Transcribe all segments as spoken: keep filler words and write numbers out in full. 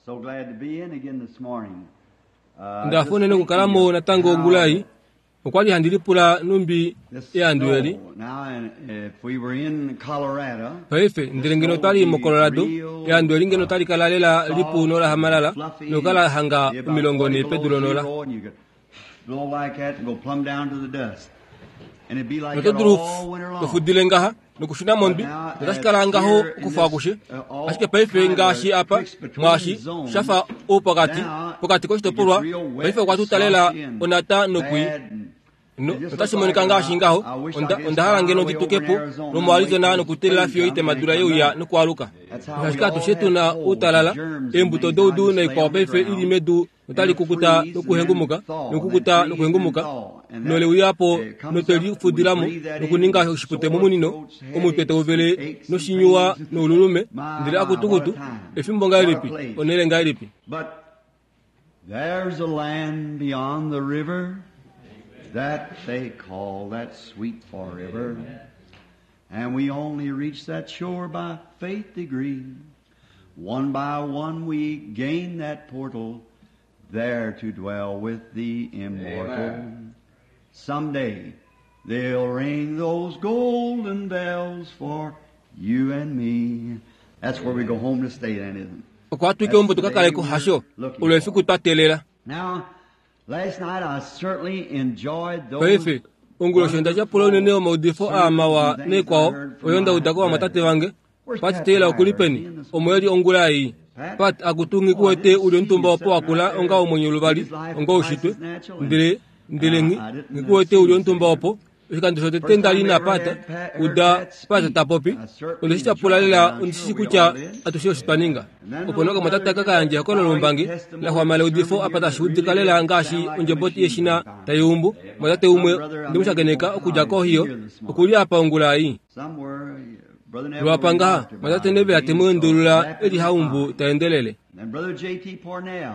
So glad to be in again this morning. Uh, Ndafa unene okukalamo natango ongula ei. Okwali handi lipula numbi this eandu eli. snow. Now, and if we were in Colorado, Paife ndele ngeno twali moColorado, eandu eli ngeno tali kala lela lipu nolahamalala nokala hanga be about omilongo forty ne below pedu lonola. zero, and you could blow like that and go plumb down to the dust. And it'd be like Noto that dulu all winter long. nofudile ngaha nokushuna mondwi notashi kala ngaho okufa akushe. Ashike paife ngaashi apa mwaashi shafa oupokati pokati koshitopolwa paife okwa tutalela onata nokwi no notashi monika ngaashi ngaho onda onda hala ngeno nditukepo lomoArizona nokutelela fiyo itemadula yeuya nokualuka. Ashike atushe tuna outalala eembuto doudu naikwao paife ili medu notali kukuta nokuhengumuka nokukuta nokuhengumuka noleuyapo notwelifudilamo nokuninga oshipute momunino omutwe tauvele noshinyuwa noululume ndele akutukutu efimbo ngahelipi onele ngahelipi. But there's a land beyond the river that they call that sweet forever. And we only reach that shore by faith degree. One by one we gain that portal, there to dwell with the immortal. Someday they'll ring those golden bells for you and me. That's where we go home to stay then, isn't it? Okwa twike ombo tukakaleko hasho olo efiku twatelela. Now, last night I certainly enjoyed those Paife onguloshi onda tyapula unene omaudifo aamawa neekwao oyo ndaudako vamwatate vange. Pat Taylor okuli peni omo eli ongula ei. Pat akutu ngikuwete uli omutumba opo wakula onga omwenyo luvali onga oushitwe ndele ndele nghi ngikuwete uli omutumba opo oshikando shotete ndali na Pat uda Pat tapopi ondeshi tyapula lela ondishi kutya atushe osho twaninga. Opo nee okamwatate aka kayandja ehokololo lombangi laxwama leudifo apa tashi udika lela ngaashi ondjeboti yeshina taiumbu. Mwatate umwe ndemushakeneka okudja koHio okuli apa ongula ei. Somewhere, Brother Neville Lwapa ngaha remarked about mwatate it. Neville temuendulula eli haumbu taendelele. And Brother J T Parnell.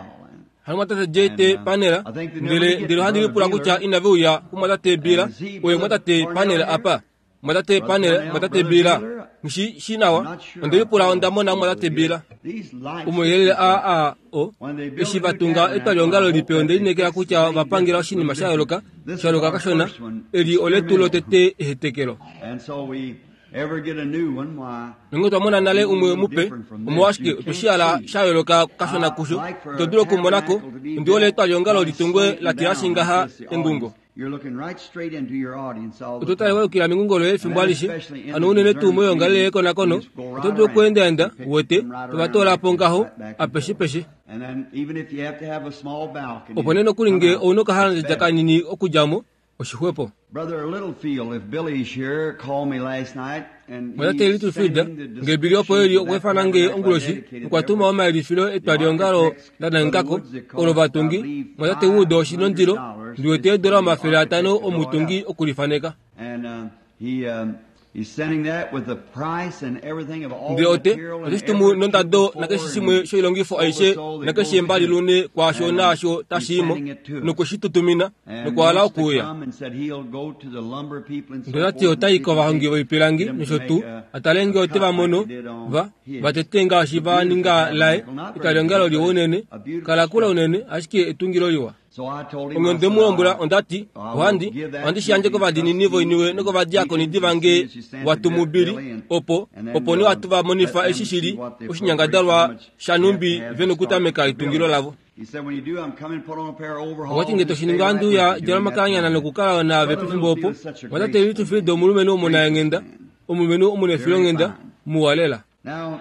Hano mwatate J T Parnell ndele ndele ohandi lipula kutya inaveuya kumwatate Bila oye mwatate Parnell apa. Mwatate Parnell mwatate Bila nshi shinawa ondelipula ondamona mwatate Bila. These lights, Omuyelele a a o eshi vatunga etwaliongalo lipe ondelinekela kutya vapangela oshinima sha yooloka sha yooloka kashona eli oletu lotete ehetekelo. And so we ever get a new one, why, Nonge twamona nale umwe mupe omolwashike otweshihala sha yooloka kashona kusho ito dulu okumonako ondiole etwaliongalo litungwe latilashi ngaha engungo. You're looking right straight into your audience all the Oto tale time. wayukila mengungo loye efimbo alishe hano unene tuu moyoongalele yekonakono oto dulu okuendaenda uwete tovatolapo ngaho apeshepeshe. And then even if you have to have a small balcony, Opo nee nokuli come nge out. ouna okahalandja kanini okudjamo oshixwepo. Brother Littlefield, if Billy's here, called me last night and Mwatate he's Littlefield sending the nge Billy opo eli description of that okweefana nge tabernacle onguloshi dedicated okwa tuma there. omayelifilo etwaliongalo la nangako olo vatungi mwatate Wood oshinondilo ndiwete eedola omafele atano omutungi okulifaneka. And uh, he um, he's sending that with the price and everything of all Ndele ote material and oteshi tumu every nondado two nakeshe four shimwe and shoilongifo aishe so that nakeshe goes embali in it. lune kwaasho And, uh, naasho he's tashiimo sending it to us. nokushitutumina And nokuhala wants to okuuya. come and said he'll go to the lumber people and so Ndele forth oti and otai see if he kovahongi can voipilangi get 'em to nosho make tuu a- atale nge a ote cut va mono like they did on va his. vatete ngaashi va ninga laye Beautiful tabernacle, not very etwaliongalo big, liwa but unene a beautiful kala kula structure. unene ashike etungilo liwa. So I told him, Ome I onde said, mu lombwela I- ondati I will ohandi give that ohandi to shi yandje the kovadinini trustees voiniwe and nokovadiakoni deacons divange as soon as you send watumubili to Billy and- opo and then, opo ne uh, watu va monifa let them eshi shili see what the oshinyangadalwa appropriate, how much shanumbi they have to ve nokutameka start etungilo building. lavo. He said, when you do, I'm coming, put on a pair of overalls Okwati nge and toshininga stay right andu with ya you during djala that omakanyana time. nokukala naave Brother pefimbo opo Littlefield is such a mwatate graceful Littlefield man. omulumenhu omunaenghenda Gracious man. omulumenhu omunefilonghenda Very fine. muwa lela. Now,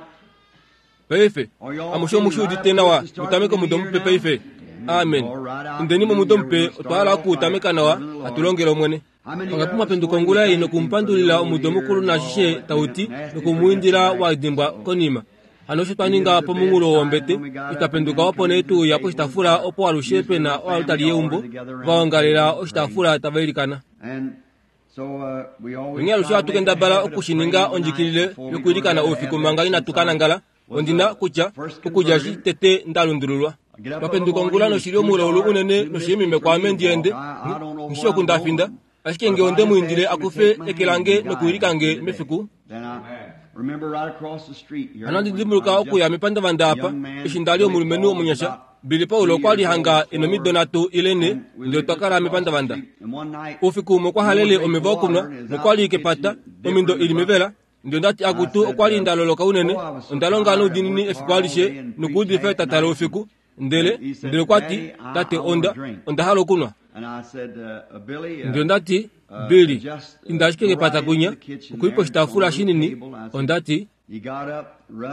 Paife Are y'all amushe omushi feeling udite right nawa up to start mutameke the new omudo year mupe now? paife. Amen. All right, out Indeni the new momudo year, mupe we're gonna otwa hala start off okuutameka right nawa serving the Lord. atulongele Omwene. How many Pangapi got mwapenduka this ongula morning ei thank him for the nokumupandulila old omudo year mukulu and all naashishe that tauti nasty forgets nokumwiindila back. wadimbwa konima. Hano osho twaninga pomunghulo wombete itwapenduka opo nee tuuya poshitaafula opo alushe pena oalutali yeumbo vaongalela oshitaafula tava ilikana. And so, uh, we always Onghee alushe try to ohatu make a kendabala habit of okushininga praying the night ondjikilile before we go to yokuilikana bed. oufiku Have manga that inatu since ka I nangala was ondina the kutya first okudja converted. eshi tete ndalundululwa. I get up in the Twapenduka ongula morning, noshili it's too omulaulu dark, unene too noshili misty mime for me kwaame to ndiende walk. I, I don't know ngishi where I'm okundafinda going. ashike But nge if I onde just muindile ask him to akufe take my eke hand lange and guide nokuwilika me nge through the day, mefiku then I, Hano handi dimbuluka okuya mepandavanda apa eshi ndali omulumenhu omunyasha. Billy Paul okwa li hanga enomido nhatu ile nhe, ndele otwa kala mepandavanda. Oufiku umwe okwa halele omeva okunwa nokwa li kepata, omido ili mevela. Ndele ondati akutu okwa li nda loloka unene, onda longa noudiinini efiku alishe nokuudifa etata loufiku. Ndele ndele okwa ti, tate onda onda hala okunwa. Ndele ondati, Billy, inda ashike kepata kwinya, okuli poshitaafula shinini. Ondati,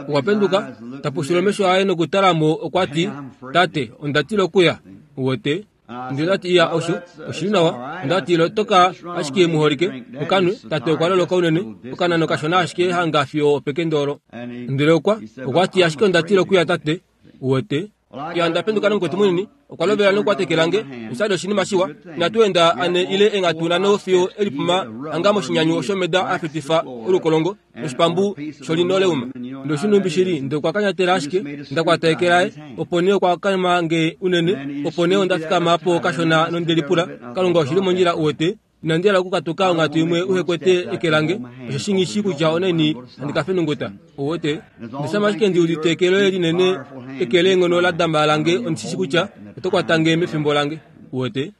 okwa penduka, tapushula omesho aye nokutala mo, okwa ti, tate, onda tila okuya. Uwete? Ndele ondati, iya, osho oshili nawa. Ondati, lotoka ashike muholike, ukanwe. Tate okwa loloka unene, okanano kashona ashike hanga fiyo opekende olo. Ndele okwa okwa ti, ashike onda tila okuya, tate. Uwete? Ya onda penduka nomukwetu munini, okwa lovela nokukwata eke lange, noshali oshinima shiwa. Inatu enda ane ile enghatu nhano fiyo elipuma hanga moshinyanyu shomeda a fetifa olukolongo noshipambu sholinoleuma. Ndoshinumbi shili, ndele okwa kanyatela ashike, nda kwata eke laye, opo nee okwa kama nge unene, opo nee onda fikama po kashona nonde lipula, Kalunga oshili mondjila uwete, inandi hala okukatuka onghatu imwe uhe kwete eke lange, osheshi nghi shii kutya onaini handi ka fenunguta. Uwete? Ndeshama ashike ndi udite eke loye linene, eke leenghono la damba lange, ondi shi shii kutya oto kwata nge mefimbo lange. Uwete?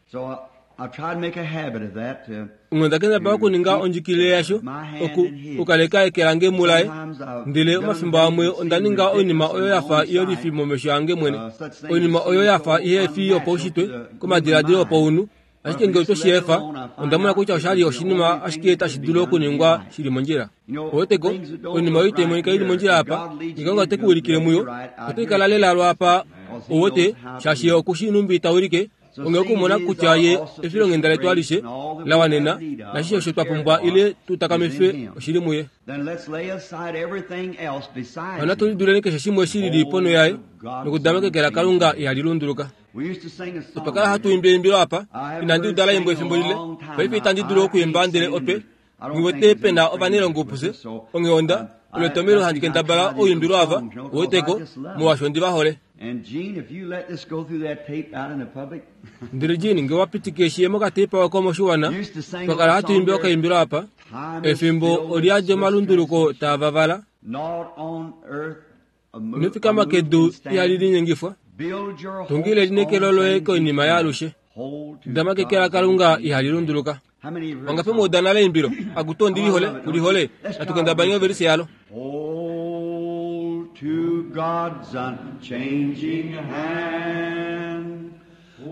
Onghee onda kendabala okuninga ondjikilile yasho, oku okukaleka eke lange mulaye. Ndele omafimbo amwe onda ninga oinima oyo ya fa iyolifi momesho ange mwene, oinima oyo ya fa ihe fi yopaushitwe komadiladilo opaunhu. Ashike ngee otwe shi efa, onda mona kutya oshali oshinima ashike tashi dulu okuningwa shili mondjila. Oweteko, oinima oyo itai monika ili mondjila apa, ngee Kalunga ote ku ulikile muyo, otai kala lela lwaapa, ouwete, shaashi ye oku shii nhumbi ta ulike. Onghee okumona kutya ye efilonghenda letu alishe la wanena, nashishe osho twa pumbwa ile tu takamife oshili muye. Hano natu liduleni keshe shimwe shi lili ponho yaye, nokudama keke laKalunga ihali lunduluka. Otwa kala hatu imbi eimbilo apa, inandi uda la imbwa efimbo lile, paife itandi dulu okuimba ndele otwe ngiwete pe na ovanailongo pufye. Onghee onda, olo etomhelo handi kendabala ouimbilo ava, uweteko, molwaashi ondi va hole. Ndele Jean, nge wa pitike shi ye mokateipa oko moshiwana, twa kala hatu imbi okaimbilo apa, efimbo oli yadi omalunduluko taa vavala. Ino fikama kedu ihali linyengifwa. Tungila elineekelo loye koinima yaalushe. Dama keke laKalunga ihali lunduluka. Wangapi mwa uda nale eimbilo, akutu ondi lihole, ku lihole? Natu kendabanye ovelise yalo. Hold to God's unchanging hand.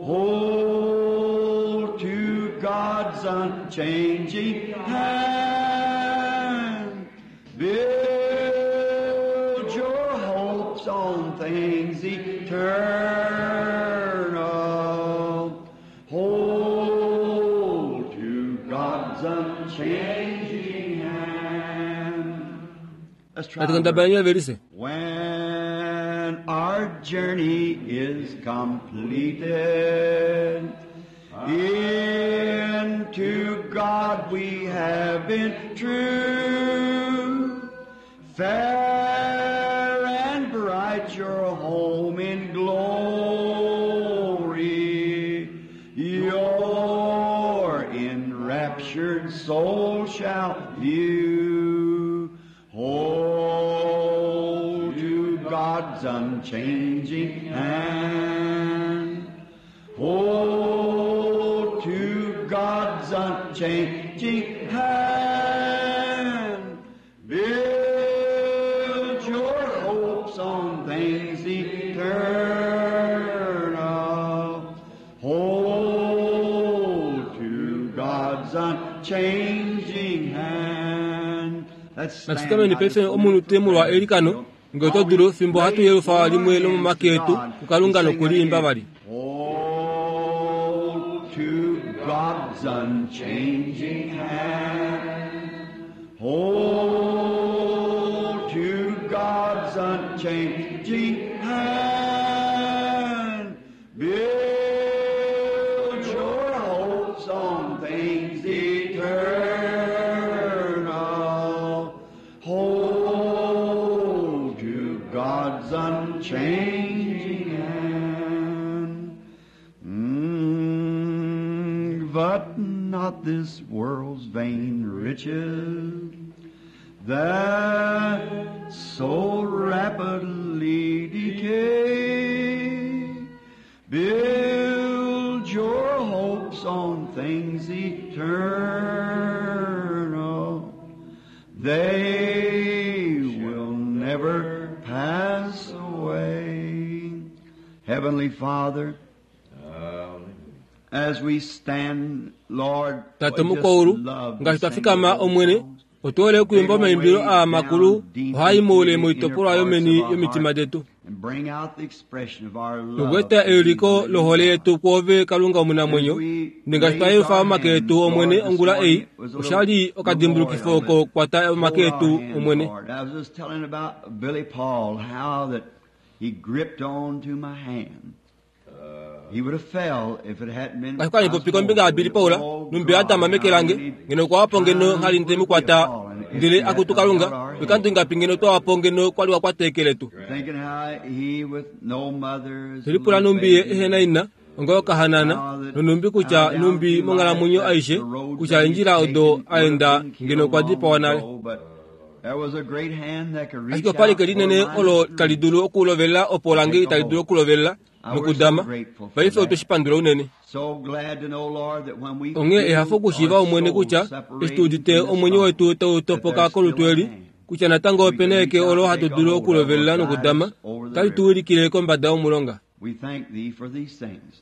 Hold to God's unchanging hand. Build your hopes on things eternal. Hold to God's unchanging hand. Let's try Natu kendabanye ovelise. When our journey is completed, into God we have been true. Fair and bright your home in glory, your enraptured soul shall view. Hold to God's unchanging hand. Hold to God's unchanging hand. Build your hopes on things eternal. Hold to God's unchanging hand. Let's stand. Natufikameni paife omunute molwa eilikano, nge oto dulu fimbo hatu yelufa limwe lomomake etu kuKalunga nokuliimba vali. Hold to God's unchanging hand. Hold to God's unchanging hand. Build your hopes on things eternal. Hold to God's unchanging hand. Mm, but not this world's vain riches, That so rapidly decay. Build your hopes on things eternal. They will never pass away. Heavenly Father, as we stand, Lord, tate we just mukwaulu love to ngaashi twa sing fikama those omwene songs. otuhole okuimba omaimbilo aa makulu ohaa muule moitopolwa yomeni yomitima detu And bring out the expression of our love nokueta to euliko you, lohole yetu kwoove kalunga omunamwenyo As we ndengaashi twa raise yelufa our omake hands, etu omwene Lord, this ongula ei morning was a little oshali okadimbulukifo oko kwata omake Hold our etu hands, omwene Lord. I was just telling about Billy Paul, how that he gripped on to my hand. He would have fell if it hadn't been ngaashi kwali popi kombinga ya Billy Paul numbi atama meke lange ngeno kwawapo ngeno nghali nde mukwata ndele akutu kalunga oikandu ingapi ngeno twawapo ngeno kwali wakwata eke letu Thinking how he with no mother as a tilipula little numbi ye baby, ehena ina onga okahanana nonumbi kutya numbi monghalamwenyo aishe kutya endjila odo aenda ngeno okwa dipawa nale ashike opali ke linene olo tali dulu okulovelela opo lange itali dulu okulovelela nokudama paife otwe shi pandula unene onghee ehafo okushiiva omwene kutya eshi tu udite omwenyo wetu tau topoka kolutu eli kutya natango opena eke olo hatu dulu okulovelela nokudama tali tu wilikile kombada yomulonga We thank thee for these things.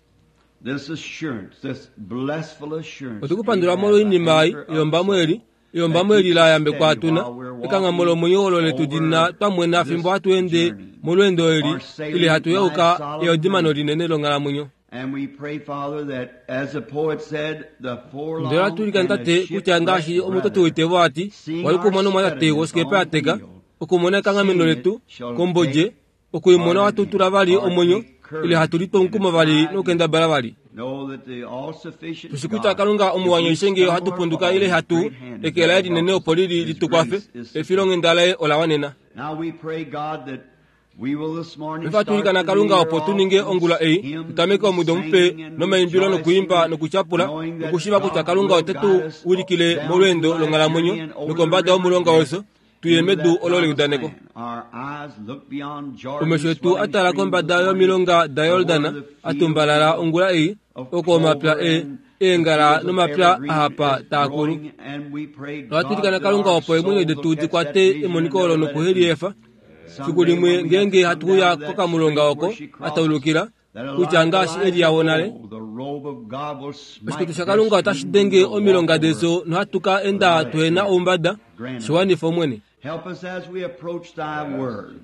This assurance, this blessful assurance. otukupandula molwoinima ei eyombamo eli eyombamo eli la yambekwa atuna ekanghambo lomwenyo olo letu lina twamwena fimbo hatu ende molweendo eli ile hatu yeuka eodimano linene longhalamwenyo And we pray, Father, that as the poet said, the forlorn ndele atulika and the ntate kutya ngaashi shipwrecked omutoti brother woitevo ati wali kumona omwatate wosikepa yateka okumona ekanghameno letu kombodje okuimona watutula vali omwenyo ile hatu litwa omukumo vali nokukendabala vali know that the all-sufficient tushi kutya God, kalunga if we omuwanyoishenge stumble ohatu or punduka fall, ile His hatu great hand is eke laye there to linene help opo us. lili His litukwafe grace is efilonghenda laye ola wanena Now we pray, God, that we will this morning ifa start tulikana the kalunga new opo year tu ninge off ongula with ei hymns tutameke and omudo mupe singing and nomaimbilo nokuimba rejoicing, nokutyapula knowing that nokushiva kutya God kalunga will ote guide tu us wilikile down molweendo to that longhalamwenyo journey and over nokombada the river yomulonga of weso death tuye into medu that olo promised leudaneko land. Our eyes look beyond Jordan's omesho etu swelling atala streams kombada this morning yomilonga da toward yordana the fields atumbalala ongula ei of oko omapya clover e and the eengala fields of nomapya evergreen ahapa is taakulu growing, and we pray, God, ohatulikana that kalunga our opo eemwenyo souls detu will catch that dikwate vision and emoniko never olo let it nokuheliefa fiku Someday limwe when we have ngeenge to hatu come uya down to that kokamulonga street oko where she crosses, ataulukila that a kutya like ngaashi Elijah eli yawo nale of old, the robe of God will smite oshikutu sha their kalunga otashi streams denge and we'll walk omilonga over. deso nohatu ka enda tuhena oumbada shiwanifa omwene Help us as we approach thy word.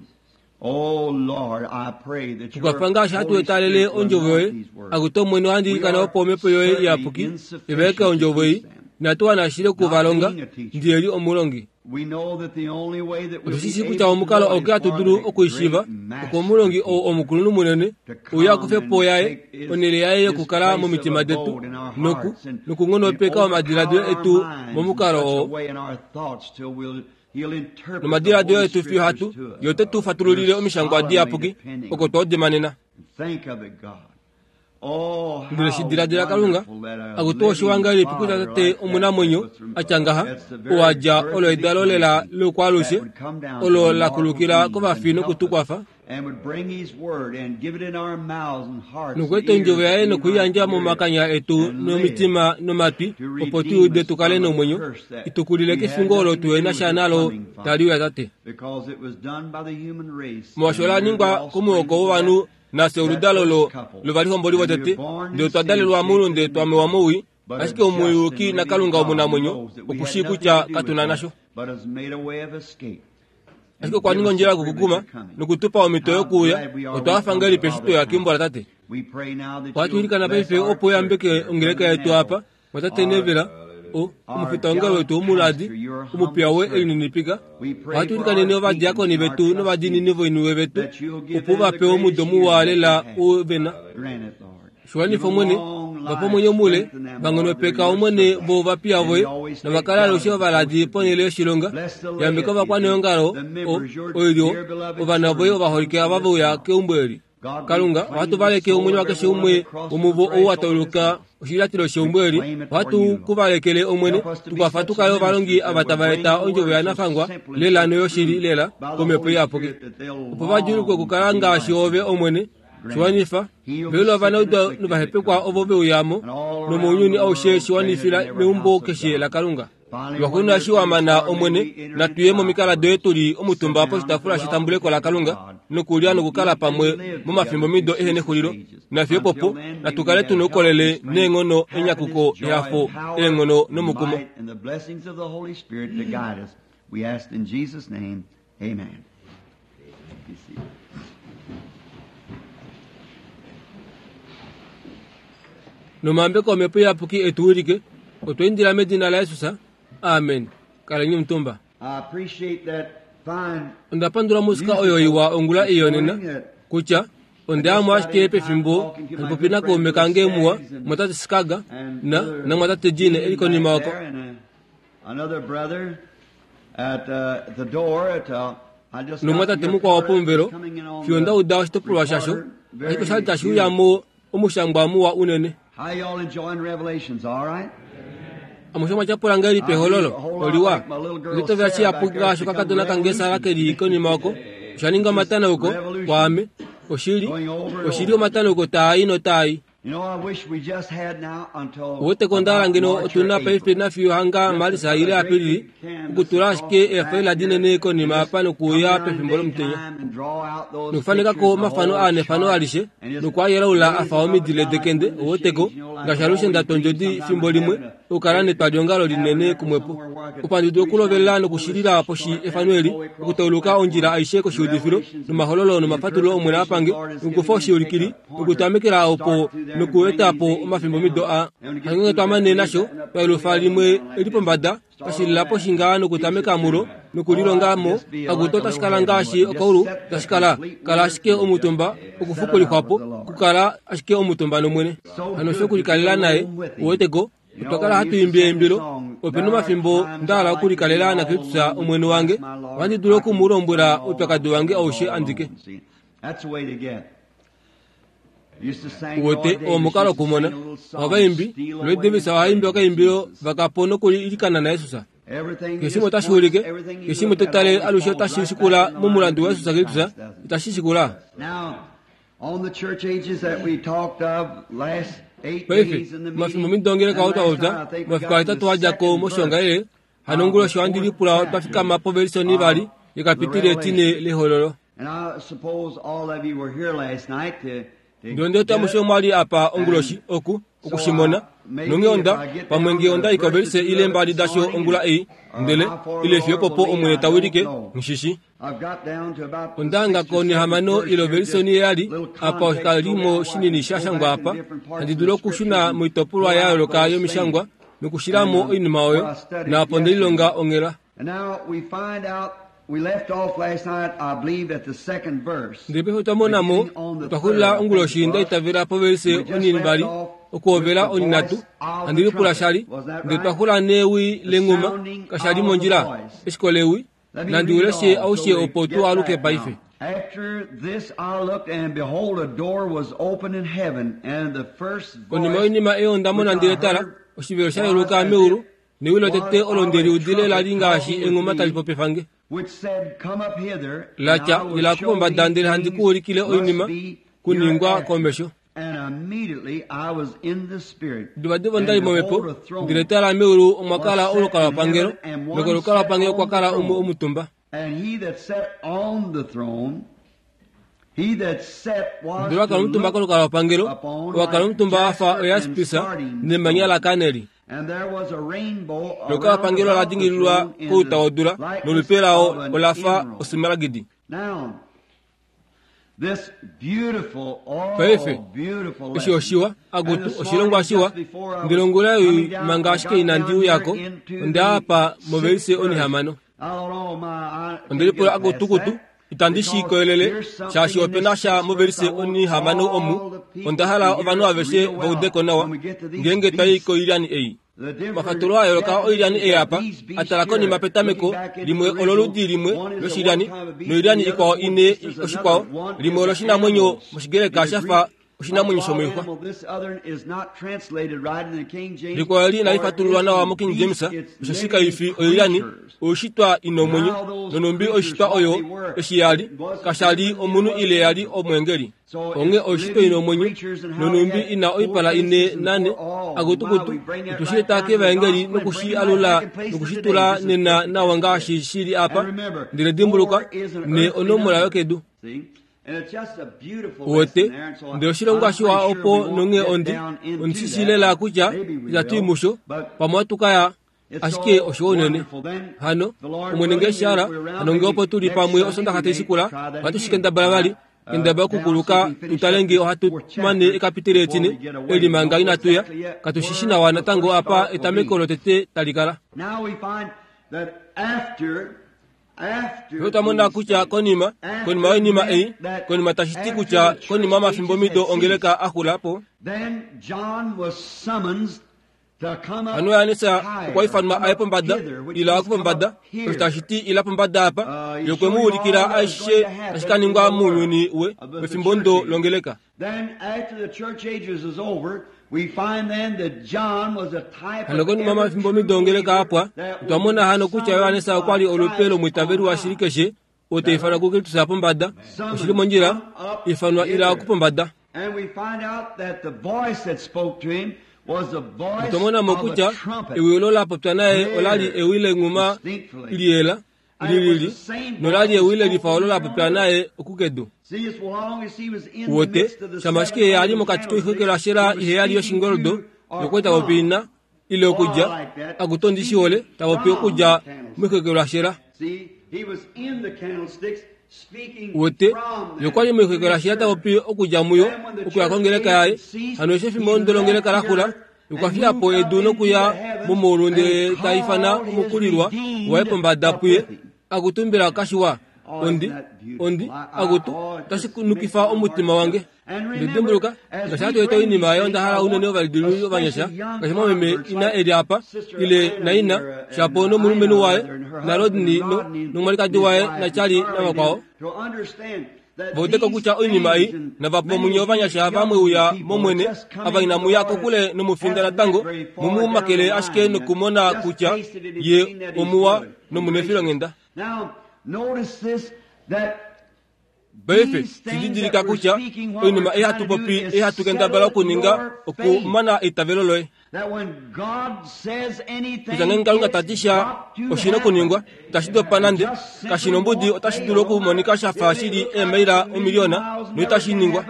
Oh Lord, I pray that your tukwafa ngaashi hatu Holy etalele Spirit will ondjovo yoye anoint these words. akuti omwene ohandilikana opo omhepo yoye iyapuki ivaeke ondjovo ei inatu wana ashile okuvalonga ndiyeli omulongi We know that the only way that we'll otushishi be kutya able to omukalo know oke is hatu for dulu the okuishiva great master oko omulongi ou omukulunhu munene to come uye akufe po and yaye take his, onhele yaye his yokukala place of momitima detu abode in our noku hearts and, and nokunghonopeka omadiladilo overpower our etu minds in momukalo such a oo way in our thoughts till we'll, he'll interpret the nomadiladilo Holy etu fiyo hatu Scriptures to us. ye ote tu We're fatululile omishangwa solemnly diyapuki depending oko twaudimanena Think of it, God. Oh, ndele how shi diladila kalunga wonderful that a akuti oshiwanga living elipi kutya Father tate like that that omunamwenyo was from, atya ngaha that's the very owadja birth olo of edalo lela eternity loukwalushe that would come down to olo the la mortal kulukila beings and kovafi help us nokutukwafa and would bring his word and give it in our mouths and hearts and nokueta ondjovo ears yaye that we might nokuiyandja hear it momakanya etu and live nomitima nomatwi to opo redeem tuude us tukale from a nomwenyo curse that itukulile we had kefingo olo nothing to do tuhena with sha it nalo coming, Father, tali uya tate because it was done by the human race molwaashi and ola we're the ningwa offspring komuhoko of wovanhu that, nafye that oludalo first lo couple. lovalihomboli And we were votete born ndele in twa sin, dalelwa shaped mulunde in twamewa iniquity, mouwi but a ashike just and omuyuki living nakalunga God omunamwenyo knows that we had okushii nothing kutya to do with katuna that, nasho but has made a way of escape ashike and okwa give ninga us ondjila the privilege yokukukuma of coming. nokutupa omhito How yokuuya glad we are we otwa come to ngahelipi eshi Father's tweya house. keumbo latate We pray now that ohatu you'll ilikana bless paife our opo church uyambeke here, ongeleka Brother yetu Neville, apa mwatate our nevela o our omufita wongalo gallant wetu omuladi pastor, your omupiya humble we servant. elininipika We pray ohatu for ilikaneni our deacons ovadiakoni and our vetu novadiinini trustees voiniwe vetu that you'll give opo them the vape omudo greatest years muwa that they lela have. u vena Grant it, Lord. Give shiwanifa them omwene long vape life, omwenyo mule strengthen them, Lord. They're vanghonopeka your omwene servants. vo ovapiya And voye you always take novakala God alushe as the ovaladi post of ponhele duty. yoshilonga Bless the yambeka laity, ovakwaneongalo the o members, your oilyo dear beloved ovana voye children come ovaholike to ava this veuya house. keumbo eli Kalunga, ohatu valeke omwenyo wakeshe umwe womuvo ou wa tauluka oshilyatilo sheumbo eli. Ohatu ku valekele Omwene, tukwafa tukale ovalongi ava tava eta ondjovo yanafangwa lela noyoshili lela komhepo iyapuki, opo va djulukwe okukala ngaashi ove Omwene. Shiwanifa velula ovanaudo novahepekwa ovo veuyamo nomounyuni aushe, shiwanifila meumbo keshe laKalunga. Lwaxuuninwa eshi wa mana Omwene, natuye momikala doye tuli omutumba poshitaafula shetambuleko laKalunga, nokulya nokukala pamwe momafimbo mido ehe nexulilo. Nafiyo popo natukale tuna oukolele neenghono, enyakuko, ehafo, eenghono nomukumo. And the blessings of the Holy Spirit to guide us. We ask in Jesus' name, amen. Be seated. Nomambeko omhepo iyapuki etu wilike, otwa indila medina laJesus. Amen. Kaleni omutumba. I appreciate that fine Onda pandula musika oyo iwa ongula iyonena kutya ondeamo ashike pefimbo handi popi nakaume kange muwa mwatate Sikaga na na mwatate Jine eli konima oko. there and, uh, another brother at uh, the door at uh, I just got Nomwatate your mukwao card pomuvelo coming in on fiyo the ndauda oshitopolwa shasho, recorder. Very ashike oshali tashi beautiful. uyamo omushangwa muwa unene. How y'all enjoying Revelations, all right? Amushe mwatyapula ngahelipi ehololo oliwa litovela shiyapuki ngaashi okakadona kange Sara keli konima oko. Osha ninga omatanauko kwaame, oshili oshili omatanauko taai notaai. You know, I wish we just had now until Uweteko ondala ngeno about March or otuna April. paife nafiyo hanga Marisa ile Apilili okutula ashike eefaila dinene konima apa nokuuya pefimbo lomutenya, nokufanekako omafano aa nefano alishe nokuayelaula afa omidile dekende. Uweteko ngaashi alushe ndatwa ondjodi fimbo limwe okukala netwaliongalo linene kumwepo, opo handi dulu okulovelela nokushilila poshi efano eli, okutauluka ondjila aishe koshiudifilo nomahololo nomafatulo Omwene apange, nokukufa oshiulikili nokutamekela opo nokueta po omafimbo mido a hangenge twamane nasho twaelufa limwe eli pombada twashilila poshi ngaa nokutameka mulo nokulilongamo akuto tashikala ngaashi okaulu tashikala kala ashike omutumba okufukulihwapo kukala ashike omutumba nomwene. Hano osho okulikalela naye. Uweteko otwa kala hatu imbi eimbilo, opena omafimbo ndahala okulikalela naKristus Omwene wange, ohandi dulu oku mu lombwela oupyakadi wange aushe andike. That's the way to get. Used to sing Uwete Roy Davis omukalo used to okumona sing a little song, ovaimbi Steal Roy Away Davis in ohaimbi okaimbilo Jesus. vakapo nokulilikana naJesus. Everything Keshe just otashi points, ulike, everything you keshe look at totale always alushe falls otashi right shikula back in the line momulandu of wa Jesus Jesus Kristus, Christ, doesn't it? itashi shikula. Now, on the church ages that we talked of last eight Paife days in the mafimbo meeting, midongeleka and last otwaupya time I think we mafiku got to ahetatu the wadjako second verse moshiongalele hano onguloshi of the ohandi fourth lipula twafika chapter mapovelisoni vali of the yekapitile etine Revelation. lehololo. And I suppose all of you were here last night to, to Ndionde get amushe it. mwali apa onguloshi And oku so okushimona I, maybe nonge if onda I get pamwe down nge onda to ikovelise verses ile two of it mbali this dasho morning, ongula ei or ndele how far the ile fiyo Lord popo will lead, Omwene I don't tawilike know. nshishi. I've got down to about the Ondanga sixth or ko seventh nehamano verse here, just ilovelisoni eyali little apa context so oshikalimo that I shinini can go shashangwa back in apa different parts handi of dulu the okushuna scriptures and moitopolwa pull ya out yooloka those yomishangwa things nokushilamo and oinima what oyo I studied naapo ndelilonga yesterday. onghela. And now we find out, we left off last night, I believe, at the second verse, Ndele paife twamonamo beginning on the third, twahulila I think it onguloshi was. ndaitavela povelise We just onini left mbali off with okuhovela the oninatu voice of the handi lipula trumpet. shali Was that ndele right? twahula newi The lenguma sounding kashali of the mondjila voice. eshiko lewi Let me nandi read it uleshe all so aushe we opo get tu aluke back paife. now. After this I looked, and behold, a door was opened in heaven, and the first Konima voice yoinima eyo which ndamona I ndele tala heard oshivelo sha was yeluka as meulu it newi was lotete olo of a ndeliudile trumpet lali ngaashi talking with engoma tali me, popefange which said, Come up hither, and latya I will ilaku show pombada thee ndele handi things ku ulikile must oinima be kuningwa hereafter. komesho. And immediately I was in the Spirit, Divadiva and ondali momhepo behold, a throne ndele tala meulu omwa was kala set in olukalwapangelo heaven, and one sat nokolukalwapangelo on kwa the kala umwe throne. omutumba. And he that sat on the throne, he that sat was Ndele to wakala omutumba look kolukalwapangelo upon owakala like omutumba wafa jasper and oyaspisa sardine nemanya stone. lakaneli. And there was a rainbow around Nolukalwapangelo about the ola dingililwa throne in kouta the wodula likeness nolupe lao of an olafa emerald. osmaragidi. Now, this beautiful, Paife oh, beautiful eshi lesson. oshiwa And agutu this oshilongwa morning, shiwa just before I ndele was ongula coming ei down, manga I ashike got inandi down here uyako into onda the apa movelise sixth verse. onihamano. I don't know, my, I can't Ondelipula get past agutukutu that itandi because shiikoyelele here's something shaashi in opena this sha sixth verse movelise I want onihamano all omu the people onda to hala hear ovanhu it aveshe real well vaudeko nawa when we get to these ngeenge twai beasts koilyani ei. Mafatululo a yooloka oilyani ei apa atala konima petameko limwe ololudi limwe loshilyani noilyani ikwao ine oshikwao limwe oloshinamwenyo moshigreka shafa oshinamwenyo shomoixwa. Likwao eli inali fatululwa nawa mo King James, osheshi kaifi oilyani oishitwa ina omwenyo, nonumbi oishitwa oyo eshi yali kashali omunhu ile yali omweengeli. Onghee oishitwa ina omwenyo nonumbi ina oipala ine nane akutukutu otushileta kevaengeli nokushi alula nokushitula nena nawa ngaashi shili apa. Ndele dimbuluka ne onomola yokedu. Uwete ndele oshilongwa shiwa opo nonghee ondi ondishishi lela kutya itatu i musho pamwe ohatukaya ashike oshiwa unene. Hano Omwene ngee eshihala hano ngee opo tuli pamwe osondaxa taishikula ohatu shikendabala vali kendabala okukuluka tutale ngee ohatu mane ekapiteli etine eli manga inatuya. Katushishi nawa natango apa etameko lotete talikala. Fye twamona kutya konima konima yoinima ei konima tashiti kutya konima omafimbo mido ongeleka axula po. Hano Johannes okwa ifanwa aye pombada ila okupombada osho tashiti ila pombada apa ye okwe mu ulikila aishe tashi ka ningwa mounyuni we wefimbo ndo longeleka. Hano konima omafimbo mido ongeleka apwa otwa hano kutya Johannes okwa li olupe lomwiitaveli washili keshe oo ta ifanwa kuKristus pombada oshili mondjila ifanwa ila okupombada. Otwa mo kutya ewi olo la popya naye olali ewi lenghuma liyela lilili nolali ewi lelifa olo la popya naye okukedu. Uwete shama ashike ye ali mokati koixokelwashela iheyali yoshingoldo yokwali tapopi ina ile okudja akutondi shihole tapopi okudja moixokelwashela. Uwete yokwali moixokelwashela tapopi okudja muyo okuya kongeleka yaye. Hano eshi efimbo ndo longeleka laxula okwa fiya po edu nokuya momaulu ndele ta ifana omukulilwa waye pombada puye akutumbila kashiwa ondi ondi akutu otashi nukifa omutima wange. Ndedimbuluka ngaashi hatu eta oinima ayo onda hala unene ovalidiluli ovanyasha ngaashi mwameme ina eli apa ile naina shapo nomulumenhu waye naRodney nomwalikadi waye naCharlie navakwao. Vaudeko kutya oinima ei navapo munye ovanyasha vamwe uya momwene ava inamuya kokule nomufinda natango mumumakele ashike nokumona kutya ye omuwa nomunefilonghenda. Paife shididilika kutya oinima ei hatu popi ei hatu kendabala okuninga okumana eitavelo loye. Kutya ngenge Kalunga tati sha oshina okuningwa itashi dopa nande kashi nombudi otashi dulu okumonika shafa shili eemaila omiliyona noitashi ningwa.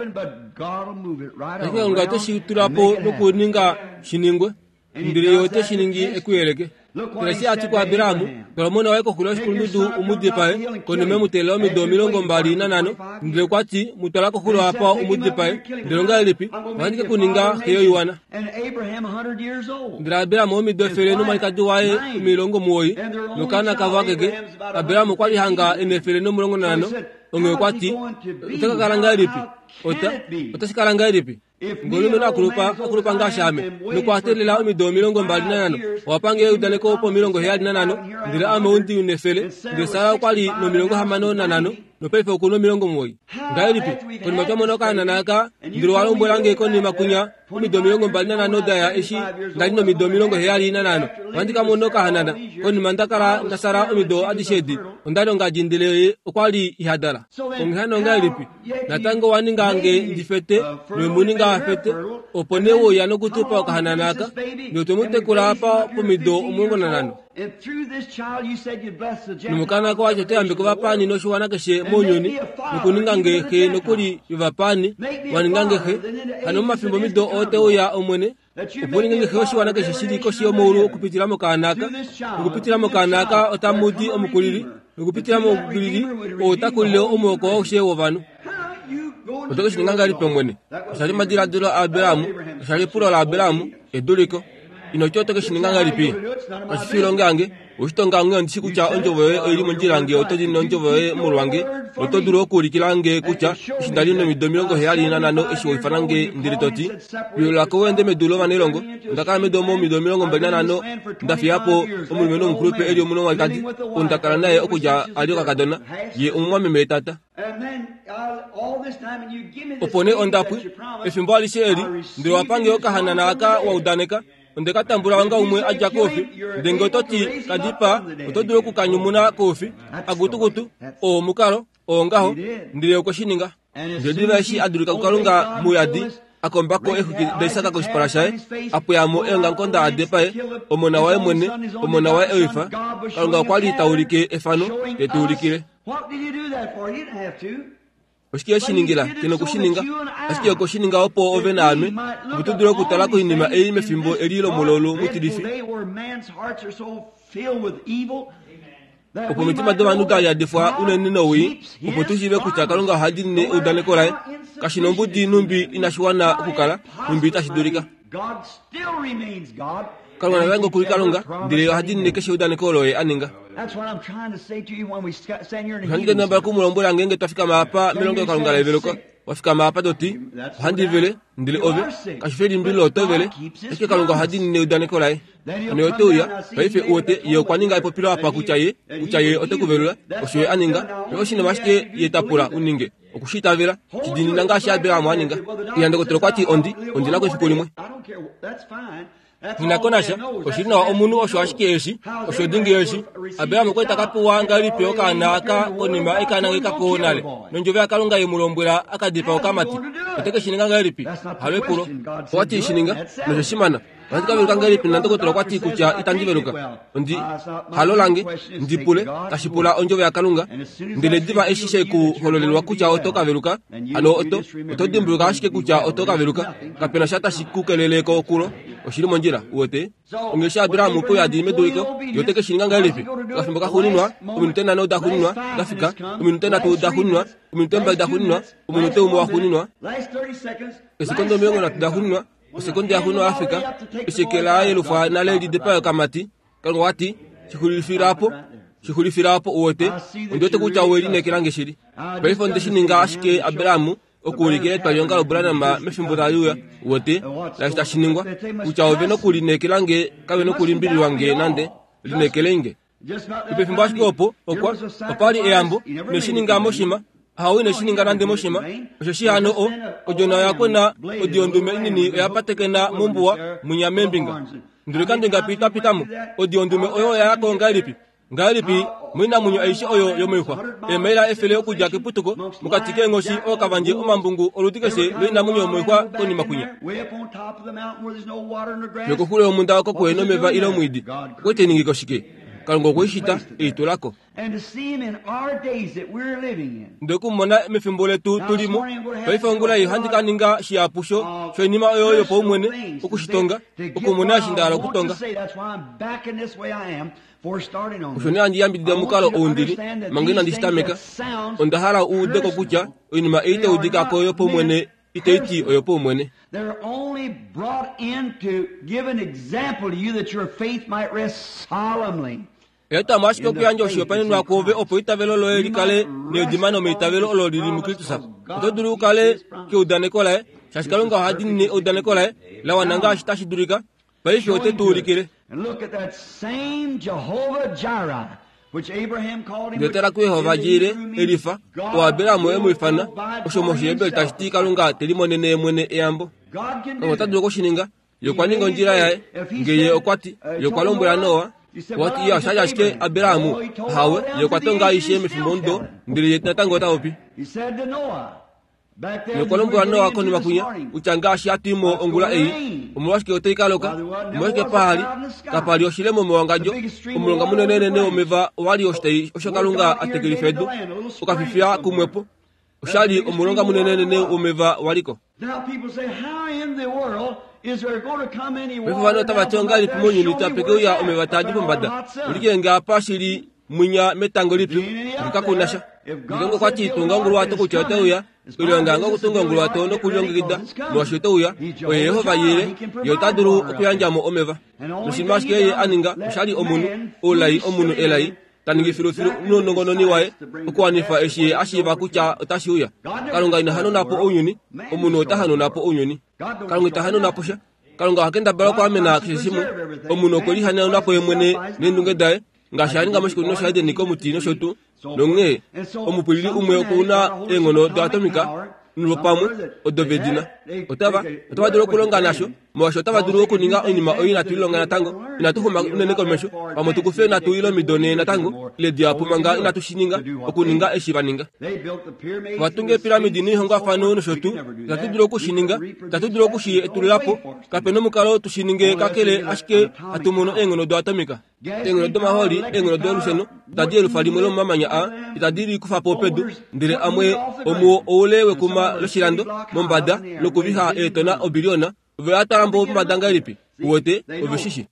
Ashike Kalunga oteshi tula po nokuninga shiningwe ndele ye ote shi ningi ekuyeleke. Ndele eshi ati kuAbrahamu twala omona waye koxulo yoshikulundudu umudipae konima emuteelela omido omilongo mbali nanhano ndele okwati mutwala koxulo apa umudipae ndele ongahelipi ohandi ke kuninga xe yoiwana. Ndele Abrahamu omido efele nomwalikadi waye omilongo muwoi nokaana kavo akeke. Abrahamu okwali hanga ena efele nomulongo nanhano onghee okwati ota ka kala ngahelipi ota otashi kala ngahelipi ngolumenhu akulupa akulupa ngaashi ame nokwateelela omido omilongo mbali nanhano owapange eudaneko pomilongo heyali nanhano ndele ame ondi nefele ndele Sara okwali nomilongo hamano nanhano nopaife okuna omilongo muwoi. Ngahelipi konima twamona okahanana aka ndele owalombwelange konima kunya omido omilongo mbali nanhano daya eshi ndali nomido omilongo heyali nanhano ohandi kamona okahanana konima ndakala ndasala omido adishe edi ondali ongadji ndele ye okwali ihadala. Onghee hano ongahelipi natango waninga nge ndifete nowemuninga afete opo nee wouya nokutupa okahanana aka ndele otwemutekula apa pomido omulongo nanhano. Nomokana wacho otoyambeka ovapaani noshiwana keshe mounyuni nokuninga nge xe nokuli yovapaani waninga nge xe. Hano momafimbo mido oo teuya Omwene opo uninge nge xe oshiwana keshe shili koshi yomaulu okupitila mokaana aka. Nokupitila mokaana aka otamudi omukulili nokupitila momukulili oo otakulile omuhoko aushe wovanhu. Oto ke shi ninga ngahelipi Omwene? Osha li omadiladilo aAbrahamu, osha li epulo laAbrahamu, eduliko. Ino ti oto ke shi ninga ngahelipi? Kashi fi oilonga yange. Oshitonga onghee ondi shi kutya ondjovo yoye oili mondjila nge oto diinine ondjovo yoye molwange, noto dulu okuulikila nge kutya eshi nda li nomido omilongo heyali nanhano eshi wa ifana nge ndele to ti, Pilula ko u ende medu lovanailongo. Onda kala medu omo omido omilongo mbali nanhano, nda fiya po omulumenhu omukulupe e li omwalikadi, ou nda kala naye okudja a li okakadona, ye omumwameme etata. Opo nee onda pwi, efimbo alishe eli, ndele wa pa nge okahanana aka wa udaneka. Onde ka tambula onga umwe a dja koufi, ndele nge oto ti ka dipaa, oto dulu oku ka nyumuna koufi. Akutukutu, oo omukalo, oo ngaho, ndele okwe shi ninga. Ndele diva eshi a dulika kuKalunga mouyadi, a komba ko exwiki daIsak koshipala shaye, a pweya mo eongamukonda a dipae omona waye mwene, omona waye ewifa. Kalunga okwa li ta ulike efano, te tu ulikile. Oshike e shi ningila? Ke noku shi ninga. Ashike okwe shi ninga opo ove naame, opo tu dule okutala koinima ei mefimbo eli lomulaulu mutilifi, opo omitima dovanhu da yadifwa unene nowii, opo tu shiive kutya Kalunga oha diinine eudaneko laye. Kashi nombudi nhumbi inashi wana okukala, nhumbi itashi dulika. Kalunga natango oku li Kalunga, ndele oha diinine keshe eudaneko olo ye a ninga. Ohandi kendabala oku mu lombwela ngeenge twa fikama apa melongelokalunga leveluko. Wa fikama apa to ti, Ohandi vele, ndele ove, kashi fi elimbililo oto vele, ashike Kalunga oha diinine eudaneko laye. Hano ye ote uya, paife uwete, ye okwa ninga epopilo apa kutya ye, kutya ye ote ku velula, osho ye a ninga. Paife oshinima ashike ye ta pula u ninge, oku shi itavela, shi diinina ngaashi Abraham a ninga. Iya, ndokotola okwa ti, Ondi, ondi na ko efiku limwe. Nghi na ko nasha, oshi li nawa omunhu osho ashike eshi, osho dingi eshi. Abraham okwa li ta ka pewa ngahelipi okaana aka konima e ka nangeka ko nale, nondjovo yaKalunga ye mu lombwela a ka dipaa okamati? Ote ke shi ninga ngahelipi? Halo epulo. Okwa ti, Shi ninga, noshe shi mana. Ohandi ka veluka ngahelipi nandokotola okwa ti kutya itandi veluka? Ondi halo lange, ndi pule, tashi pula ondjovo yaKalunga. Ndele diva eshi she ku hololelwa kutya oto ka veluka, hano oto, oto dimbuluka ashike kutya oto ka veluka. Kapena sha tashi ku kelele ko kulo. Oshi li mondjila, uwete. Onghee eshi Abraham opo a di meduliko, ye ote ke shi ninga ngahelipi? Okafimbo kaxuuninwa, ominute nhano daxuuninwa da fika, ominute nhatu daxuuninwa, ominute mbali daxuuninwa, omunute umwe waxuuninwa, esekonde omilongo nhatu daxuuninwa, osekonde yaxuuninwa ya fika, eshi eke la yelufwa nale li dipae okamati. Kalunga okwa ti, Shi xulifila opo, shi xulifila opo, uwete. Ondi wete kutya owe lineekela nge shili. Paife onde shi ninga ashike Abraham okuulikila etwalihonga loBranham mefimbo tali uya, uwete, laashi tashi ningwa, kutya ove nokulineekela nge, kave nokulimbililwa nge nande, lineekele nge. Pefimbo ashike opo, okwa, opa li eyambo, ine shi ninga moshima, Ahawe ine shi ninga nande moshima, osheshi hano o, odjona oya kwena, odi yondume inini oya patekena mombuwa, mwinya meembinga. Ndele kande ngapi twa pita mo, odi yondume oyo oya ya ko ngahelipi? Ngahelipi moinamwenyo aishe oyo yomoixwa, eemaila efele okudja keputuko, mokati keenghoshi ookavandje omambungu oludi keshe loinamwenyo yomoixwa konima kwinya? Nokoxulo yomhunda oko kuhe nomeva ile omwiidi, okwe te ningiko shike? Kalunga okwe i shita, e i tula ko. Ndele oku mu mona mefimbo letu tu li mo paife ongula ei, ohandi ka ninga shihapu sho, shoinima oyo yopaumwene, oku shi tonga, okumona eshi nda hala okutonga. Osho nee handi yambidida omukalo ou ndi li, manga inandi shi tameka. Onda hala u ude ko kutya oinima ei tai udika ko yopaumwene itai ti oyopaumwene. Oya twa mo ashike okuyandja oshihopaenenwa kwoove opo eitavelo loye li kale needimano meitavelo olo li li muKristus. Oto dulu u kale keudaneko laye, shaashi Kalunga oha diinine eudaneko laye la wana ngaashi tashi dulika. Paife ote tu ulikile. Ndele tala kuJehova Jire, Elifa, oo Abraham e mu ifana, osho mOshiheberi tashi ti Kalunga te limonene ye mwene eyambo. Kalunga ota dulu oku shi ninga. Ye okwa ninga ondjila yaye. Nge ye okwa ti, ye okwa lombwela Noa, okwa ti, Iya, osha li ashike Abraham. Ahawe, ye okwa tonga aishe mefimbomudo, ndele ye natango ota popi. Ye okwa lombwela Noa konima kwinya, kutya ngaashi hatu i mo ongula ei, omolwashike otai ka loka, omolwashike paha li, kapa li oshilemo mewangadjo, omulonga munenenene womeva owa li oshitai osho Kalunga a tekelifa edu, okafifiya kumwepo. Osha li omulonga munenenene womeva wa li ko. Paife ovanhu otava ti ongahelipi mounyuni tape ke uya omeva taa di pombada? Ulikile nge apa shi li mwinya metango lipyu ndikakunasha ndilongo kwati tunga onguluwato kutya otauya ilonga okutunga onguluwato nokulilongekida molwaashi otauya oye Yehova yile ye ota dulu okuyandjamo omeva noshinima ashike ye aninga oshali omunhu oulai omunhu elai taningi filufilu nounongononi waye okuwanifa eshi ye ashiiva kutya otashi uya. Kalunga ina hanauna po ounyuni, omunhu ota hanauna po ounyuni. Kalunga ita hanauna po sha. Kalunga oha kendabala okwaamena keshe shimwe. Omunhu okwe lihanauna po ye mwene neendunge daye ngaashi a ninga moshikunino shaEdeni komuti nosho tuu. Nonghee omupwilili umwe okuna eenghono doatomika nolwopamwe odo vedina. Otava otava dulu okulonga nasho molwaashi otava dulu okuninga oinima oyo inatu lilonga natango. Inatu xuma unene komesho, pamwe tukufe natu ile omido nhee natango ile dihapu manga inatu shi ninga okuninga eshi va ninga. Vatunga eepiramidi noihongwafano nosho tuu. Itatu dulu oku shi ninga, itatu dulu oku shi etulula po. Kape nomukalo tu shi ninge kakele ashike hatu mono eenghono doatomika. Eenghono domahooli, eenghono dolusheno itadi yelufa limwe lomomamanya aa, itadi likufa po pedu, ndele amwe omuo oule wekuma loshilando mombada nokuviha eetona obiliona. Ove a twala mo pombada ngahelipi? Uwete, ove shishi.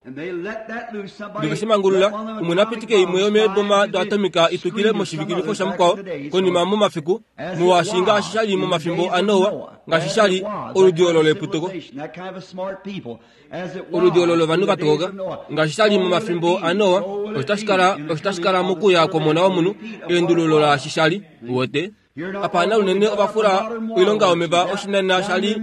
Ndele shimangulula, umwe napitike imwe yomeeboma doatomika itukile moshivikilifo shamukwao konima momafiku, molwaashi ngaashi shali momafimbo aNoa, ngaashi shali oludi olo leputuko, oludi olo lovanhu vatokoka, ngaashi shali momafimbo aNoa, otashi kala otashi kala mokuya kwomona womunhu, eendululo laashi shali. Uwete, apana unene ovafula oilonga yomeva oshinana shali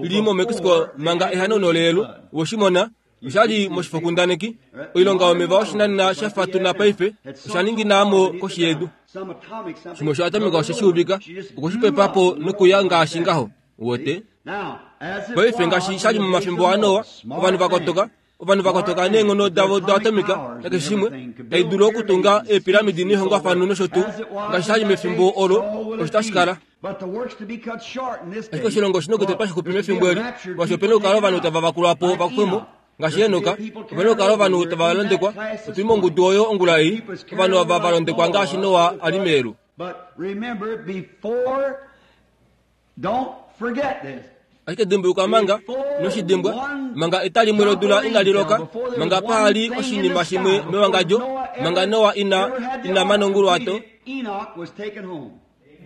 li moMexico manga ehanauno leyelu woshimona oshali moshifokundaneki. Oilonga yomeva oshinana shafatuna paife osha ninginamo koshi yedu. Shimwe oshoatomika oshe shiuvika okushipepa po nokuya ngaashi ngaho. Uwete, paife ngaashi shali momafimbo aNoa, ovanhu vakotoka ovanhu vakotoka neenghono davo doatomika nakeshe shimwe tai dulu okutunga eepiramidi noihongwafano nosho tuu, ngaashi shali mefimbo olo osho tashi kala. Ashike oshilongo oshina okutetwa shixupi mefimbo eli, molwaashi opena okukala ovanhu tava vakulwa po vakufwe mo ngaashi Henoka, opena okukala ovanhu tava londekwa. Otuli mongudu oyo ongula ei, ovanhu ava va londekwa ngaashi Noa a li meyelu. Ashike dimbuluka manga noshidimbwa, manga eta limwe lodula inali loka, manga pahali oshinima shimwe mewangadjo, manga Noa ina ina mana onguluwato,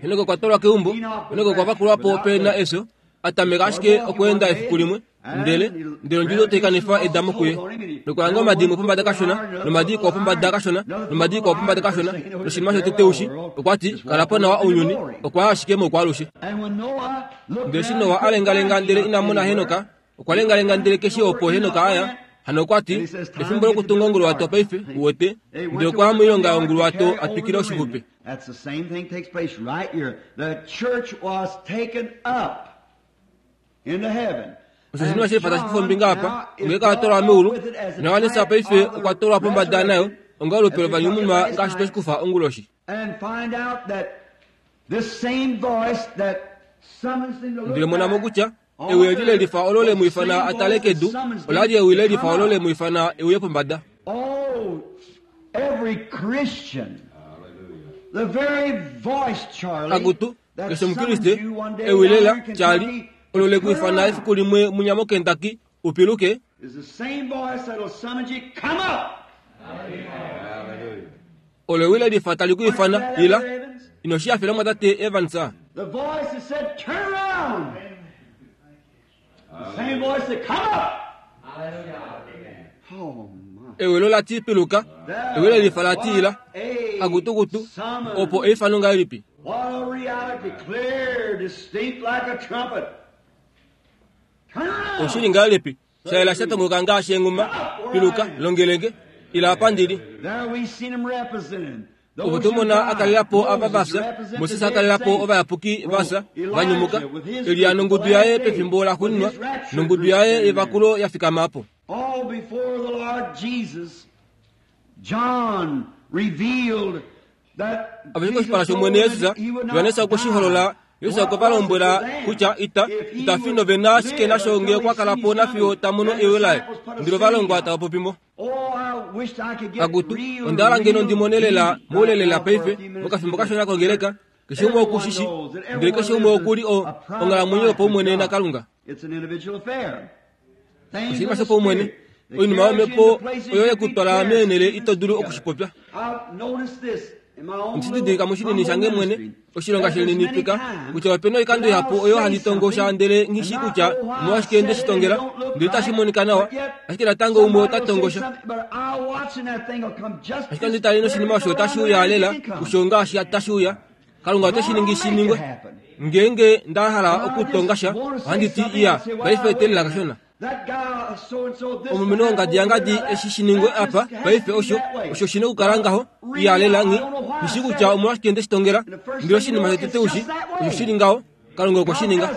Henoko okwa twalwa keumbo. Henoko okwa vakulwa po pena efyo, a tameka ashike okweenda efiku limwe, ndele ndele ondjudo tai kanifa edamo kuye. Nokuhanga omadimo pombada kashona, nomadi ikwao pombada kashona, nomadi ikwao pombada kashona, noshinima shotete ushi, okwa ti, kala po nawa ounyuni, okwa ya ashike moukwaalushe. Ndele eshi Noa a lengalenga ndele ina mona Henoka, okwa lengalenga ndele keshe opo Henoka a ya, hano okwa ti, efimbo lokutunga onguluwato paife, uwete, ndele okwa ya moilonga yonguluwato a twikile oshixupe. That's the same thing takes place right here. The church was taken up into heaven. Osho oshinima shelifa tashi kufa ombinga apa, ongeleka ya twalwa meulu, naJohannes paife okwa twalwa pombada nayo, onga olupe lovanyumunwa ngaashi tweshi kufa onguloshi. And find out that this same voice that summons him to look Ndele mona mo back kutya ewi eli lelifa olo le mu ifana a tale kedu, ola li ewi lelifa olo le mu ifana e uye pombada. Oh, every Christian, the very voice, Charlie, Akutu, that keshe summons Omukriste, you one day ewi lela down in Charlie, Kentucky, olo le ku turn ifana around, efiku limwe munya moKentucky, upiluke, is the same voice that'll summon you, come up. olo ewi lelifa tali ku ifana, ila, ino shi hafela mwatate Evans. The voice that said, turn around. The same voice that come up. Oh, my. Ewi olo lati piluka, ewi lelifa lati ila, akutukutu, opo eifano ngahelipi. What a reality, clear, distinct like a trumpet. Turn around. Oshili ngahelipi, shayela shatongoka ngaashi enghuma, piluka, longelenge, ila apa ndili. There we seen him represented. Opo Those tumona who died, akalela po ava Moses vafya, represented Moses the akalela po dead ovayapuki saints. vafya, Elijah vanyumuka, with his Elia group, nongudu the yaye last day, pefimbo la with xuuninwa, his rapture nongudu group yaye standing yevakulo ya fikama po. All before the Lord Jesus, John revealed that Avashike Jesus oshipala told shOmwene him Jesus, he would not Johannes okwe shi holola, die. Jesus What okwe va was it lombwela to them kutya ita, if he ita fi would novena ashike live nasho until ngee he okwa kala po sees nafiyo coming? ta mono Then the ewi laye. disciples put a Ndele ovalongwa seal tava popi mo. Oh, I wished I could get Akutu, real, onda hala ngeno real ndi mone lela, deep moule lela right now for a paife, few minutes. mokafimbo kashona kongeleka, keshe umwe okushishi, ndele keshe umwe okuli o onghalamwenyo yopaumwene naKalunga. It's an individual affair. Things Oshinima of the shopaumwene, Spirit. Oinima yomhepo oyo yekutwala meenhele ito dulu okushipopya. Ndididilika moshinini shange mwene oshilonga shelinenipika kutya opena oikando ihapu oyo handi tongosha ndele nghishi kutya omolwashike nde shi tongela ndele itashi monika nawa ashike natango umwe ota tongosha ashike ndi tale noshinima osho otashi uya lela kusho ngaashi tashi uya Kalunga ote shi ningi shi ningwe ngeenge nda hala okutongasha ohandi ti iya paife telela kashona omumeno wongadi yangadi eshi shiningwe apa paife osho osho shina okukala ngaho iya lela nghi nghishi kutya omolwashike nde shi tongela ndele oshinima shotete ushi osho shili ngaho Kalunga okwe shi ninga.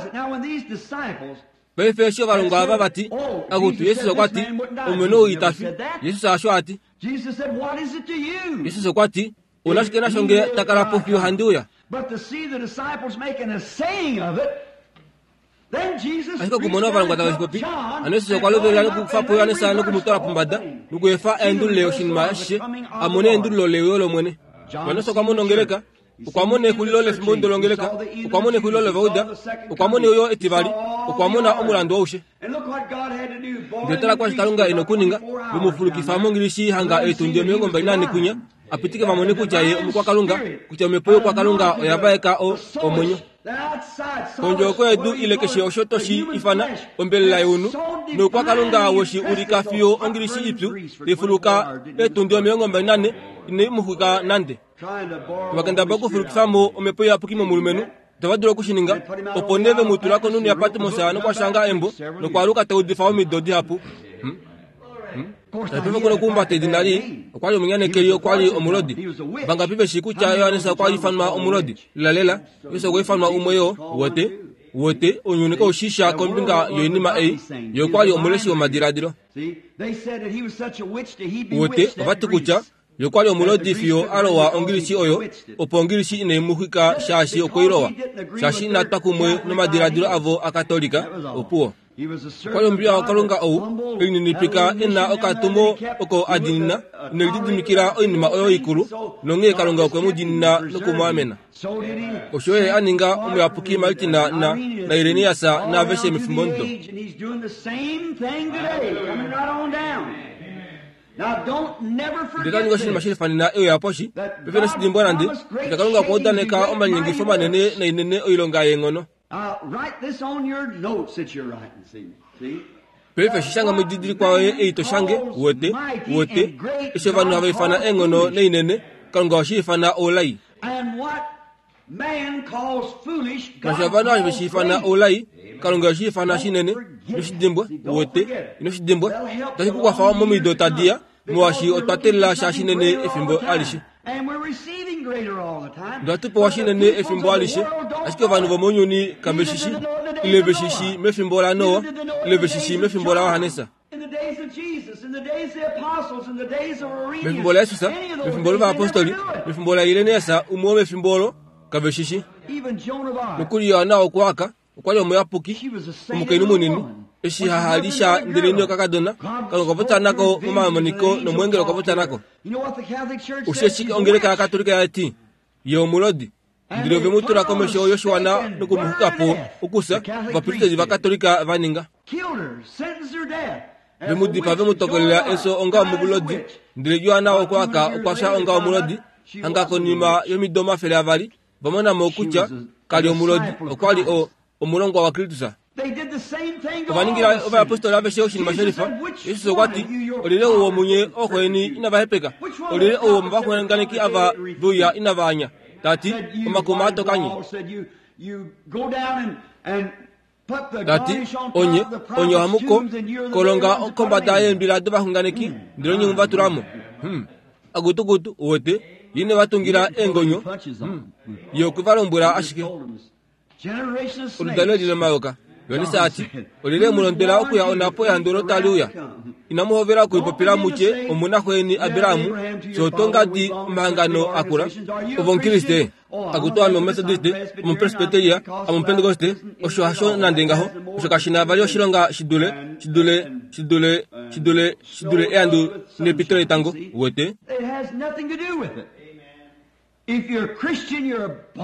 Paife eshi ovalongwa ava vati akutu Jesus okwa ti omumeno ou ita fi. Jesus asho ati. Jesus okwa ti onashike nasho nge takala po fiyo handi uya. Ashike okumona ovalongwa tave shi popi hano Jesus okwa lovelela nokukufa po Johannes nokumutwala pombada nokuefa a endulule oshinima ashishe a mone endululo leuyo lOmwene. Johannes okwa mona ongeleka okwa mona exulilo lefimbo longeleka okwa mona exulilo lovauda okwa mona euyo etivali okwa mona omulandu aushe. Ndele tala kwashi Kalunga ena okuninga vemufulukifa mongilishi hanga eetundi omilongo mbali nane kunya apitike vamone kutya ye omukwakalunga kutya omhepo youkwakalunga oya vaeka o omwenyo. Kondjo yedu ile keshe osho toshi ifana ombelela younhu noukwakalunga weshi ulika fiyo ongilishi ipyu lifuluka eetundi omilongo mbali nane inai muxwika nande. Vakendaba okufulukifamo omhepo iyapuki momulumenhu itava dulu okushininga opo nee vemutula konhunhu yaPatmos nokwashanga embo nokwaaluka taudifa omido dihapu. Paife kuna okuhumbata edina lii okwa li omunyanekeli okwa li omulodi. Vangapi veshi kutya Johannes okwa ifanwa omulodi? Lelalela Jesus okwa ifanwa umwe yoo wote wote ounyuni kaushisha kombinga yoinima ei ye okwa li omuleshi womadiladilo. Wote ovati kutya ye okwa li omulodi fiyo alowa ongilishi oyo opo ongilishi inai muxwika shaashi okweilowa shaashi inatwa kumwe nomadiladilo avo akatolika opuwo. Okwa li omupiya waKalunga ou elininipika ena okatumo oko a diinina inelididimikila oinima oyo ikulu nonghee Kalunga okwe mu diinina nokumwaamena. Osho ye a ninga omuyapuki Martin na na Irenaeus naaveshe mefimbo ndo. Ndele kaninga oshinima shilifanena euya poshi paife noshidimbwa nande kutya Kalunga okwa udaneka omalinyengifo manene nainene oilonga yeenghono. Paife shishanga moididilikwa yoye ei to shange wote wote eshi ovanhu hava ifana eenghono nainene Kalunga oshi ifana oulai. Ngaashi ovanhu have shi ifana oulai Kalunga oshi ifana shinene noshidimbwa wote noshidimbwa otashi ku kwafa momido tadiya molwaashi otwa teelela sha shinene efimbo alishe. Ndele pewa shinene efimbo alishe ashike ovanhu vomounyuni kave shi shi ile ve shi shi mefimbo laNoa ile ve shi shi mefimbo laJohannes. Mefimbo laJesus, mefimbo lovayapostoli, mefimbo laIrenaeus umwe womefimbo olo kave shi shi. Nokuli Johanna wokuwaka okwa li omuyapuki omukainhu munini eshi hahali sha ndeleni okakadona Kalunga okwa popya nako momamoniko nomweengeli okwa popya nako. Osheshi ongeleka yaKatolika yati ye omulodi ndele ove mu tula komesho yoshiwana nokumuxuka po okusa ovapristeli vaKatolika va ninga. Vemudipaa vemutokolela efyo onga omulodi ndele Johanna wokuwaka okwa fya onga omulodi hanga konima yomido omafele avali vamonamo kutya kali omulodi okwa li o omulongwa waKristus. Ovaningila ovayapostoli aveshe oshinima shelifa. Jesus okwa ti olyelye ou womunye ooxweni inava hepeka olyelye ou womovaxunganeki ava veuya inava anya tati omakuma atokanye tati onye onye ohamuko kolonga kombada yeembila dovaxunganeki ndele onye muvatulamo. Hmm. Agutugutu wote yine vatungila eengonyo. Hmm. Ye okwe valombwela ashike oludalo lilomayoka. Johannes ati olyelye mulondwela okuya onapo ehandu olo tali uya. Inamuhovela okuipopila mutye omunaxweni Abrahamu sho tongadi omahangano akula ovomukriste akutu ame omumethodiste omupresbyteria omupentekoste osho hasho nande ngaho osho kashina vali oshilonga shidule shidule shidule shidule shidule ehandu nepito letango wote.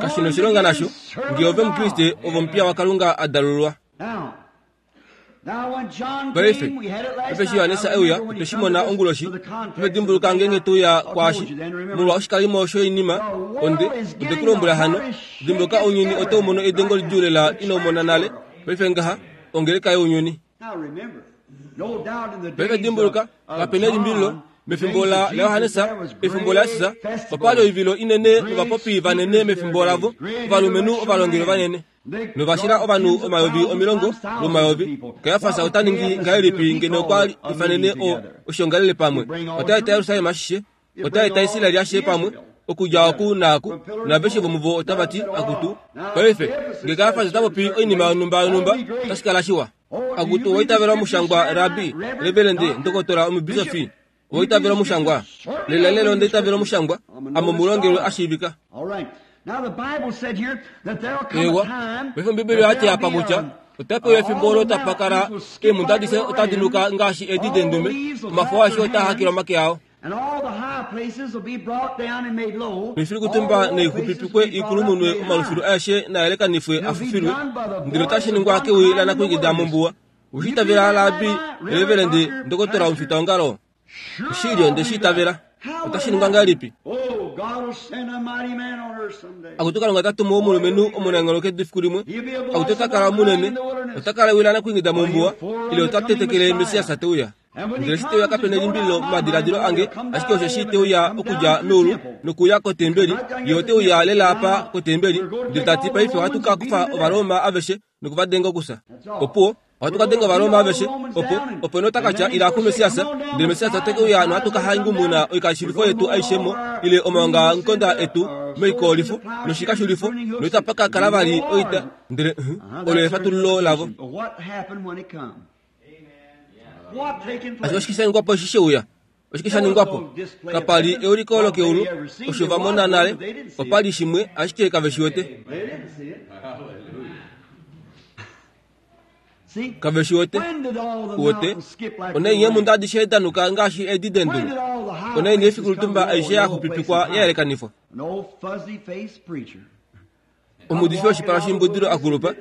Kashina oshilonga nasho ngee ove omukriste ove omupiya waKalunga a dalulwa. Paife eshi Johannes euya otweshimona onguloshi pefedimbuluka ngenge tuya kwashi molwa oshikalimo shoinima onde onde kulombwela hano dimbuluka ounyuni otaumono edengo lidjuu lela inoumona nale paife ngaha ongeleka younyuni. Paife dimbuluka kapena elimbililo mefimbo la Johannes efimbo la Jesus opali oivilo inene novapopi vanene mefimbo lavo ovalumenhu ovalongeli vanene novashila ovanhu omayovi omilongo lomayovi. Kayafas ota ningi ngahelipi ngeno okwa ifanene oshiongalele pamwe otaeta Yerusalem ashishe otaeta Israeli ashishe pamwe okudja oku naaku naveshe vomuvo otavati akutu. Paife nge Kayafas ota popi oinima yonhumba yonhumba otashi kala shiwa. Akutu owaitavela omushangwa rabi reverende ndokotola omubisofi owaitavela omushangwa lela lelo ondaitavela omushangwa amo mulongelwe ashiivika. Ewa paife Ombibeli oyati apa kutya otapewa efimbo olo tapakala eemhunda adishe otadi nuka ngaashi edi dendume omafo aeshe otaa hakilwa omake ao noifilikutumba noixupipikwe ikulumunwe omalufilu aeshe naayelekanifwe afufilwe ndele otashi ningwa kewi lanakwingida mombuwa. Oshitavela labi reverende ndokotola omufitaongalo oshili onde shiitavela otashi ningwa ngahelipi? Akutu Kalunga tatumu omulumenhu omunangelo kedu efiku limwe akutu otakala munene otakala ewi lanakwingida mombuwa ile otatetekele Messias teuya. Ndele eshi teuya kapena elimbililo momadiladilo ange ashike osho eshi teuya okudja meulu nokuya kotembeli ye oteuya lela apa kotembeli ndele tati paife ohatu ka kufa Ovaroma aveshe nokuvadenga okusa. Opuwo ohatu ka denga Ovaroma aveshe opo opo notakatya ila ku Messias ndele Messias otekeuya nohatu ka hangumuna oikashilifo yetu aishemo ile omaongamukonda etu moikolifo noshikashulifo noitapa kala vali oita ndele olo efatululo lavo. Ashike oshike sha ningwapo eshi sheuya? Oshike sha ningwapo? Kapali euliko lokeulu osho vamona nale opali shimwe ashike kave shi wete. Kave shi wete wote onaini eemhunda adishe danuka ngaashi edi dendume onaini efiku litumba aishe yaxupipikwa ya yelekanifwa. Omuudifi woshipala shimbudilo akulupa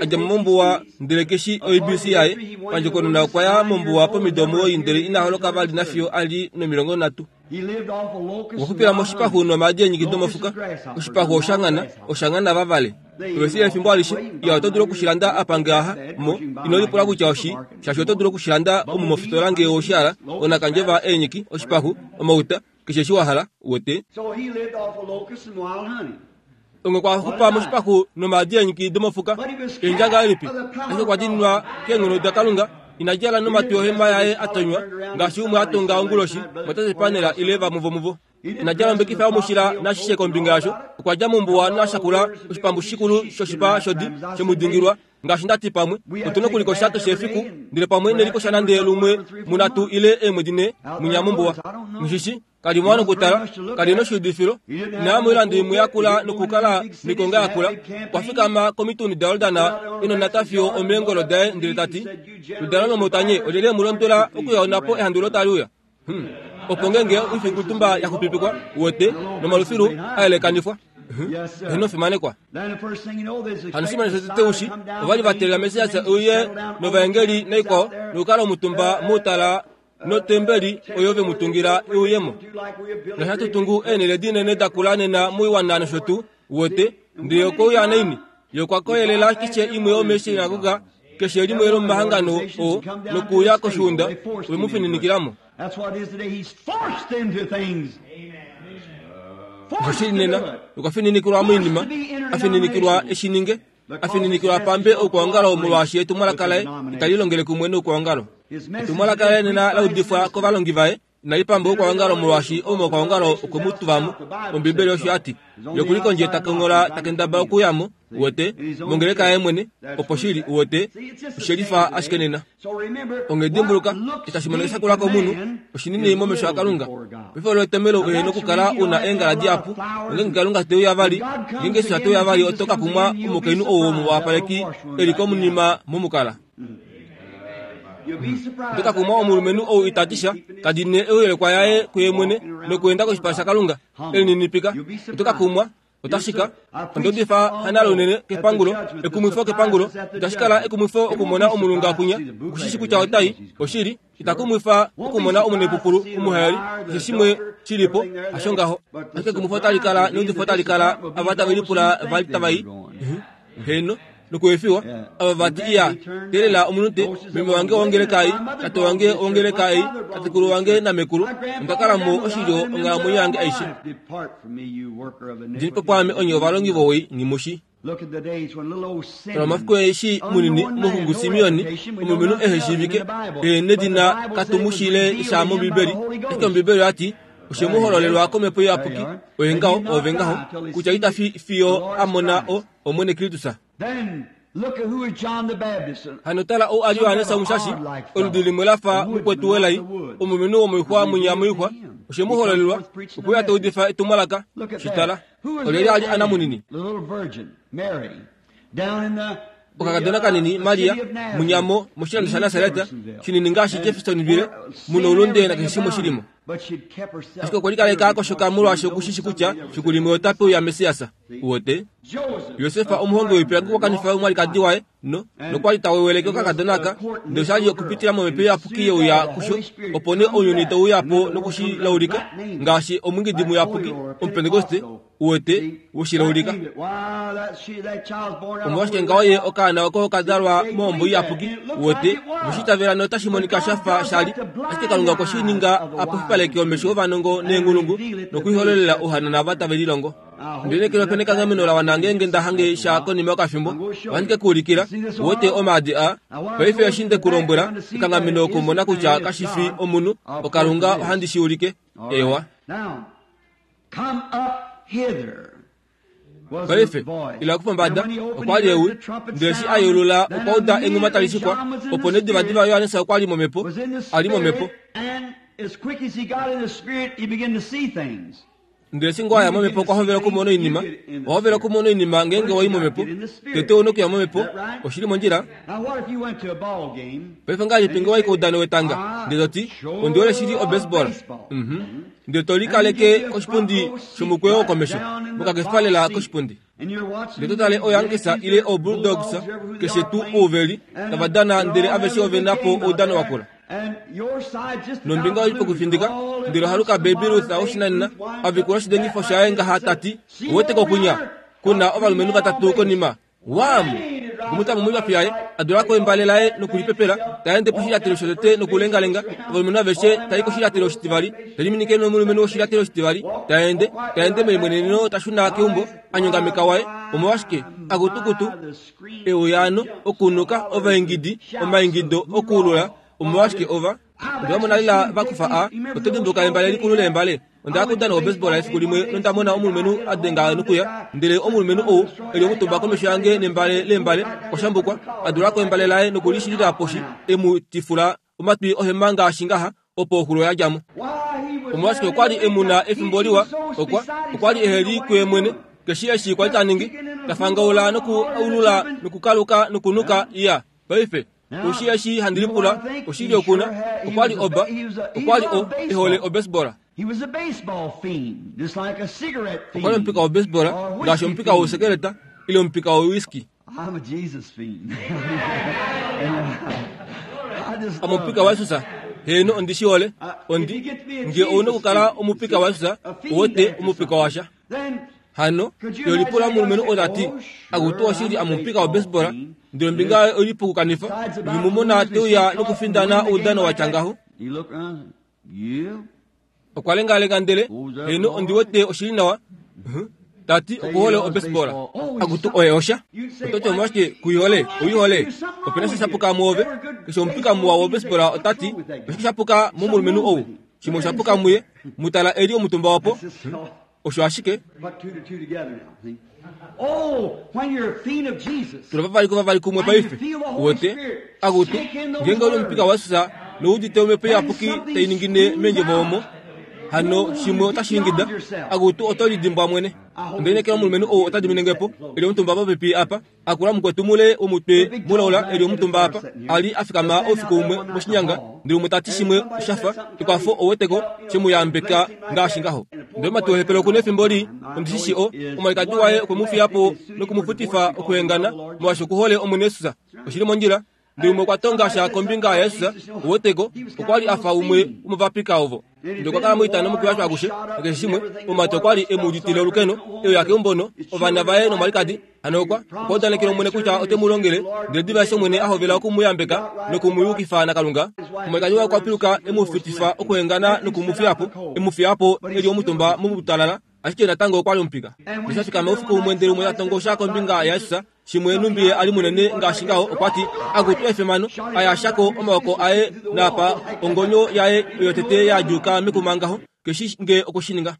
adja mombuwa ndele keshi O B C yaye pandjokonona okwa ya mombuwa pomido omuwoi ndele ina holoka vali nafiyo ali nomilongo nhatu. Okwa xupila moshipaxu nomaadi eenyiki domofuka oshipaxu oshangana oshangana vavale ovesile efimbo alishe iya oto dulu okushilanda apa ngaha mo ino lipula kutya oshi shaashi oto dulu okushilanda omu mofitola ngee oshihala onakandjeva eenyiki oshipaxu omauta keshe eshi wa hala wote. Onge kwa xupa moshipaxu nomaadi eenyiki domofuka endja ngahelipi ashike okwa diinwa keenghono daKalunga ina djala nomatwi ohema yaye atonywa ngaashi umwe atonga onguloshi motate panela ile vamwe vomuvo. Ina djala ombekifa yomushila nashishe kombinga yasho okwa dja mombuwa nashakula oshipambu shikulu shoshipa shodi shemudingilwa ngaashi ndati pamwe otuna okulikosha keshe efiku ndele pamwe nelikosha nande lumwe munatu ile eemwedi ne munya mombuwa. Mushishi kali mwana okutala kali noshiudifilo inaya moilando imwe yakula nokukala mikonga yakula okwafikama komituni daYordana inonata fiyo omeengolo daye ndele tati ludala nomotanye olyelye mulondola okuya ehandu tali uya. Opo ngenge oifikutumba yaxupipikwa wote nomalufilu ayelekanifwa enofimanekwa. Hano shimwe shotete ovali vatelela Messias euye novaengeli naikwao nokukala omutumba moutala notembeli oyo vemutungila euyemo. Nashatutungu eenele dinene dakula nena moiwana nosho tuu wote ndele okouya naini ye okwa koyelela keshe imwe yomeeshinagoga keshe limwe lomomahangano oo nokuuya koshiunda wemufininikilamo. Oshoshili nena okwa fininikilwa moinima afininikilwa eshininge afininikilwa pambe oukwaongalo molwaashi etumwalaka laye itali longele kumwe noukwaongalo. Etumwalaka laye nena laudifwa kovalongi vaye inali pamba oukwaongalo molwaashi omoukwaongalo okwe mu tuvamo. Ombibeli osho yati ye okuli kondje takonghola takendaba okuyamo wote mongeleka yaye mwene opo shili wote oshelifa ashike nena. Onge dimbuluka itashi monika shakula komunhu oshinini momesho aKalunga. Paife olo etomelo uhe nokukala una eengala dihapu ongenge Kalunga teuya vali ngenge Jesus teuya vali oto ka kumwa omukainhu ou womuwapaleki eli komunima momukala. Oto ka kumwa omulumenhu ou itatisha tadine euyelekwa yaye kuye mwene nokuenda koshipala shaKalunga elininipika. Oto ka kumwa Otashika ondodifa hanalunene kepangulo ekumwifo kepangulo otashikala ekumwifo okumona omulunga kunya kushishi kutya otai oshili itakumwifa okumona omunepupulu omuhayali keshe shimwe shilipo asho ngaho ashike ekumwifo otalikala neudifo otalikala ava tavelipula vali tavai heno nokuefiwa ava vati iya telela omunute meme wange wongeleka ei tate wange wongeleka ei tatekulu wange namekulu ondakala mo oshilyo onghalamwenyo yange aishe ndinipo pwaame onye ovalongi vowei ngimushi omafiku eshi munini muhungu Simeoni omulumenhu ehe shiivike nedina katumushile sha mOmbibeli ashike Ombibeli oyati oshemuhololelwa komhepo iyapuki oye ngaho ove ngaho kutya ita fiyo amona o Omwene Kristus. Hano tala ou ali Johannes Omushashi oludi limwe lafa mukwetu welai omulumenhu womoixwa munya moixwa oshemuhololelwa okuya taudifa etumwalaka shitala olyeli ali ana munini okakadona kanini Maria munyamo moshilando sha Nasareta shinini ngaashi Jeffersonville muno ulunde nakeshe shimwe shilimo ashike okwa likaleka akoshoka molwaasho okushishi kutya fiku limwe ota peuya Mesiasa uwote Yosefa omuhongi woipilangi okwa omwalikadi waye no nokwali taweweleke okakadona aka ndele oshali okupitila momhepo iyapuki yeuya kusho opo nee ounyuni teuyapo nokushilaulika ngaashi omwingidi muyapuki omupentekoste uwete woshilaulika omolwashike ngaho ye okaana oko okadalwa mohombo iyapuki uwete voshitavela notashi monika shafa shali ashike Kalunga okwe shi ninga apofipaleke omesho ovanongo neenghulungu nokuihololela ouhanana ava tave lilongo. Ndele kelo pene kanghameno la wana ngeenge nda hange sha konima yokafimbo ohandi ke kuulikila uwete omaadi a paife eshi nde kulombwela ekanghameno okumona kutya kashi fi omunhu okalunga ohandi shi ulike ewa. Paife ila kupombada okwa li ewi ndele eshi a yeulula okwa uda enghuma tali shikwa opo nee divadiva Johannes okwa li momhepo a li momhepo ndele eshi ngoo aya momhepo okwa hovela okumona oinima owa hovela okumona oinima ngeenge wai momhepo tete ouna okuya momhepo oshili mondjila. Paife ngahelipi ngee wai koudano wetanga ndele toti ondi hole shili obaseball ndele tolikaleke koshipundi shomukweyo wokomesho mokakefalela koshipundi ndele totale oYankees ile oBulldogs keshe tuu ouveli tava dana ndele aveshe ovena po oudano wakula nombinga oli pokufindika ndele ohaluka Baby Ruth woshinanena avikula oshidengifo shaye ngaha tati uwete kokunya kuna ovalumenhu vatatu konima wam kumutamo moipafi yaye adulako embale laye nokulipepela taende poshilyatelo shotete nokulengalenga ovalumenhu aveshe tai koshilyatelo oshitivali teliminike nomulumenhu woshilyatelo oshitivali taende taende melimweneneno tashuna keumbo anyongameka waye omolwashike akutukutu euyaano okunuka ovaingidi omaingido okuulula omolwashike ova ndewamona lela vakufa a oto dimbuka embale likulu lembale onda kudana obaseball efiku limwe nondamona omulumenhu adenga nokuya ndele omulumenhu ou eli omutumba komesho yange nembale lembale oshambukwa adulako embale laye nokulishilila poshi emu tifula omatwi ohema ngaashi ngaha opo oxulo yadjamo omolwashike okwali emuna efimbo liwa okwa okwali eheli kuye mwene keshi eshi kwali taningi tafangaula nokuulula nokukaluka nokunuka iya paife oshi eshi handilipula oshili okuna okwali oba okwali o ehole obaseball okwali omupika wobaseball ngaashi omupika wousekeleta ile omupika wowhiskey amupika waJesus heno ondi shihole ondi nge ouna okukala omupika waJesus owote omupika washa hano yolipula omulumenhu otati akutu oshili amupika wobaseball ndele ombinga olipukukanifa ngimumona teuya nokufindana oudano watya ngaho okwa lengalenga ndele heno ondi wete oshili nawa tati okuhole obaseball akutu oye osha ototi omolwashike kuihole oihole opena sha shapuka muove keshe omupika muwa wobaseball otati oshike shapuka momulumenhu ou shimwe oshapuka muye mutala eli omutumba wapo osho ashike tula vavali kovavali kumwe paife uwete akutu ngeenge oli omupika waJesus noudite omhepo iyapuki tainingine meendjovo omo Hano shimwe otashi ingida akutu oto lidimbwa mwene. Ndele omulumenhu ou ota diminenge po eli omutumba popepi apa akula mukwetu mule womutwe mulaula eli omutumba apa ali afikama oufiku umwe moshinyanga ndele umwe tati shimwe shafa ekwafo oweteko shemuyambeka ngaashi ngaho. Ndele matuhepelo okuna efimbo li ondishishi o omwalikadi waye okwemufiyapo nokumufutifa okuhengana molwaashi okuhole Omwene Yesus. Oshili mondjila. Ndele umwe okwa tonga sha kombinga yaYesus oweteko okwali afa umwe womovapika ovo. Ndele okwa kala moitano mokuyashwa akushe nakeshe shimwe omumati okwali emuuditile olukeno euya keumbono ovana vaye nomwalikadi. Hano okwa okwa udanekela Omwene kutya ote mu longele ndele diva eshi Omwene a hovela okumuyambeka nokumuyukifa naKalunga omwalikadi waye okwa piluka emufutifa okuhengana nokumufiyapo emufiyapo eli omutumba momutalala ashike natango okwali omupika. Ndele shafikama oufiku umwe ndele umwe ta tongo sha kombinga yaYesus shimwe numbi ali munene ngaashi ngaho okwati akutu efemano ayashako omaoko aye napa ongonyo yaye yotete yadjuka mekuma ngaho keshi nge okushininga.